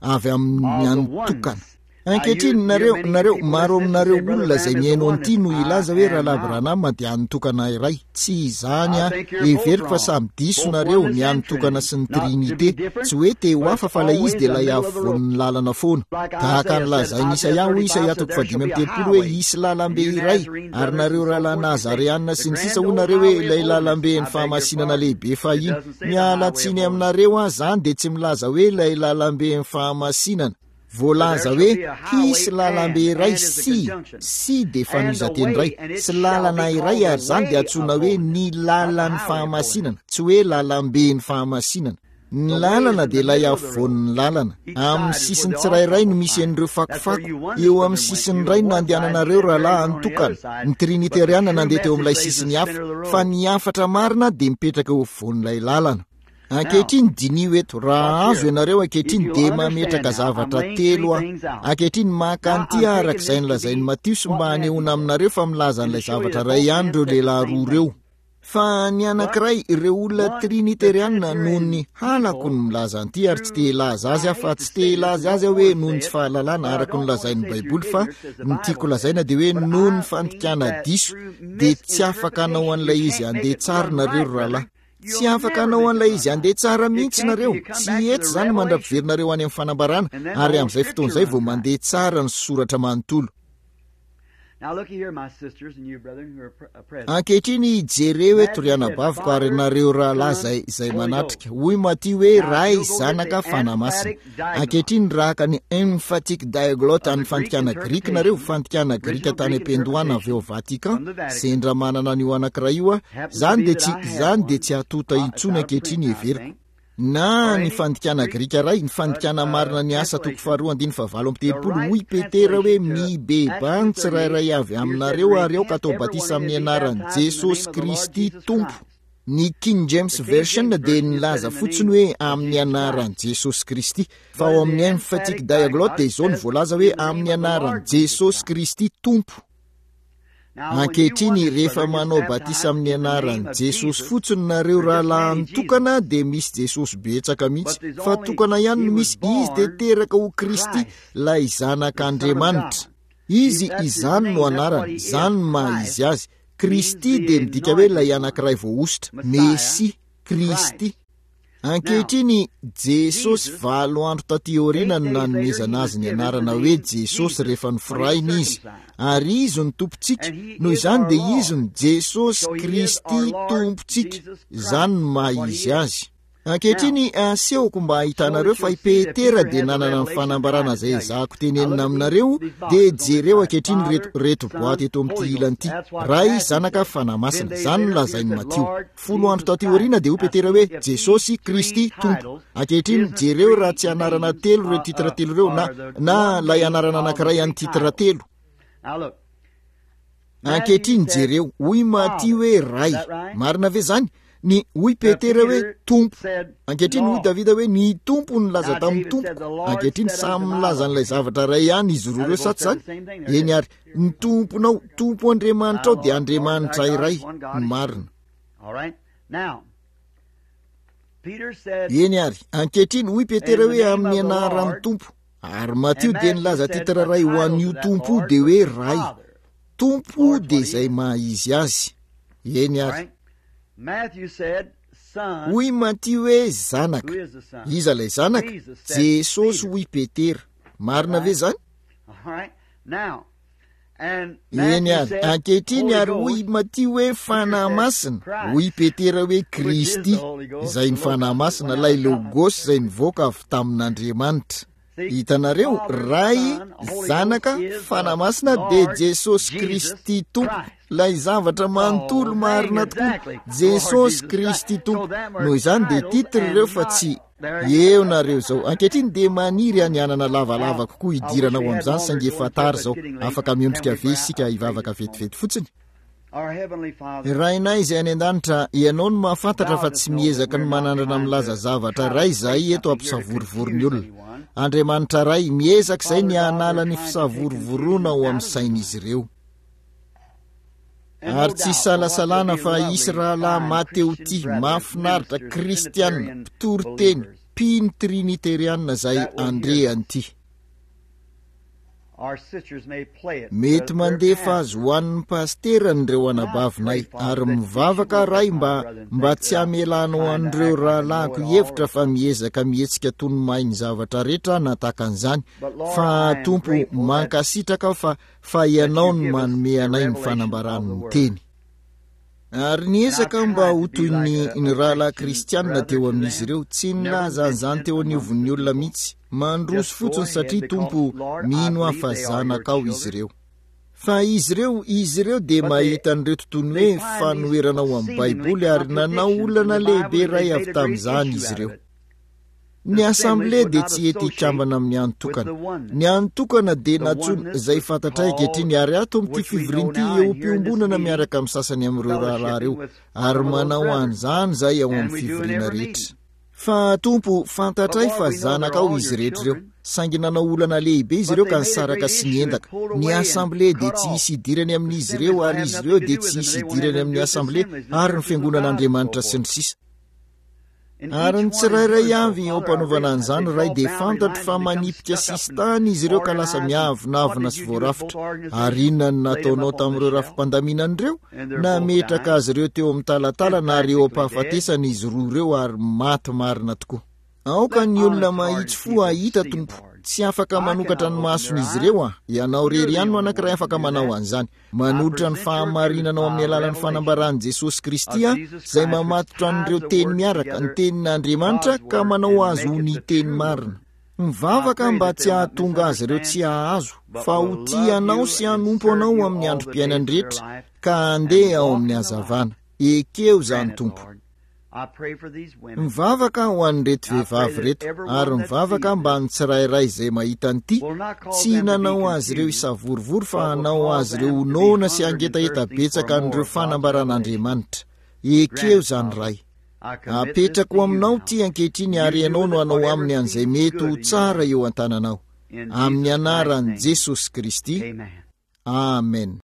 avy amin'ny an'ny tokana. Ankehitriny, nareo, nareo, maro aminareo olona izay mihaino an'ity no hilaza hoe Rahalahy Branham dia an'ny tokana iray. Tsy izany aho. Heveriko fa samy diso nareo, ny an'ny tokana sy ny Trinite. Tsy hoe te ho hafa fa ilay izy dia ilay afovoan'ny lalana foana. Tahaka ny lazain'i Isaia, hoy Isaia toko fahadimy amby 30 hoe hisy lalambe iray, ary nareo rahalahy Nazareana sy ny sisa hoy nareo hoe ilay lalamben'ny fahamasinana lehibe fahiny. Miala tsiny aminareo aho, izany dia tsy milaza hoe ilay lalamben'ny fahamasinana. Voalaza hoe hisy lalambe iray sy, sy dia fanohizan-teny iray, sy lalana iray ary izany dia antsoina hoe ny lalan'ny fahamasinana, tsy hoe lalamben'ny fahamasinana. Ny lalana dia ilay afovoan'ny lalana. Amin'ny sisiny tsirairay no misy an'ireo fakofako. Eo amin'ny sisiny iray no nandehananareo rahalahy an'tokana, ny Triniteriana nandeha teo amin'ilay sisiny hafa, fa ny hafatra marina dia mipetraka eo afovoan'ilay lalana. Ankehitriny diniho eto, raha azo ianareo ankehitriny dia mametraka zavatra telo aho. Ankehitriny maka an'ity aho araka izay nolazain'i Matiosy mba hanehoana aminareo fa milaza an'ilay zavatra iray ihany ireo lehilahy roa ireo. Fa ny anankiray, ireo olona triniteriana noho ny halako ny milaza an'ity ary tsy te hilaza azy aho fa tsy te hilaza azy aho hoe noho ny tsy fahalalana araka ny lazain'ny Baiboly fa ny tiako lazaina dia hoe noho ny fandikana diso dia tsy afaka hanao an'ilay izy handeha tsara nareo ry rahalahy. Tsy afaka hanao an'ilay izy handeha tsara mihitsy nareo. Tsy hety izany mandra-piverinareo any amin'ny fanambarana, ary amin'izay fotoana izay vao mandeha tsara ny soratra manontolo. Ankehitriny jereo eto ry anabaviko ary nareo rahalahy izay, izay manatrika. Hoy Matio hoe Ray, Zanaka, Fanahy Masina. Ankehitriny raha haka ny Emphatic Diaglott an'ny fandikana Grika nareo, fandikana Grika tany am-piandohana avy ao Vatican, sendra manana an'io anankiray io aho, izany dia tsy, izany dia tsy hatonta intsony ankehitriny heveriko. Na ny fandikana grika iray, ny fandikana marina ny Asa toko faharoa andininy fahavalo amby telopolo, hoy Petera hoe, Mibebaha ny tsirairay avy aminareo ary aoka atao batisa amin'ny anaran'i Jesosy Kristy Tompo. Ny King James Version dia nilaza fotsiny hoe amin'ny anaran'i Jesosy Kristy, fa ao amin'ny Emphatic Diaglott dia izao no voalaza hoe amin'ny anaran'i Jesosy Kristy Tompo. Ankehitriny, rehefa manao batisa amin'ny anaran'i Jesosy fotsiny nareo rahalahy tokana dia misy Jesosy betsaka mihitsy, fa tokana ihany no misy, Izy dia teraka ho Kristy, ilay Zanak'Andriamanitra. Izy, izany no anarany, izany no maha izy azy. Kristy dia midika hoe ilay anankiray voahosotra, Mesia, Kristy. Ankehitriny, Jesosy, valo andro taty aoriana no nanomezana Azy ny anarana hoe Jesosy rehefa noforahina Izy. Ary Izy no Tompontsika, noho izany dia Izy no Jesosy Kristy Tompontsika. Izany no maha Izy Azy. Ankehitriny, asehoko mba hahitanareo fa i Petera dia nanana ny fanambarana izay ezahako tenenina aminareo, dia jereo ankehitriny ireto, ireto boaty eto amin'ity ilany ity. Ray, Zanaka, Fanahy Masina. Izany no lazain'i Matio. Folo andro taty aoriana dia hoy Petera hoe, Jesosy, Kristy, Tompo. Ankehitriny, jereo raha tsy anarana telo ireo titre telo ireo, na, na ilay anarana anankiray an'ny titre telo. Ankehitriny, jereo, hoy Matio hoe Ray. Marina ve izany? Ny, hoy Petera hoe, Tompo. Ankehitriny, hoy Davida hoe, Ny Tompo nilaza tamin'ny Tompoko. Ankehitriny, samy milaza an'ilay zavatra iray ihany izy roa ireo, sa tsy izany? Eny ary. Ny Tomponao, Tompo Andriamanitrao dia Andriamanitra iray, ny marina. Eny ary, ankehitriny, hoy Petera hoe amin'ny anaran'ny Tompo. Ary Matio dia nilaza titre iray ho an'io Tompo io dia hoe Ray. Tompo dia izay maha izy azy. Eny ary. Hoy Matio hoe Zanaka. Iza ilay Zanaka? Jesosy hoy Petera. Marina ve izany? Eny ary, ankehitriny ary hoy Matio hoe Fanahy Masina, hoy Petera hoe Kristy, izay ny Fanahy Masina, ilay Logos izay nivoaka avy tamin'Andriamanitra. Hitanareo, Ray, Zanaka, Fanahy Masina dia Jesosy Kristy Tompo, ilay zavatra manontolo marina tokoa, Jesosy Kristy Tompo. Noho izany dia titre ireo fa tsy Eo nareo izao. Ankehitriny dia maniry aho ny hanana lavalava kokoa hidirana ao amin'izany, saingy efa tara izao. Afaka miondrika ve isika hivavaka vetivety fotsiny? Rainay izay any an-danitra, Ianao no mahafantatra fa tsy miezaka ny manandrana milaza zavatra iray izahay eto hampisavorovoro ny olona. Andriamanitra Ray, miezaka izay ny hanala ny fisavorovoroana ao amin'ny sain'izy ireo. Ary tsy isalasalana fa hisy rahalahy Mateotia mahafinaritra, kristiana, mpitory teny, mpino triniteriana izay handre an'ity. Mety mandefa azy ho an'ny pasiterany ireo anabavinay, ary mivavaka Ray mba, mba tsy hamelanao an'ireo rahalahiko hihevitra fa miezaka mihetsika toy ny mahay ny zavatra rehetra aho na tahaka an'izany, fa Tompo, mankasitraka aho fa fa Ianao no manome anay ny fanambaran'ny Teny. Ary niezaka aho mba ho toy ny, ny rahalahy kristiana teo amin'izy ireo, tsy nilaza an'izany teo anivon'ny olona mihitsy, mandroso fotsiny satria, Tompo, mino aho fa zanakao izy ireo. Fa izy ireo, izy ireo dia mahita an'ireto toy ny hoe fanoherana ao amin'ny Baiboly ary nanao olana lehibe iray avy tamin'izany izy ireo. Ny Assemblée dia tsy hety hikambana amin'ny antokana. Ny antokana dia nantsoina, izay fantatray ankehitriny, ary ato amin'ity fivoriana ity eo am-piombonana miaraka amin'ny sasany amin'ireo rahalahy ireo, ary manao an'izany izahay ao amin'ny fivoriana rehetra. Fa, Tompo, fantatray fa zanakao izy rehetra ireo. Saingy nanao olana lehibe izy ireo ka nisaraka sy niendaka. Ny Assemblée dia tsy hisy hidirany amin'izy ireo, ary izy ireo dia tsy hisy hidirany amin'ny Assemblée, ary ny Fiangonan'Andriamanitra sy ny sisa. Ary ny tsirairay avy eo am-panaovana an'izany, Ray, dia fantatro fa manipika sisintany izy ireo ka lasa miavonavona sy voarafitra. Ary inona no nataonao tamin'ireo rafi-pandaminana ireo? Nametraka azy ireo teo amin'ny talatalana ary eo am-pahafatesana izy roa ireo ary maty marina tokoa. Aoka ny olona mahitsy fo hahita, Tompo. Tsy afaka manokatra ny mason'izy ireo aho. Ianao irery ihany no anankiray afaka manao an'izany. Manolotra ny fahamarinanao amin'ny alalan'ny fanambaran'i Jesosy Kristy aho, izay mamatotra an'ireo teny miaraka, ny Tenin'Andriamanitra, ka manao azy ho ny Teny marina. Mivavaka aho mba tsy hahatonga azy ireo tsy hahazo, fa ho tia Anao sy hanompo Anao amin'ny androm-piainany rehetra, ka handeha ao amin'ny hazavana. Ekeo izany, Tompo. Mivavaka aho ho an'ireto vehivavy ireto, ary mivavaka mba ny tsirairay izay mahita an'ity, tsy nanao azy ireo hisavorovoro fa hanao azy ireo ho noana sy hangetaheta betsaka an'ireo fanambaran'Andriamanitra. Ekeo izany, Ray. Apetrako aminao ity ankehitriny ary Ianao no hanao aminy an'izay mety ho tsara eo an-tananao. Amin'ny anaran'i Jesosy Kristy. Amen.